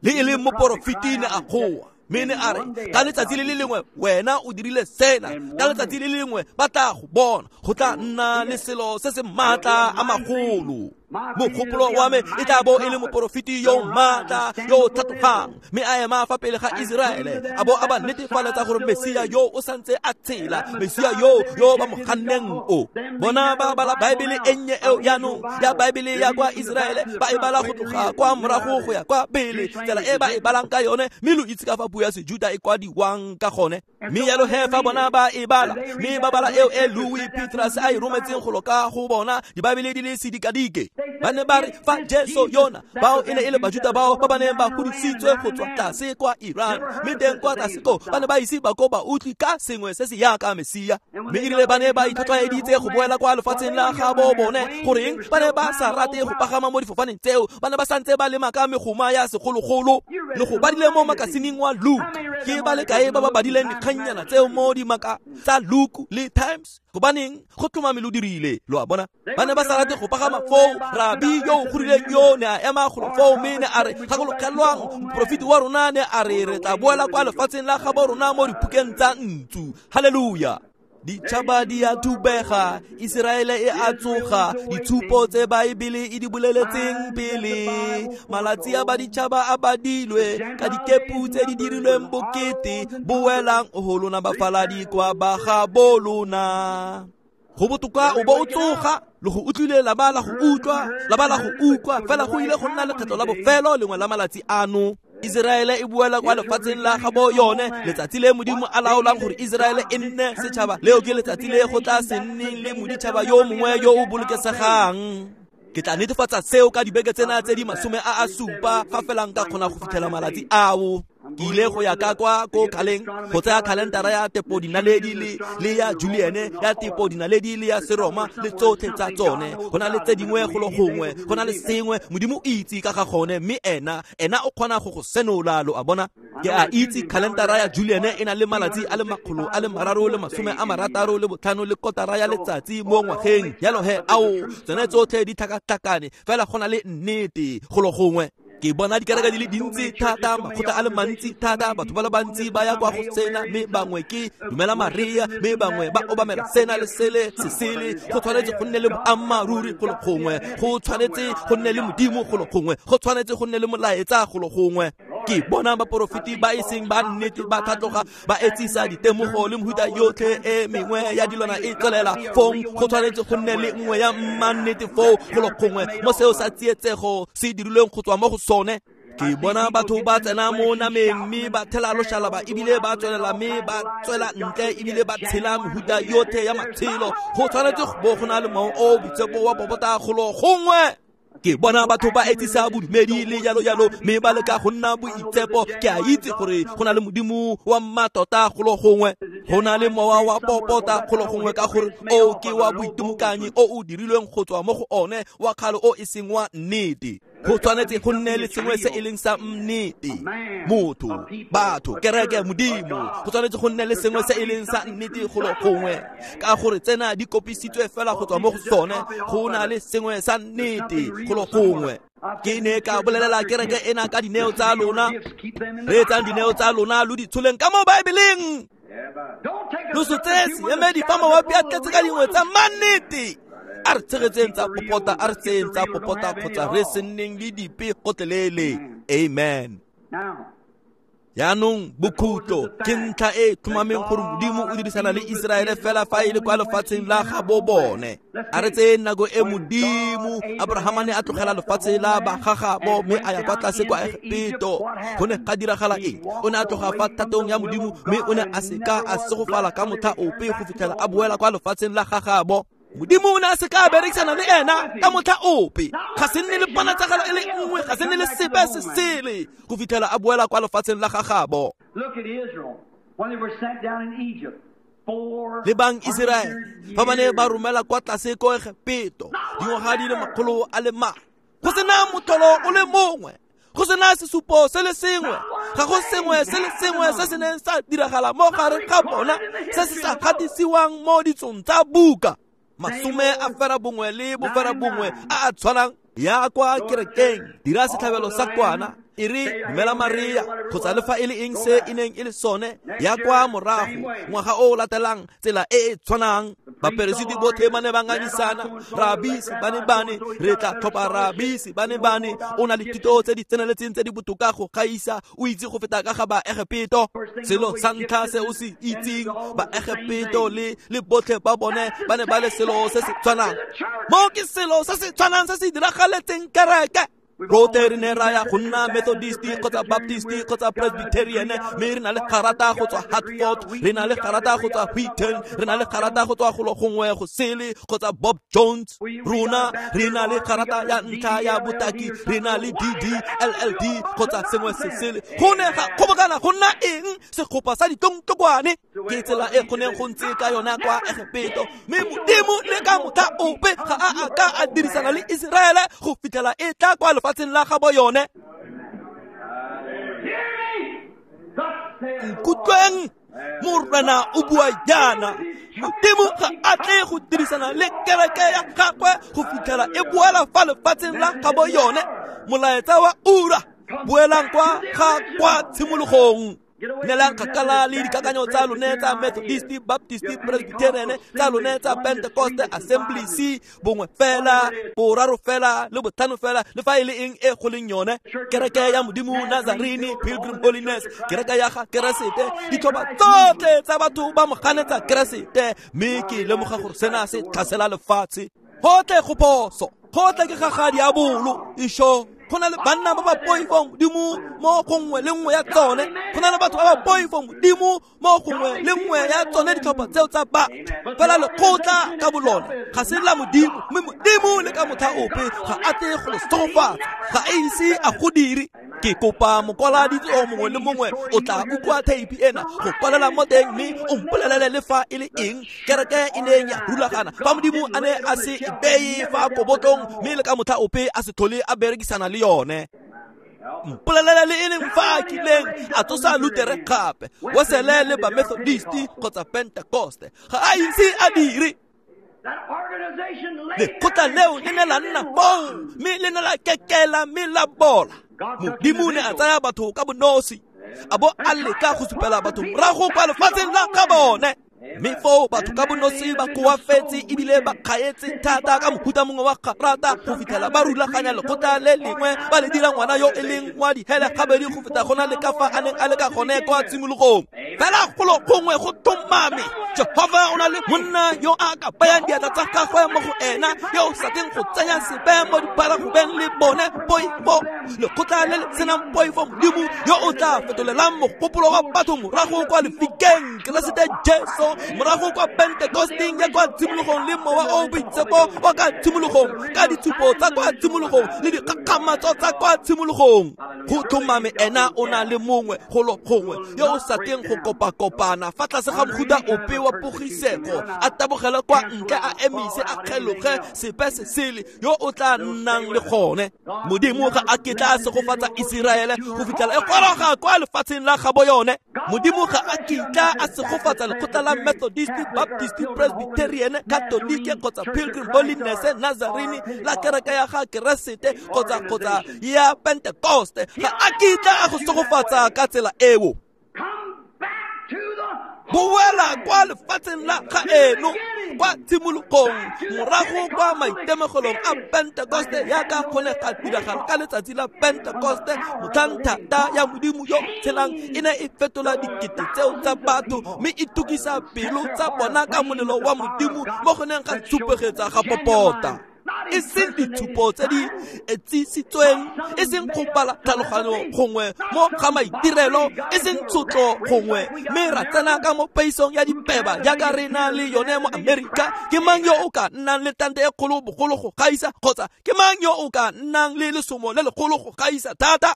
Le e leng moporofeti ne a goa, mme ne a re, ka letsatsi le le lengwe wena o dirile sena, ka letsatsi le lengwe ba tla go bona. Go tla nna le selo se se maatla a magolo. Mogopolo wa me e tla bo e le moporofeti yo maatla yo o tlhatlogang, mme a ema fa pele ga Iseraele, a bo a ba netefaletsa gore Mesia yo o santse a tshela, Mesia yo ba mo ganneng o. Bona ba bala Baebele e nnye eo jaanong ya Baebele ya kwa Iseraele, ba e bala go tloga kwa morago go ya kwa pele, tsela e ba e balang ka yone, mme lo itse ka fa puo ya Sejuda e kwadiwang ka gone. Mme yalo he fa bona ba e bala, mme ba bala eo e Louis Petras a e rometseng go loka go bona dibaebele di le sedikadike. Ba ne ba re fa Jesu yona, bao e ne e le Bajuda bao ba ba neng ba godisitswe go tswa tlase kwa Iran, mme teng kwa tlase ko ba ne ba ise ba ko ba utlwe ka sengwe se se yaka Mesia. Mme erile ba ne ba itlhotlhwaeditse go boela kwa lefatsheng la gabo bone, goreng ba ne ba sa rate go pagama mo difofaneng tseo, ba ne ba santse ba lema ka megoma ya segologolo. Le go badile mo makasineng wa Luke, ke ba le kae ba ba badileng dikgannyana tseo mo dimaka tsa Luke le Times? Gobaneng go tlhomame lo dirile, lo a bona. Ba ne ba sa rate go pagama foo. Rabi yo o gorileng yo ne a ema golo foo, mme ne a re, gakologelwang moporofeti wa rona ne a re re tla boela kwa lefatsheng la gabo rona mo diphukeng tsa ntsu. Haleluya. Ditšhaba di a thubega, Iseraele e a tsoga, ditshupo tse Baebele e di boleletseng pele. Malatsi a baditšhaba a badilwe ka dikepu tse di dirilweng bokete, boelang go lona bafaladi kwa ba ga bo lona. Go botoka o bo o tsoga, le go utlwile la ba la go utlwa, la ba la go utlwa, fela go ile go nna lekgetlo la bofelo lengwe la malatsi ano. Iseraele e boela kwa lefatsheng la gabo yone, letsatsi le Modimo a laolang gore Iseraele e nne setšhaba, leo ke letsatsi le go tla se nneng le moditšhaba yo mongwe yo o bolokesegang. Ke tla netefatsa seo ka dibeke tsena tse di 70 fa fela nka kgona go fitlhela malatsi ao. Ke ile go ya ka kwa ko kgaleng go tsaya khalentara ya tepodinaledi le ya Juliane ya tepodinaledi le ya Seroma le tsotlhe tsa tsone. Go na le tse dingwe golo gongwe, go na le sengwe Modimo o itse ka ga gone, mme ena o kgona go go senola, lo a bona. Ke a itse khalentara ya Juliane e na le malatsi a le 365 le kotara ya letsatsi mo ngwageng. Yalo he ao tsone tsotlhe di tlhakatlhakane, fela go na le nnete golo gongwe. Ke bona dikereke di le dintsi thata, makgotla a le mantsi thata, batho ba le bantsi ba ya kwa go sena, mme bangwe ke dumela Maria, mme bangwe ba obamela sena le sele se sele. Go tshwanetse go nne le boammaaruri golo gongwe, go tshwanetse go nne le Modimo golo gongwe, go tshwanetse go nne le molaetsa golo gongwe. Ke bona baporofeti ba e seng ba nnete ba tlhatloga, ba etsisa ditemogo le mehuta yotlhe e mengwe ya dilwana e tswelela fong. Go tshwanetse go nne le nngwe ya mmannete foo golo gongwe mo seo sa tsietsego se dirilweng go tswa mo go sone. Ke bona batho ba tsena mo nameng mme ba thela loshalaba, ebile ba tswelela mme ba tswela ntle, ebile ba tshela mehuta yotlhe ya matshelo. Go tshwanetse go bo go na le mowa o boitshepo wa popota golo gongwe. Ke bona batho ba etsisa bodumedi le jalo jalo, mme ba leka go nna boitshepo. Ke a itse gore go na le Modimo wa mmatota golo gongwe, go na le mowa wa popota golo gongwe, ka gore o ke wa boitimokanyi o o dirilweng go tswa mo go one wa kgale o e seng wa nnete. Go tshwanetse go nne le sengwe se e leng sa nnete, motho, batho, kereke, Modimo. Go tshwanetse go nne le sengwe se e leng sa nnete golo gongwe, ka gore tsena di kopisitswe fela go tswa mo go sone. Go na le sengwe sa nnete golo gongwe. Ke ne ka bolelela kereke ena ka dineo tsa lona, reetsang dineo tsa lona lo di tsholeng ka mo Baebeleng. Lo se tseye seemedi fa mawapi a tletse ka dingwe tsa mannete. A re tshegetseng tsa popota, a re tseyeng tsa popota kgotsa re se nneng le dipe gotlhelele. Amen. Jaanong bokhutlo ke ntlha e tlhomameng gore Modimo o dirisana le Iseraele fela fa e le kwa lefatsheng la gabo bone. A re tseye nako e Modimo Abrahama ne a tlogela lefatshe la bagagabo mme a ya kwa tlase kwa Egepeto. Go ne ga diragala eng? O ne a tloga fa thatong ya Modimo mme o ne a seka a segofala ka motlha ope go fitlhela a boela kwa lefatsheng la gagabo. Modimo o ne a seka a berekisana le ena ka motlha ope. Ga se nne le ponatsagalo e le nngwe, ga se nne le sepe se sele go fitlhela a boela kwa lefatsheng la gagabo. Lebang Iseraele fa ba ne ba romela kwa tlase ko Egepeto dingwaga di le 400, go sena motlholo o le mongwe, go sena sesupo se le sengwe, ga go sengwe se le sengwe se se neng sa diragala mo gare ga bona se se sa gatisiwang mo ditsong tsa buka. 91 le 91 a a tshwanang ya kwa kerekeng, dira setlhabelo sa kwana, e re dumela Maria kgotsa le fa e le eng se e neng e le sone, ya kwa morago ngwaga o o latelang tsela e e tshwanang. Baperesiti botlhe ba ne ba ngangisana, rabisi ba ne bane, re tla tlhopha rabisi ba ne bane, o na le thuto tse di tseneletseng tse di botoka go gaisa, o itse go feta ka ga Baegepeto. Selo sa ntlha se o se itseng, Baegepeto le botlhe ba bone ba ne ba le selo se se tshwanang. Mo ke selo se se tshwanang se se diragaletseng kereke. Rotlhe re ne ra ya go nna Methodist kgotsa Baptist kgotsa Presbyterian, mme re na le garata go tswa Hartford, re na le garata go tswa Wheaton, re na le garata go tswa golo gongwe go sele kgotsa Bob Jones. Rona re na le garata ya ntlha ya botaki, re na le DD, LLD kgotsa sengwe se sele. Go ne ga kgobokana go nna eng? Segopa sa ditlongtlokwane. Ke tsela e go neng go ntse ka yona kwa Egepeto, mme Modimo le ka motlha ope ga a a ka a dirisana le Iseraele go fitlhela e tla kwa lefatsheng la gabo yone. Nkutlweng, Morena o bua jaana, Modimo ga a tle go dirisana le kereke ya gagwe go fitlhela e boela fa lefatsheng la gabo yone. Molaetsa wa ura, boelang kwa ga kwa tshimologong. Nelang kgakala le dikakanyo tsa lone tsa Methodist, Baptist, Presbyterian, tsa lone tsa Pentecost, Assembly, C, bongwe fela, boraro fela, le botlhano fela, le fa e le eng e go leng yone. Kereke ya Modimo, Nazarene, Pilgrim Holiness, kereke ya ga Keresete, ditlhopha tsotlhe tsa batho ba mo ganetsa Keresete, mme ke lemoga gore sena se tlhasela lefatshe. Gotlhe go phoso, gotlhe ke ga ga diabolo, isho. Go na le banna ba ba poifong Modimo mo gongwe le nngwe ya tsone, go na le batho ba ba poifong Modimo mo gongwe le nngwe ya tsone ditlhopha tseo tsa batho. Fela lekgotla ka bolone ga se la Modimo, mme Modimo le ka motlha ope ga a tle go le segofatsa, ga a ise a go dire. Ke kopa mokwaladitso mongwe le mongwe o tla utlwa theipi ena go kwalela mo teng mme o mpolelele le fa e le eng kereke e neng ya rulagana fa Modimo a ne a se e beye fa kobotlong mme le ka motlha ope a se tlhole a berekisana le yone. Mpolelele le e leng fa a kileng a tsosa Lutere gape, Wesele le ba Methodist kgotsa Pentecost, ga a ise a dire. Lekgotla leo le ne la nna foo mme le ne la kekela mme la bola. Modimo ne a tsaya batho ka bonosi, a bo a leka go supela batho morago kwa lefatsheng la ga bone. Mme foo batho ka bonosi ba koafetse ebile ba kgaetse thata ka mohuta mongwe wa garata go fitlhela ba rulaganya lekgotla le lengwe ba le dira ngwana yo e leng wa dihele gabedi go feta gona le ka fa a neng a le ka gone kwa tshimologong. Fela golo gongwe go tlhomame, Jehofa o na le monna yo a ka bayang diatla tsa gagwe mo go ena, yo o sa tleng go tsenya sepe mo diparagobeng le bone poifo. Lekgotla le le senang poifo Modimo yo o tla fetolelang mogopolo wa batho morago kwa lefikeng Keresete Jesu, morago kwa Pentekosteng ya kwa tshimologong le mowa o boitshepo wa ka tshimologong, ka ditshupo tsa kwa tshimologong le dikgakgamatso tsa kwa tshimologong. Go tlhomame ena o na le mongwe golo gongwe yo o sa tleng go kopakopana fa tlase ga mohuta ope wa pogisego, a tabogele kwa ntle, a emise, a kgeloge sepe se sele, yo o tla nnang le gone. Modimo ga a kitla a segofatsa Iseraele go fitlhela e goroga kwa lefatsheng la gabo yone. Modimo ga a kitla a segofatsa lekgotla la Methodist, Baptist, Presbyterian, Catholic kgotsa Pilgrim Holiness, Nazarene, la kereke ya ga Keresete kgotsa ya Pentecost. Ga a kitla a go segofatsa ka tsela eo. Come back to the Boela kwa lefatsheng la gaeno, kwa tshimologong, morago kwa maitemogelong a Pentekoste yaka go ne ga diragala ka letsatsi la Pentekoste, motlhang thata ya Modimo yo tshelang e ne e fetola dikete tseo tsa batho mme e tukisa pelo tsa bona ka molelo wa Modimo mo go neng ga supegetsa ga popota. E seng ditshupo tse di etsisitsweng, e seng go bala tlhaloganyo gongwe mo ga maitirelo, e seng tshotlo gongwe, mme ra tsena ka mo peisong ya dipeba jaaka re na le yone mo Amerika. Ke mang yo o ka nnang le tante e kgolo bogolo go gaisa, kgotsa ke mang yo o ka nnang le lesomo le legolo go gaisa thata?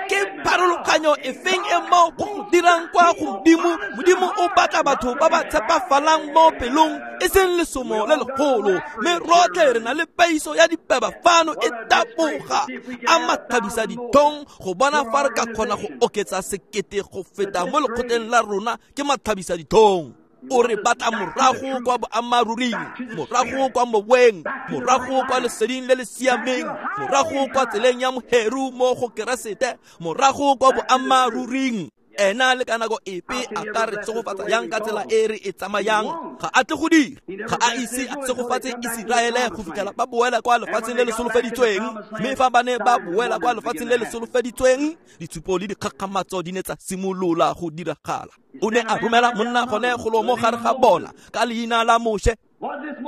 Ke pharologanyo e feng e mo go dirang kwa go Modimo? Modimo o batla batho ba ba tshepafalang mo pelong, e seng lesomo le legolo. Mme rotlhe re na le peiso ya dipeba fano e taboga a mathabisa dithong go bona fa re ka kgona go oketsa sekete go feta mo lekgotleng la rona. Ke mathabisa dithong. O re batla morago kwa boammaruring, morago kwa moweng, morago kwa leseding le le siameng, morago kwa tseleng ya moheru mo go Keresete, morago kwa boammaruring. Ena le ka nako epe a ka re tshegofatsa yang ka tsela e re e tsamayang? Ga a tle go dira. Ga a ise a tshegofatse Iseraele go fitlhela ba boela kwa lefatsheng le le solofeditsweng. Mme fa ba ne ba boela kwa lefatsheng le le solofeditsweng, ditshupo le dikgakgamatso di ne tsa simolola go diragala. O ne a romela monna gone golo mo gare ga bona ka leina la Moshe.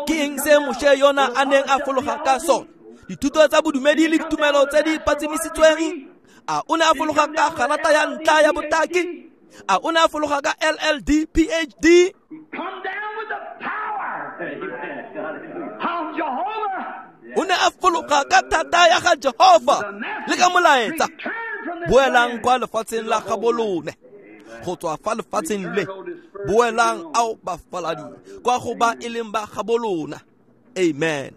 Ke eng se Moshe yona a neng a fologa ka sone? Dithuto tsa bodumedi le ditumelo tse di patsimisitsweng. A o ne a fologa ka garata ya ntla ya botaki? A o ne a fologa ka LLD PhD? O ne a fologa ka thata ya ga Jehova le ka molaetsa. Boelang kwa lefatsheng la gabolone, go tswa fa lefatsheng le. Boelang ao bafaladi kwa go ba e leng ba gabolona. Amen.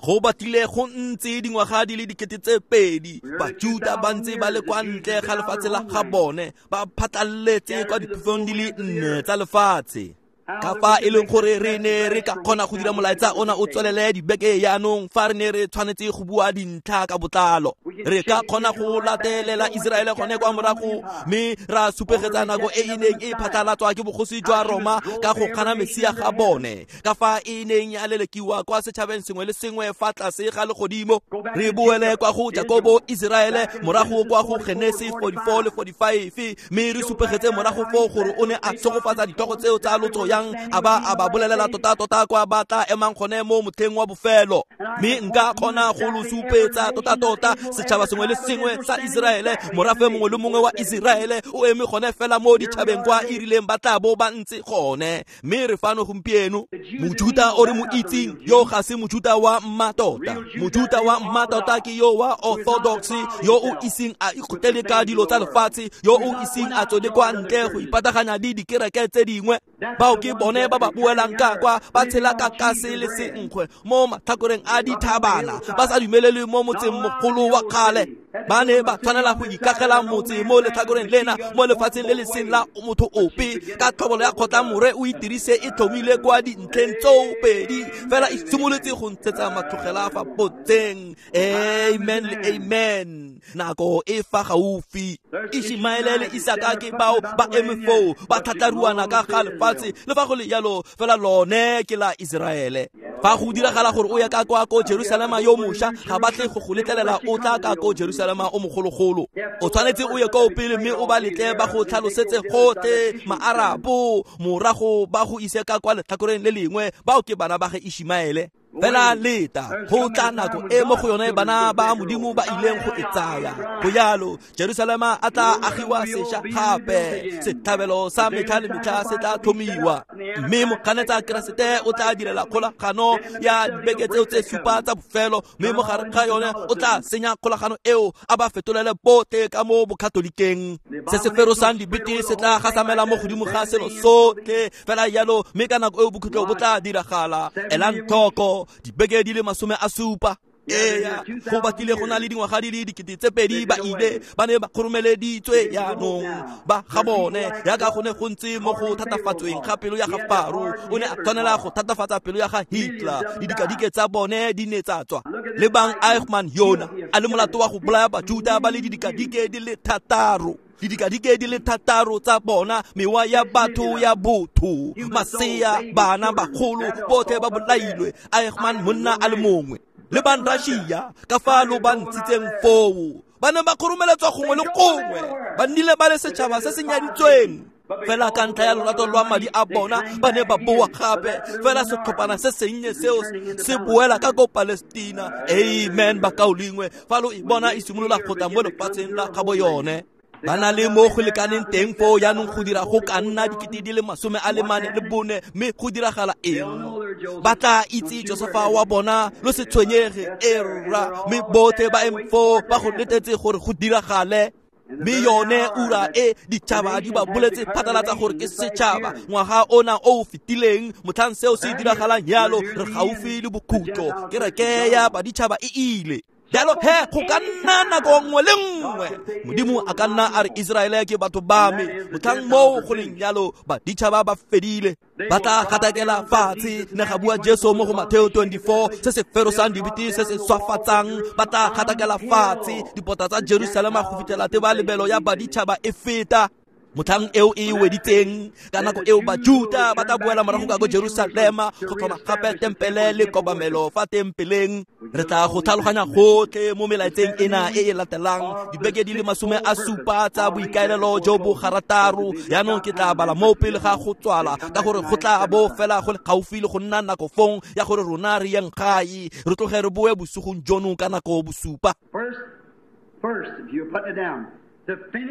Go batlile go ntse dingwaga di le 2000 Bajuda ba ntse ba le kwa ntle ga lefatshe la ga bone, ba phatlalletse kwa diphefong di le 4 tsa lefatshe. Ka fa e leng gore re ne re ka kgona go dira molaetsa ona o tswelele dibeke yaanong fa re ne re tshwanetse go bua dintlha ka botlalo. Re ka kgona go latelela Iseraele gone kwa morago mme ra supegetsa nako e e neng e phatlhalatswa ke bogosi jwa Roma ka go kgana Mesia ga bone, ka fa e neng ya lelekiwa kwa setšhabeng sengwe le sengwe fa tlase ga legodimo. Re boele kwa go Jakobo Iseraele, morago kwa go Genesi 44 le 45, mme re supegetse morago foo gore o ne a tshegofatsa ditlhogo tseo tsa lotso yang a ba bolelela tota-tota kwa ba tla emang gone mo motlheng wa bofelo. Mme nka kgona go lo supetsa tota-tota setšhaba sengwe le sengwe sa Iseraele, morafe mongwe le mongwe wa Iseraele o eme gone fela mo ditšhabeng kwa e rileng ba tla bo ba ntse gone. Mme re fano gompieno. Mojuta o re mo itseng yo ga se mojuta wa mmatota. Mojuta wa mmatota ke yo wa orthodox, yo o iseng a ikgotele ka dilo tsa lefatshe, yo o iseng a tswele kwa ntle go ipataganya le dikereke tse dingwe. Bao ke bone ba ba boelang ka kwa, ba tshela ka kase le senkgwe mo matlhakoreng a dithabana, ba sa dumelele mo motseng mogolo wa kgale. Ba ne ba tshwanela go ikagela motse mo letlhakoreng lena, mo lefatsheng le le seng la motho ope. Ka tlhobolo ya kgotlamore o itirise e tlhomile kwa dintlheng tseo pedi fela, e simolotse go ntshetsa matlogela fa potseng. Amen le amen. Nako e fa gaufi. Ishimaele le Isaka ke bao ba eme foo, ba tlhatlaruana ka ga lefatshe. Le fa go le jalo, fela lone ke la Iseraele. Fa go diragala gore o ya ka kwa ko Jerusalema yo mošwa, ga ba tle go go letlelela o tla ka ko Jerusalema o mogologolo. O tshwanetse o ye ko pele mme o ba letle ba go tlhalosetse gotlhe maarabo, morago ba go ise ka kwa letlhakoreng le lengwe. Bao ke bana ba ge Ishimaele. Fela leta, go tla nako e mo go yone bana ba Modimo ba ileng go e tsaya. Go jalo, Jerusalema a tla agiwa sešwa gape, setlhabelo sa metlha le metlha se tla tlhomiwa, mme moganetsa Keresete o tla direla kgolagano ya dibeke tseo tse 7 tsa bofelo, mme mo gare ga yone o tla senya kgolagano eo a ba fetolele botlhe ka mo bokatholikeng. Se se ferosang dibete se tla gasamela mo godimo ga selo sotlhe fela jalo, mme ka nako eo bokhutlo bo tla diragala. Elang tlhoko dibeke di le 70. Eya, go batlile go na le dingwaga di le 2000 ba ile ba ne ba kgoromeleditswe yaanong ba ga bone, yaka go ne go ntse mo go thatafatsweng ga pelo ya ga Faro. O ne a tshwanela go thatafatsa pelo ya ga Hitler. Didikadike tsa bone di ne tsa tswa. Lebang Eichmann yona a le molato wa go bolaya Bajuda ba le didikadike di le 6. Didikadike di le 6 tsa bona, mewa ya batho ya botho, masea, bana, bagolo, botlhe ba bolailwe. Eichmann monna a le mongwe le ban Russia ka fa lo ba ntshitseng foo, ba ne ba kgoromeletswa gongwe le gongwe, ba nnile ba le setšhaba se se nyaditsweng. Fela ka ntlha ya lorato lwa madi a bona ba ne ba boa gape, fela setlhophana se sennye seo se boela ka ko Palestina. Amen, bakaulengwe, fa lo e bona e simolola go tla mo lefatsheng la gabo yone. Ba na le mo go lekaneng teng foo jaanong go dira go ka nna 44,000, mme go diragala eng? Ba tla itse Josefa wa bona, lo se tshwenyege, erra, mme botlhe ba eme foo ba go letetse gore go diragale. Mme yone ura e ditšhaba di ba boletse phatlalatsa gore ke setšhaba ngwaga ona o o fetileng, motlhang seo se diragalang jalo, re gaufi le bokhutlo, kereke ya baditšhaba e ile. Jalo he go ka nna nako nngwe le nngwe Modimo a ka nna a re Iseraele ke batho ba me, motlhang moo go leng jalo baditšhaba ba fedile, ba tla gatakela fatshe. Ne ga bua Jesu mo go Mateo 24, se se ferosang dibete se se swafatsang, ba tla gatakela fatshe dipota tsa Jerusalema go fitlhela tebalebelo ya baditšhaba e feta. Motlhang eo e weditseng, ka nako eo Bajuta ba tla boela morago ka ko Jerusalema go tlhoma gape tempele le kobamelo fa tempeleng. Re tla go tlhaloganya gotlhe mo melaetseng ena e e latelang, dibeke di le 70 tsa boikaelelo jo bo garataro. Jaanong ke tla bala mo pele ga go tswala, ka gore go tla bo fela go le gaufi le go nna nako fong ya gore rona re yeng gae, re tloge re boe bosigong jono ka nako bosupa. First, if you put it down,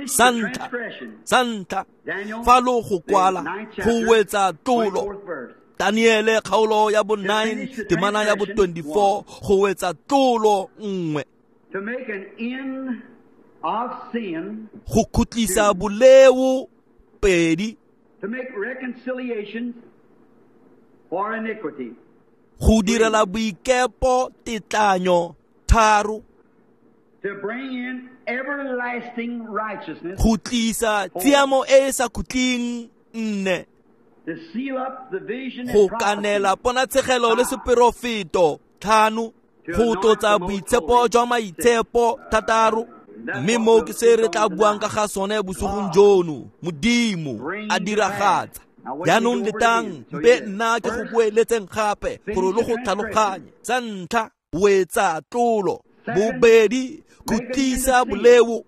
Santa, fa lo go kwala, go wetsa tlolo. Daniele kgaolo ya bo 9, temana ya bo 24, go wetsa tlolo 1. To make an end of sin, go khutlisa boleo 2. To make reconciliation for iniquity, go direla boikepo tetlanyo 3. To bring in everlasting righteousness, go tlisa tshiamo e e sa khutleng 4. To seal up the vision go kanela ponatshegelo le seperofeto 5. Go tlotsa boitshepo jwa maitshepo 6. Mme moo ke se re tla buang ka ga sone bosigong jono, Modimo a diragatsa. Jaanong letang mpe nna ke go boeletseng gape gore lo go tlhaloganye. Sa ntlha, wetsa tlolo. Bobedi, khutlisa boleo.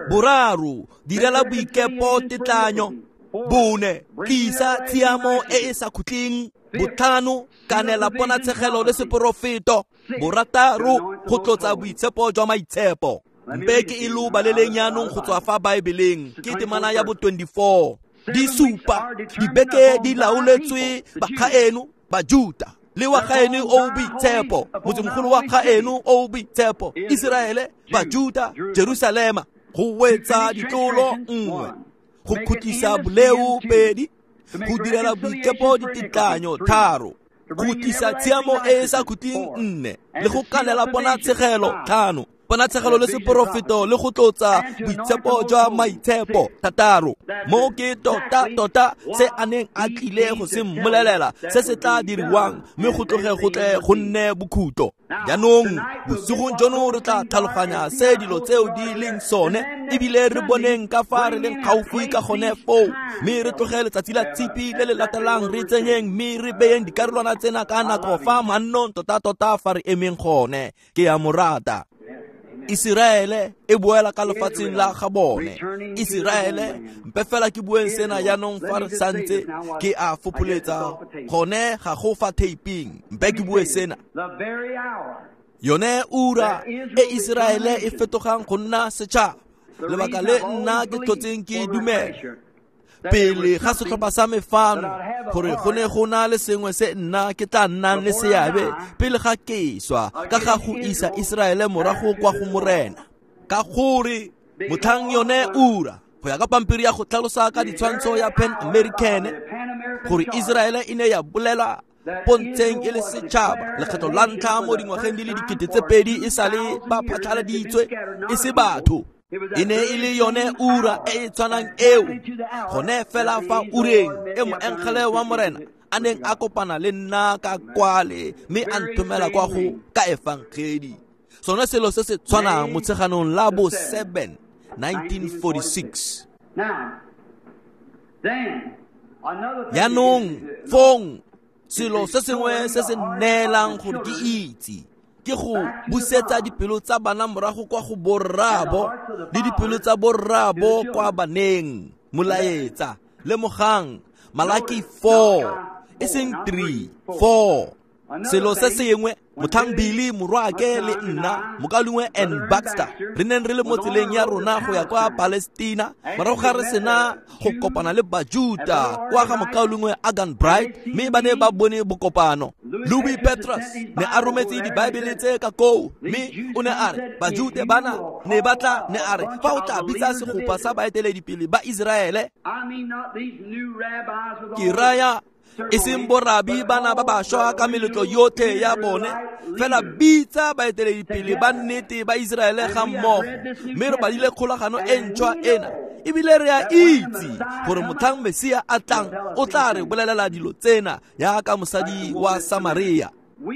Boraro, direla boikepo tetlanyo. Bone, tlisa tshiamo e e sa khutleng. Botlhano, kanela ponatshegelo le seporofeto. Borataro, go tlotsa boitshepo jwa maitshepo. Mpe ke e lo baleleng jaanong go tswa fa Baebeleng, ke temana ya bo 24. Di supa dibeke di laoletswe bagaeno Bajuta le wa gaeno o boitshepo, motsemogolo wa gaeno o boitshepo, Iseraele, Bajuta, Jerusalema. Go wetsa ditlolo 1, go khutlisa boleo 2, go direla boikepo ditetlanyo 3, go tlisa tshiamo e e sa khutleng 4, le go kanela ponatshegelo 5, ponatshegelo le seporofeto le go tlotsa boitshepo jwa maitshepo 6. Mo ke tota se a neng a tlile go se mmolelela se se tla diriwang, mme go tloge go tle go nne bokhutlo. Jaanong bosigong jono re tla tlhaloganya se dilo tseo di leng sone, ebile re boneng ka fa re leng gaufi ka gone foo, mme re tloge letsatsi la tshipi le le latelang re tsenyeng mme re beyeng dikarolwana tsena ka nako fa mannong tota-tota fa re emeng gone. Ke a mo rata. Iseraele e boela ka lefatsheng la ga bone. Iseraele, mpe fela ke bueng sena jaanong fa re santse ke a fopholetsa gone ga go fa taping. Mpe ke bue sena. Yone ura e Iseraele e fetogang go nna setšhaba, lebaka le nna ke tlhotseng ke dumela pele ga setlhopha sa me fano gore go ne go na le sengwe se nna ke tla nnang le seabe pele ga ke swa ka ga go isa Iseraele morago kwa go Morena. Ka gore motlhang yone ura, go ya ka pampiri ya go tlhalosa ka ditshwantsho ya Pan American, gore Iseraele e ne ya bolela pontsheng e le setšhaba lekgetho la ntlha mo dingwageng di le 2000 e sale ba phatlhaladitswe e se batho. E ne e le yone ura e e tshwanang eo, gone fela fa ureng e moengele wa Morena a neng a kopana le nna ka kwale mme a nthomela kwa go ka efangedi. Sone selo se se tshwanang motsheganong la bo 7 1946. Now, then, another thing Yaanong is- fong selo se sengwe se se neelang gore ke itse ke go busetsa dipelo tsa bana morago kwa go borraabo le dipelo tsa borraabo kwa baneng. Molaetsa, lemogang, Malaki 4, e seng 3, 4. Selo se sengwe, motlhang Billy morwaake le nna, mokaulengwe N Baxter, re neng re le mo tseleng ya rona go ya kwa Palestina, morago ga re sena go kopana le Bajuta kwa ga mokaulengwe Agan Bright, mme ba ne ba bone bokopano. Louis Petrus ne a rometse dibaebele tse ka koo, mme o ne a re Bajuta bana ne ba tla, ne a re fa o tla bitsa segopa sa baeteledipele ba Iseraele, I mean not these new rabbis with all ke raya e seng borabi bana ba bašwa ka meletlo yotlhe ya bone, fela bitsa baeteledipele ba nnete ba Iseraele ga mmogo. Mme re badile kgolagano e ntšhwa ena, ebile re a itse gore motlhang Mesia a tlang o tla re bolelela dilo tsena jaaka mosadi wa Samaria.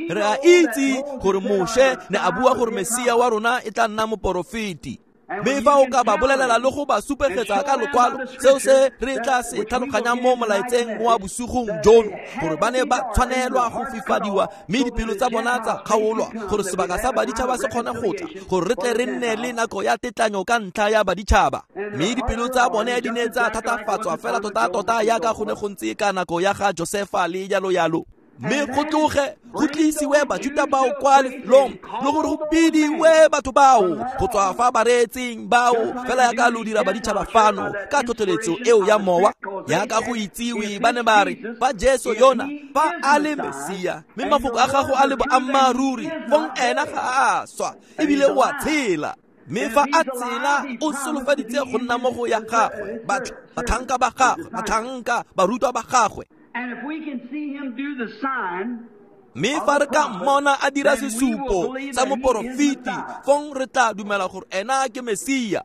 Re a itse gore Moshe ne a bua gore Mesia wa rona e tla nna moporofeti. Mme fa o ka ba bolelela le go ba supegetsa ka lokwalo, seo se re tla se tlhaloganyang mo molaetseng wa bosigong jono, gore ba ne ba tshwanelwa go fifadiwa mme dipelo tsa bona tsa kgaolwa, gore sebaka sa baditšhaba se kgone go tla, gore re tle re nne le nako ya tetlanyo ka ntlha ya baditšhaba. Mme dipelo tsa bone di ne tsa thatafatswa fela tota-tota jaaka go ne go ntse ka nako ya ga Josefa le jalo jalo. Mme go tloge go tlisiwe Bajuta bao kwa lefelong, le gore go bidiwe batho bao go tswa fa bareetsing bao, fela jaaka lo dira baditšhaba fano ka tlhotlheletso eo ya mowa. Jaaka go itsiwe, ba ne ba re fa Jesu yona fa a le Mesia, mme mafoko a gago a le boammaaruri, fong ena ga a swa ebile o a tshela. Mme fa a tsela o solofeditse go nna mo go ya gagwe, batlhanka ba gagwe, batlhanka barutwa ba gagwe. And if we can see him do the sign, Mme fa re ka mmona a dira sesupo sa moporofeti, fong re tla dumela gore ena ke Mesia.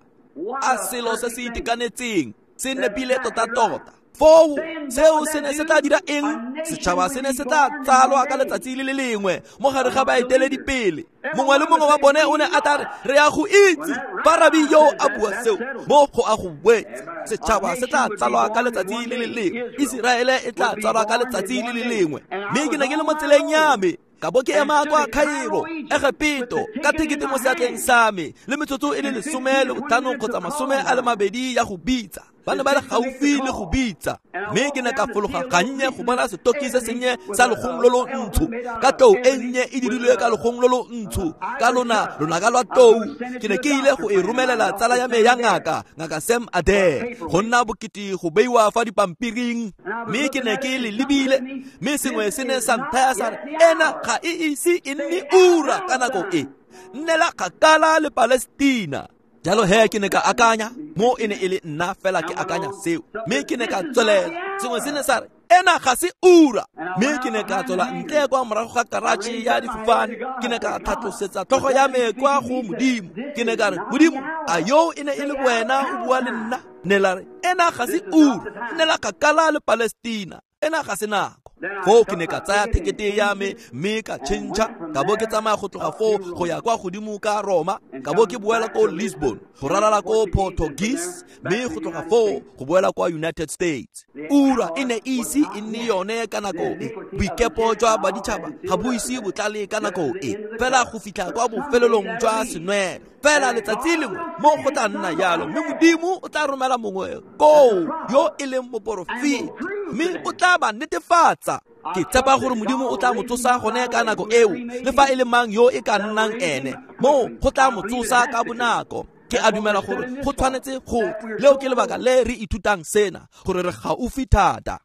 A selo se se itekanetseng, se nepile tota-tota. Foo seo se ne se tla dira eng? Setšhaba se ne se tla tsalwa ka letsatsi le le lengwe mo gare ga baeteledipele. Mongwe le mongwe wa bone o ne a tla re, re ya go itse fa rabi yo a bua seo, mo go a go wetse. Setšhaba se tla tsalwa ka letsatsi le le lengwe, Iseraele e tla tsalwa ka letsatsi le le lengwe. Mme ke ne ke le mo tseleng ya me, ka bo ke ema kwa Cairo, Egepeto, ka tekete mo seatleng sa me, le metsotso e le 15 kgotsa 22 ya go bitsa. Ba ne ba le gaufi le go bitsa. Mme ke ne ka fologa gannye go bona setoki se sennye sa legong lo lo ntsho, ka tlou e nnye e dirilwe ka legong lo lo ntsho, ka lona lonaka lwa tlou. Ke ne ke ile go e romelela tsala ya me ya ngaka, ngaka Sam Adair, go nna bokete go beiwa fa dipampiring. Mme ke ne ke le lebile, mme sengwe se ne sa nthaya sa re, ena ga e ise e nne ura ka nako e, nnela kgakala le Palestina. Jalo he ke ne ka akanya, mo e ne e le nna fela ke akanya seo. Mme ke ne ka tswelela, sengwe se ne sa re, ena ga se ura. Mme ke ne ka tswela ntle kwa morago ga karatšhe ya difofane, ke ne ka tlhatlosetsa tlhogo ya me kwa go Modimo. Ke ne ka re, Modimo, a yo e ne e le wena o bua le nna? Ne la re, ena ga se ura, nnela kgakala le Palestina, ena ga se nako. Foo ke ne ka tsaya tekete ya me mme ka tšhentšha, ka bo ke tsamaya go tloga foo go ya kwa godimo ka Roma, ka bo ke boela ko Lisbon, go ralala ko Portuguese, mme go tloga foo go boela kwa United States. Ura e ne e ise e nne yone ka nako e. Boikepo jwa baditšhaba ga bo ise bo tlale ka nako e, fela go fitlha kwa bofelelong jwa senwelo. Fela letsatsi lengwe mo go tla nna jalo, mme Modimo o tla romela mongwe koo yo e leng moporofeti, mme o tla ba netefatsa. Ke tshepa gore Modimo o tla mo tsosa gone ka nako eo, le fa e le mang yo e ka nnang ene, mo go tla mo tsosa ka bonako. Ke a dumela gore go tshwanetse go, leo ke lebaka le re ithutang sena, gore re gaufi thata.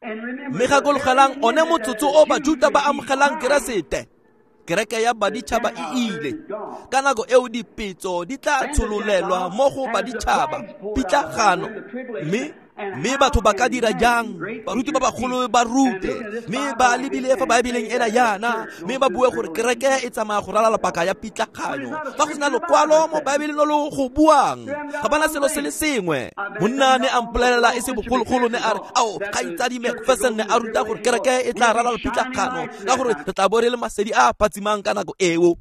Mme gakologelang one motsotso o Bajuta ba amogelang Keresete, kereke ya baditšhaba e ile. Ka nako eo dipetso di tla tshololelwa mo go baditšhaba, pitlagano. Mme batho ba ka dira jang? Baruti ba bagolo ba rute, mme ba lebile fa Baebeleng ena yana, mme ba bue gore kereke e tsamaya go ralala paka ya pitlaganyo. Fa go sena lokwalo mo Baebeleng lo lo go buang, ga bana selo se le sengwe. Monna ne a mpolelela e se bogologolo, ne a re, ao, kgaitsadi Macpherson ne a ruta gore kereke e tla ralala pitlagano, ka gore re tla bo re le masedi a phatsimang ka nako eo.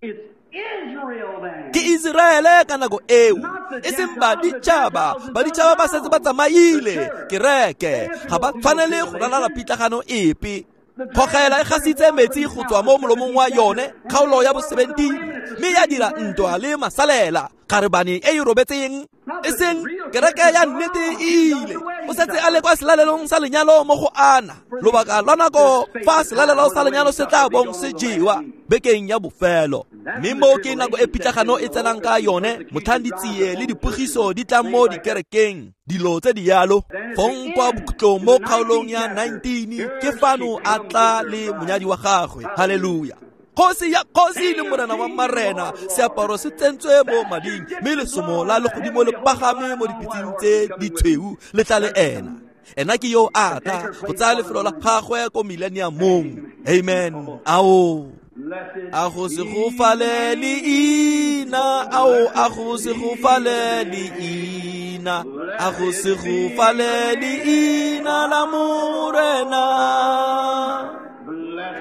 Ke Iseraele ka nako eo, e seng baditšhaba. Baditšhaba ba setse ba tsamaile kereke, ga ba tshwanele go ralala pitlagano epe. Kgogela e gasitse metsi go tswa mo molomong wa yone, kgaolo ya bo 17, mme ya dira ntwa le masalela, kgarebane e e robetseng. E seng kereke ya nnete e ile, o setse a le kwa selalelong sa lenyalo mo go ana lobaka lwa nako fa selalelo sa lenyalo se tla bong se jewa bekeng ya bofelo. Mme mo ke nako e pitlagano e tsenang ka yone, motlhang ditsie le dipogiso di tlang mo dikerekeng, dilo tse di yalo. Fong kwa bokhutlong mo kgaolong ya 19 ke fano a tla le monyadi wa gagwe. Haleluya! Kgosi ya kgosi le morena wa marena, seaparo se tsentswe mo mading, mme lesomo la legodimo le pagame mo dipitsing tse ditshweu le tla le ena. Ena ke yo a tla go tsaya lefelo la gagwe ko millenniumong. Amen. Ao, a go se gofale leina, ao, a go se gofale leina, a go se gofale leina la morena.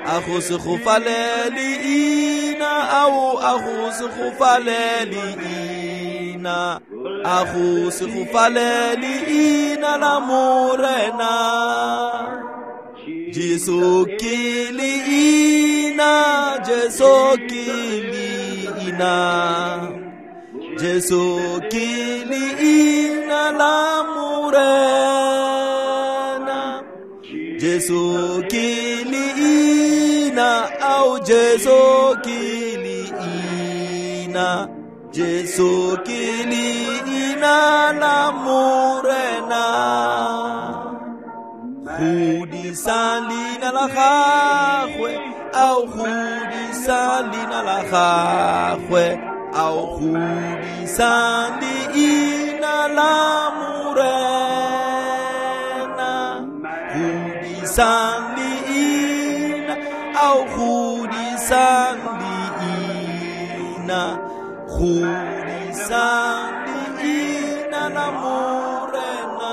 A go se gofale leina, ao, a go se gofale leina, a go se gofale leina la morena. Jesu ke leina, Jesu ke leina, Jesu ke leina la morena. Jesu ke leina, ao, Jesu ke leina, Jesu ke leina la morena. Godisa leina la gagwe, ao, godisa leina la gagwe, ao, godisa leina la morena. Godisang leina, ao, godisang leina, godisang leina la morena.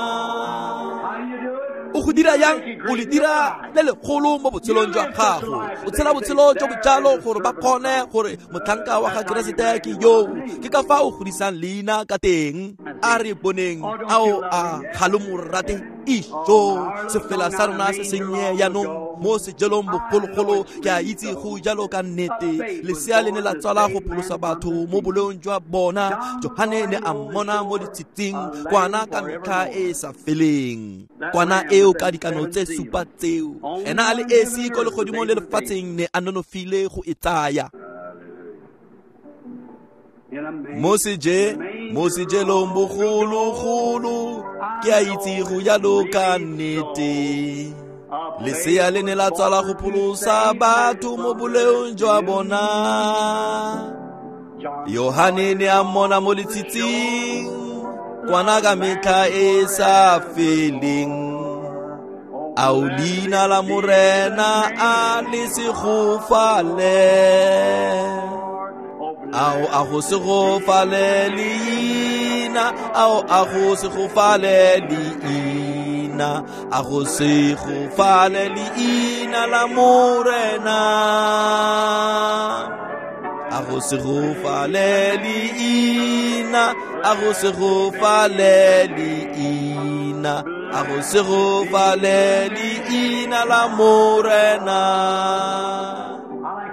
O go dira yang? O le dira le legolo mo botshelong jwa gago. O tshela botshelo jo bojalo gore ba kgone gore motlhanka wa ga Keresete ke yo. Ke ka fa o godisang leina ka teng. A re boneng, ao, a ga lo mo rate? Ijo, sefela sa rona se sennye jaanong mo sejelong bogologolo. Ke a itse go jalo ka nnete. Lesea le ne la tswala go pholosa batho mo boleong jwa bona. Johane ne a mmona mo ditshitsing, kwana ka metlha e e sa feleng, kwana eo ka dikano tse supa tseo. Ena a le esi ko legodimong le lefatsheng ne a nonofile go e tsaya. Mo sejelong bogologolo, ke a itse go jalo ka nnete. Lesea le ne la tswala go pholosa batho mo boleong jwa bona. Yohane ne a mmona mo letshitsing, kwana ka metlha e sa feleng. Ao, leina la morena a le segofale, ao, a go segofale leina, ao, a go segofale leina, a go segofale leina la morena. A go segofale leina, a go segofale leina, a go segofale leina la morena.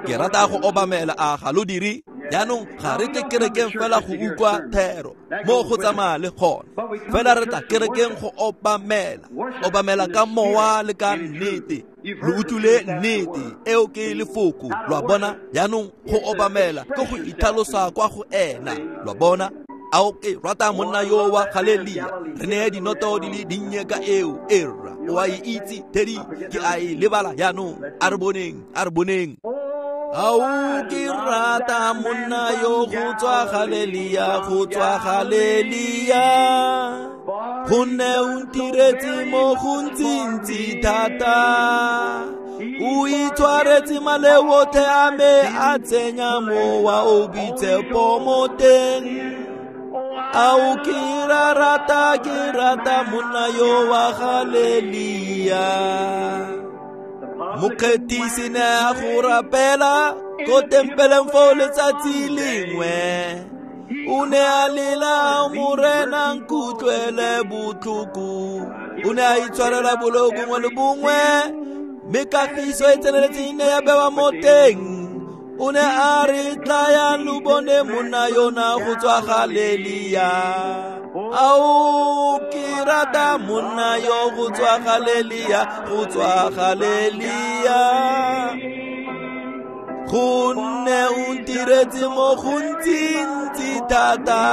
Ke rata go obamela, a ga lo dire? Jaanong ga re tle kerekeng fela go utlwa thero mo go tsamaya le gona, fela re tla kerekeng go obamela, obamela ka mowa le ka nnete. Lo utlwile nnete eo ke lefoko, lwa bona? Jaanong go obamela ke go itlhalosa kwa go ena, lwa bona? Ao, ke rata monna yo wa Galelia, re neye dinoto di le dinnye ka eo. Erra, o a e itse, Teddy, ke a e lebala jaanong. A re boneng, a re boneng. Ao, ke rata monna yo go tswa Galelia, go tswa Galelia, gonne o ntiretse mo gontsintsi thata. O itshwaretse maleo otlhe a me, a tsenya mowa o boitshepo mo teng. Ao, ke rata, ke rata monna yo wa Galelia. Mokgethisi ne a go rapela ko tempeleng foo letsatsi lengwe. O ne a lela, Morena nkutlwele botlhoko. O ne a itshwarela boleo bongwe le bongwe, mme kagiso e tseneletseng ne ya bewa mo teng. O ne a re, tlayang lo bone monna yona go tswa Galelia. Ao, ke rata monna yo go tswa Galelia, go tswa Galelia. Gonne o ntiretse mo gontsi-ntsi thata.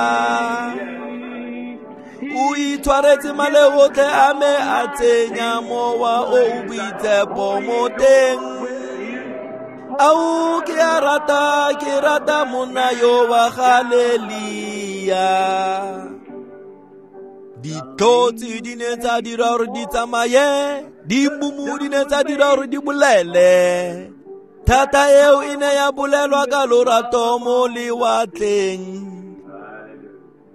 O itshwaretse maleo otlhe a me, a tsenya mowa o o boitshepo mo teng. Ao, ke a rata, ke rata monna yo wa Galelia. Ditlhotsi di ne tsa dira gore di tsamaye, dimumu di ne tsa dira gore di bolele. Thata eo e ne ya bolelwa ka lorato mo lewatleng.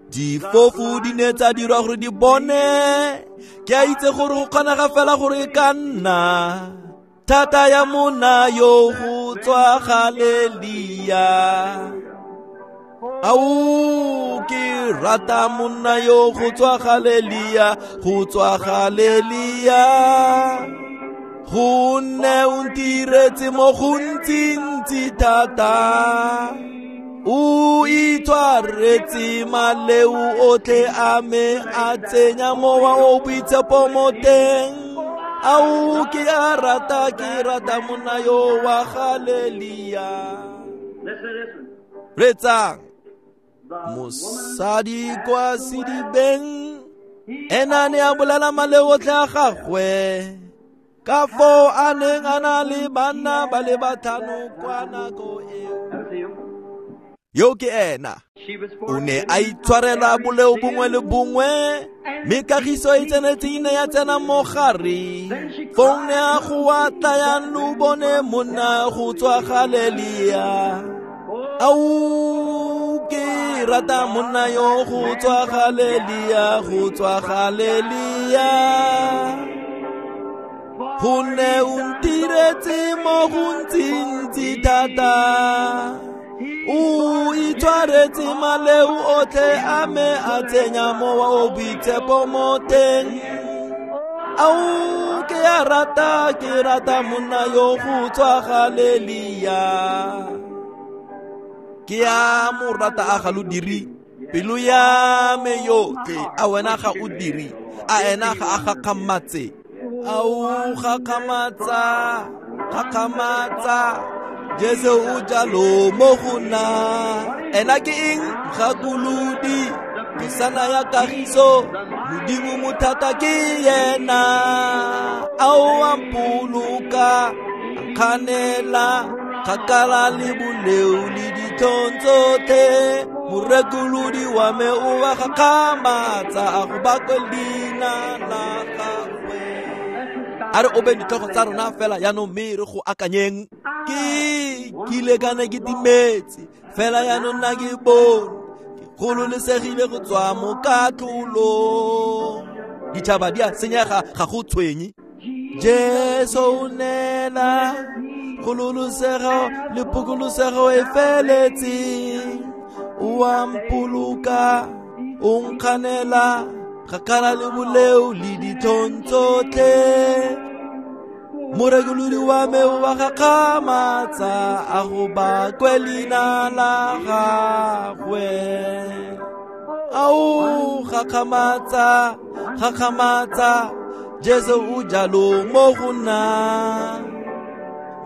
Difofu di ne tsa dirwa gore di bone. Ke a itse gore go kgonega fela gore e ka nna thata ya monna yo go tswa Galelia. Ao, ke rata monna yo go tswa Galelia, go tswa Galelia. Gonne o ntiretse mo gontsi-ntsi thata. O itshwaretse maleo otlhe a me, a tsenya mowa o boitshepo mo teng. Ao, ke a rata, ke rata monna yo wa Galelia. Retsang, mosadi kwa sedibeng ena ne a bolela maleo otlhe a gagwe, ka foo a neng a na le banna ba le batlhano kwa nako eo. Yo ke ena. O ne a itshwarela boleo bongwe le bongwe, mme kagiso e tsenetseng ne ya tsena mo gare. Fong ne a goa, tlayang lo bone monna go tswa Galelia. Ao, ke rata monna yo go tswa Galelia, go tswa Galelia. Gonne o ntiretse mo gontsi-ntsi thata. O itshwaretse maleo otlhe a me, a tsenya mowa o boitshepo mo teng. Ao, ke a rata, ke rata monna yo go tswa Galelia. Ke a mo rata, a ga lo dire? Pelo ya me yotlhe, a wena ga o dire? A ena ga a gakgamatse? Ao, gakgamatsa, gakgamatsa. Jesu o jalo mo go nna. Ena ke eng? Mogakolodi, kgosana ya kagiso, Modimo mothata ke yena. Ao, a mpoloka, a nkganela kgakala le boleo le ditlhong tsotlhe. Morekolodi wa me o a gakgamatsa, a go bakwe leina la gagwe. A re obeng ditlhogo tsa rona fela jaanong, mme re go akanyeng. Ke kile ka ne ke timetse, fela jaanong nna ke bone, ke gololesegile go tswa mo katlholong. Ditšhaba di a senyega, ga go tshwenye. Jesu o neela kgololosego le phokolosego e feletseng. O a mpoloka, o nkganela kgakala le boleo le ditlhong tsotlhe. Morekolodi wa me o a gakgamatsa, a go bakwe leina la gagwe. Ao, gakgamatsa, gakgamatsa, Jesu o jalo mo go nna.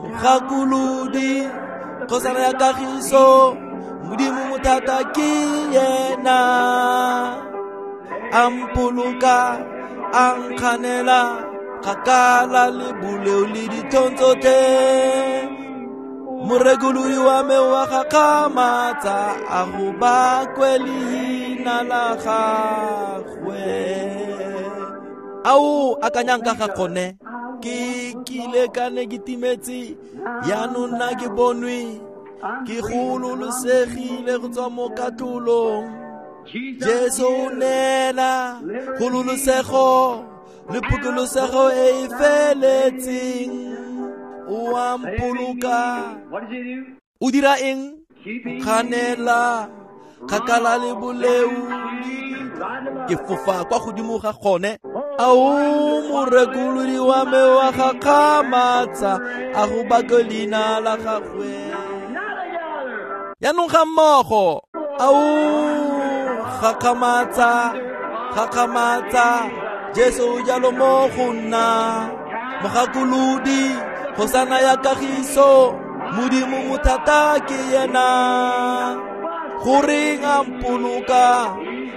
Mogakolodi, kgosana ya kagiso, Modimo mothata ke yena. A mpoloka, a nkganela kgakala le boleo le ditlhong tsotlhe. Morekolodi wa me wa gakgamatsa, a go bakwe leina la gagwe. Ao, akanyang ka ga gone. Ke kile ka ne ke timetse, jaanong nna ke bonwe, ke gololosegile go tswa mo katlholong. Jesu o neela kgololosego le phokolosego e e feletseng. O a mpoloka. O dira eng? Kganela kgakala le boleu, ke fofa kwa godimo ga gone. Ao morekolodi wa me wa gakgamatsa, a go bake leina la gagwe. Jaanong ga mmogo, ao gakgamatsa, gakgamatsa, Jesu jalo mo go nna. Mogakolodi, kgosana ya kagiso, Modimo mothata ke yena. Goreng a mpoloka,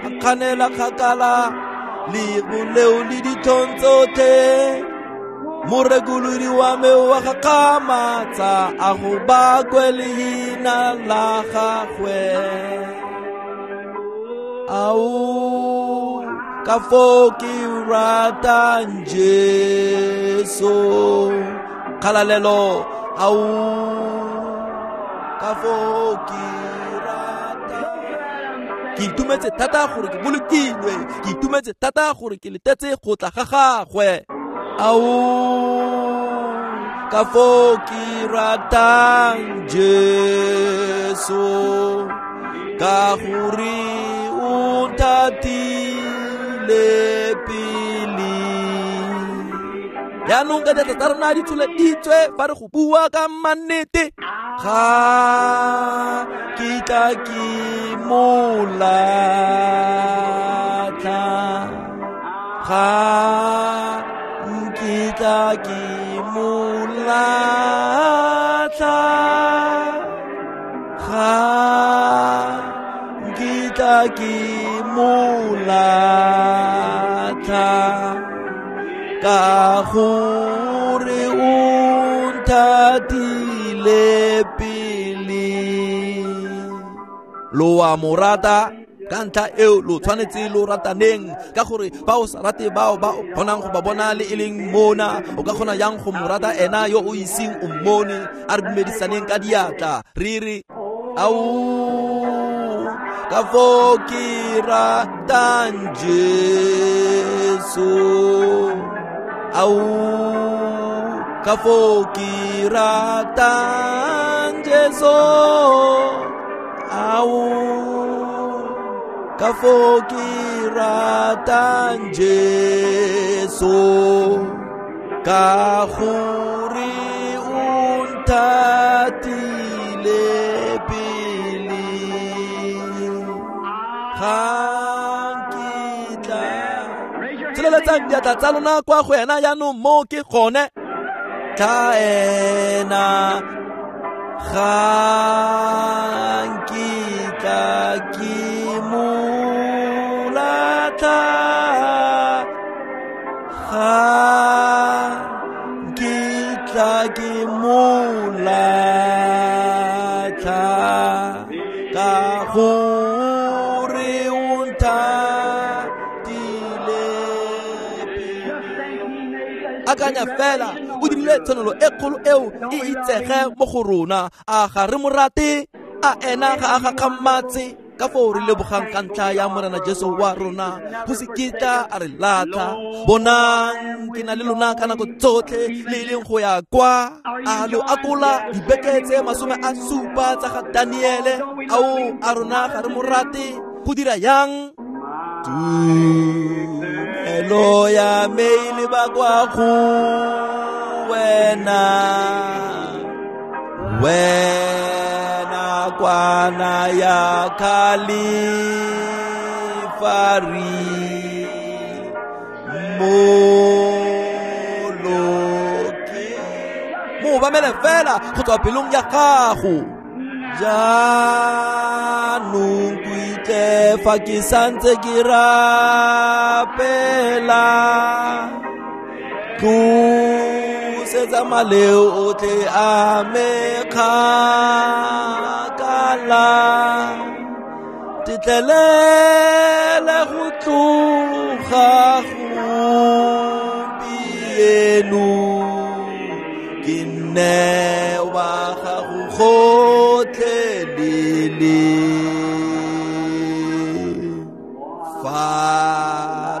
a kganela kgakala le boleo le ditlhong tsotlhe. Morekolodi wa me wa gakgamatsa, a go bakwe leina la gagwe. Ao ka foo ke ratang Jesu, kgalalelo. Ao ka foo ke ratang. Ke itumetse thata gore ke bolokilwe, ke itumetse thata gore ke letetse go tla ga gagwe. Ao ka foo ke ratang Jesu, ka gore o nthatile pele. Jaanong ka diatla tsa rona di tsholeditswe fa re go bua ka mannete, ga kitla ke mo latlha, ga nkitla ke mo latlha, ga nkitla ke mo latlha, ka gore o nthatile pele. Lo a mo rata, ka ntlha eo lo tshwanetse lo rataneng, ka gore fa o sa rate bao ba o kgonang go ba bona le e leng mona, o ka kgona yang go mo rata ena yo o iseng o mmone. A re dumedisaneng ka diatla re re, ao ka foo ke ratang Jesu, ao ka foo ke ratang Jesu, ao ka foo ke ratang Jesu, ka gore o nthatile pele. Ga nkitla. Tsholeletsang diatla tsa lona kwa go ena jaanong, mo ke gone. Tla ena, ga nkitla ke mo latlha, ga nkitla ke mo latlha, ka gore o nthatile pele. Akanya fela, o dirile tshwanelo e kgolo eo e itsege mo go rona. A ga re mo rate? A ena ga a gakgamatse? Ka foo re lebogang ka ntlha ya Morena Jesu wa rona, go se kitla a re latlha. Bonang, ke na le lona ka nako tsotlhe, le e leng go ya kwa. A lo akola dibeke tse 70 tsa ga Daniele. Ao a rona ga re mo rate? Go dira yang? Tumelo ya me e leba kwa go wena, wena kwana ya Kalifari, moloki. Mo obamele fela go tswa pelong ya gago. Jaanong ko itle fa ke santse ke rapela, tlosetsa maleo otlhe a me kgakala, tetlelele go tloga gompieno, ke nne wa gago gotlhelele. Fa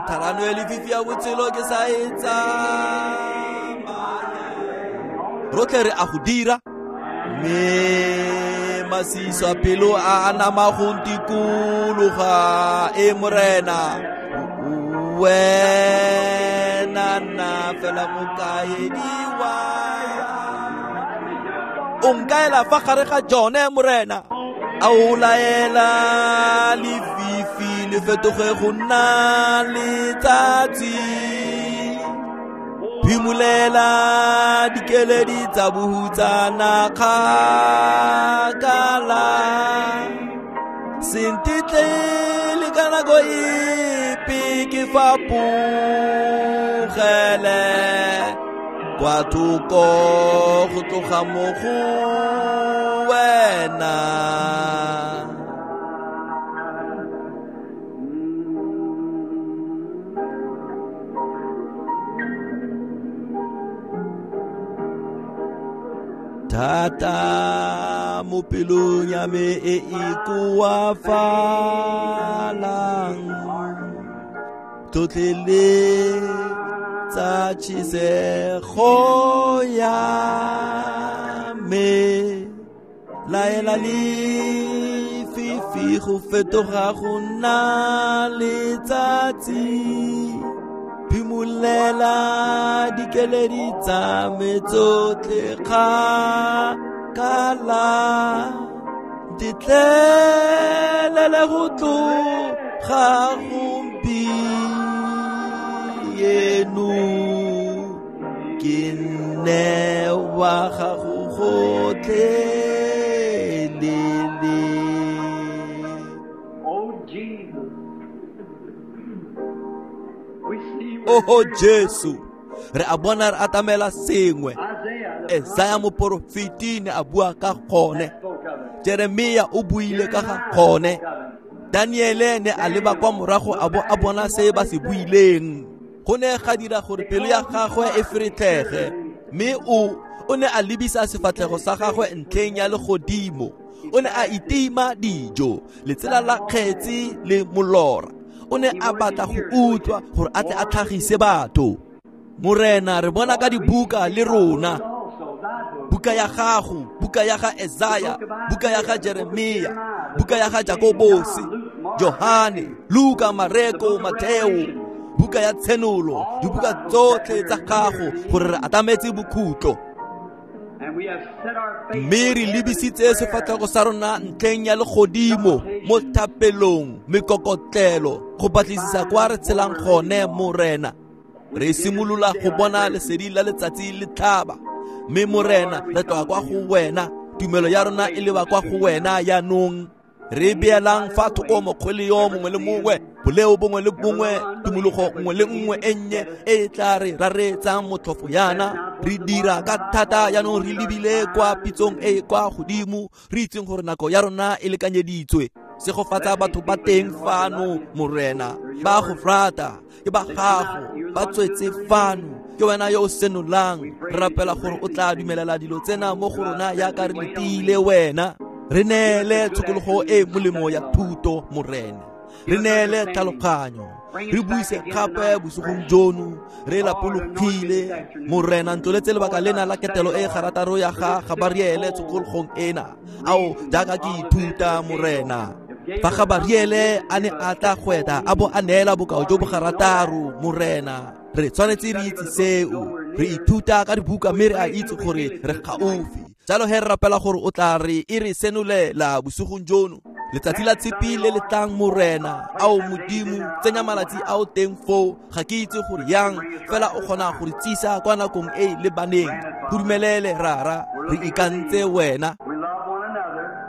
tharano e lefifi ya botshelo ke sa e tsamaya, Rotlhe re a go dira. Mme masisa pelo a nama go ntikologa, e Morena, wena nna fela mokaedi wa. O nkaela fa gare ga jone, Morena. A o laela lefifi le fetoge go nna letsatsi. Phimolela dikeledi tsa bohutsana kgakala. Se ntetle le ka nako epe ke fapogele kwa thoko go tloga mo go wena. Thata mo pelong ya me e e koafalang, tlhotlheletsa tšhisego ya me. Laela lefifi go fetoga go nna letsatsi. Phimolela dikeledi tsa me tsotlhe kgakala. Ntetlelele go tloga gompieno, ke nne wa gago gotlhelele. Oh Jesus. We see Oho Jesu, re a bona re atamela sengwe. Isaiah the Esaya moporofeti ne a bua ka gone. spoke of it. Jeremia o buile ka ga gone. Daniele ne a leba kwa morago a bo a bona se ba se buileng. Go ne ga dira gore pelo ya gagwe e feretlhege, mme o ne a lebisa sefatlhego sa gagwe ntlheng ya legodimo. O ne a itima dijo, letsela la kgetse le molora. O ne a batla go utlwa gore a tle a tlhagise batho. Morena, re bona ka dibuka le rona. Also, thy book. Buka ya gago, buka ya ga Esaya, buka ya ga Jeremia, buka ya ga Jakobosi, Johane, Luka, Mareko, Mateo, buka ya Tshenolo, dibuka tsotlhe tsa gago gore re atametse bokhutlo. And we have set our face Mme re lebisitse sefatlhego sa rona ntlheng ya legodimo mo thapelong, mekokotlelo, go batlisisa kwa re tshelang gone, Morena. Re simolola go bona lesedi la letsatsi le tlhaba. Mme Morena, re tloga kwa go wena. Tumelo ya rona e leba kwa go wena jaanong. Re beelang fa thoko mokgwele yo mongwe le mongwe, boleo bongwe le bongwe, tumologo nngwe le nngwe e nnye e e tla re raretsang motlhofo yana. Re dira ka thata jaanong re lebile kwa pitsong e e kwa godimo, re itseng gore nako ya rona e lekanyeditswe. Segofatsa batho ba teng fano, Morena. Ba go rata, ke ba gago, ba tswetse fano. Ke wena yo o senolang. Re rapela gore o tla dumelela dilo tsena mo go rona jaaka re letile wena. Re neele tshokologo e molemo ya thuto, Morena. Re neele tlhaloganyo. Re buise gape bosigong jono, re lapologile. Morena, ntloletse lebaka lena la ketelo e garataro ya ga Gabariele tshokologong ena. Ao, jaaka ke ithuta, Morena. Fa Gabariele a ne a tla gweta a bo a neela bokao jo bo garataro, Morena, re tshwanetse re itse seo. Re ithuta ka dibuka mme re a itse gore re gaufi. Jalo he re rapela gore o tla re e re senolela bosigong jono. Letsatsi la tshipi le le tlang, Morena. Ao Modimo, tsenya malatsi ao teng foo. Ga ke itse gore yang, fela o kgona go re tsisa kwa nakong e e lebaneng. Go dumelele, Rara, re ikantse wena. We love one another.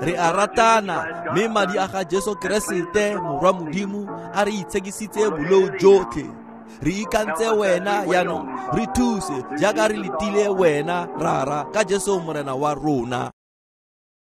Re a ratana, mme madi a ga Jesu Keresete, Morwa Modimo, a re itshekisitse boleo jotlhe. Re ikantse wena jaanong, re thuse jaaka re letile wena, Rara, ka Jesu Morena wa rona.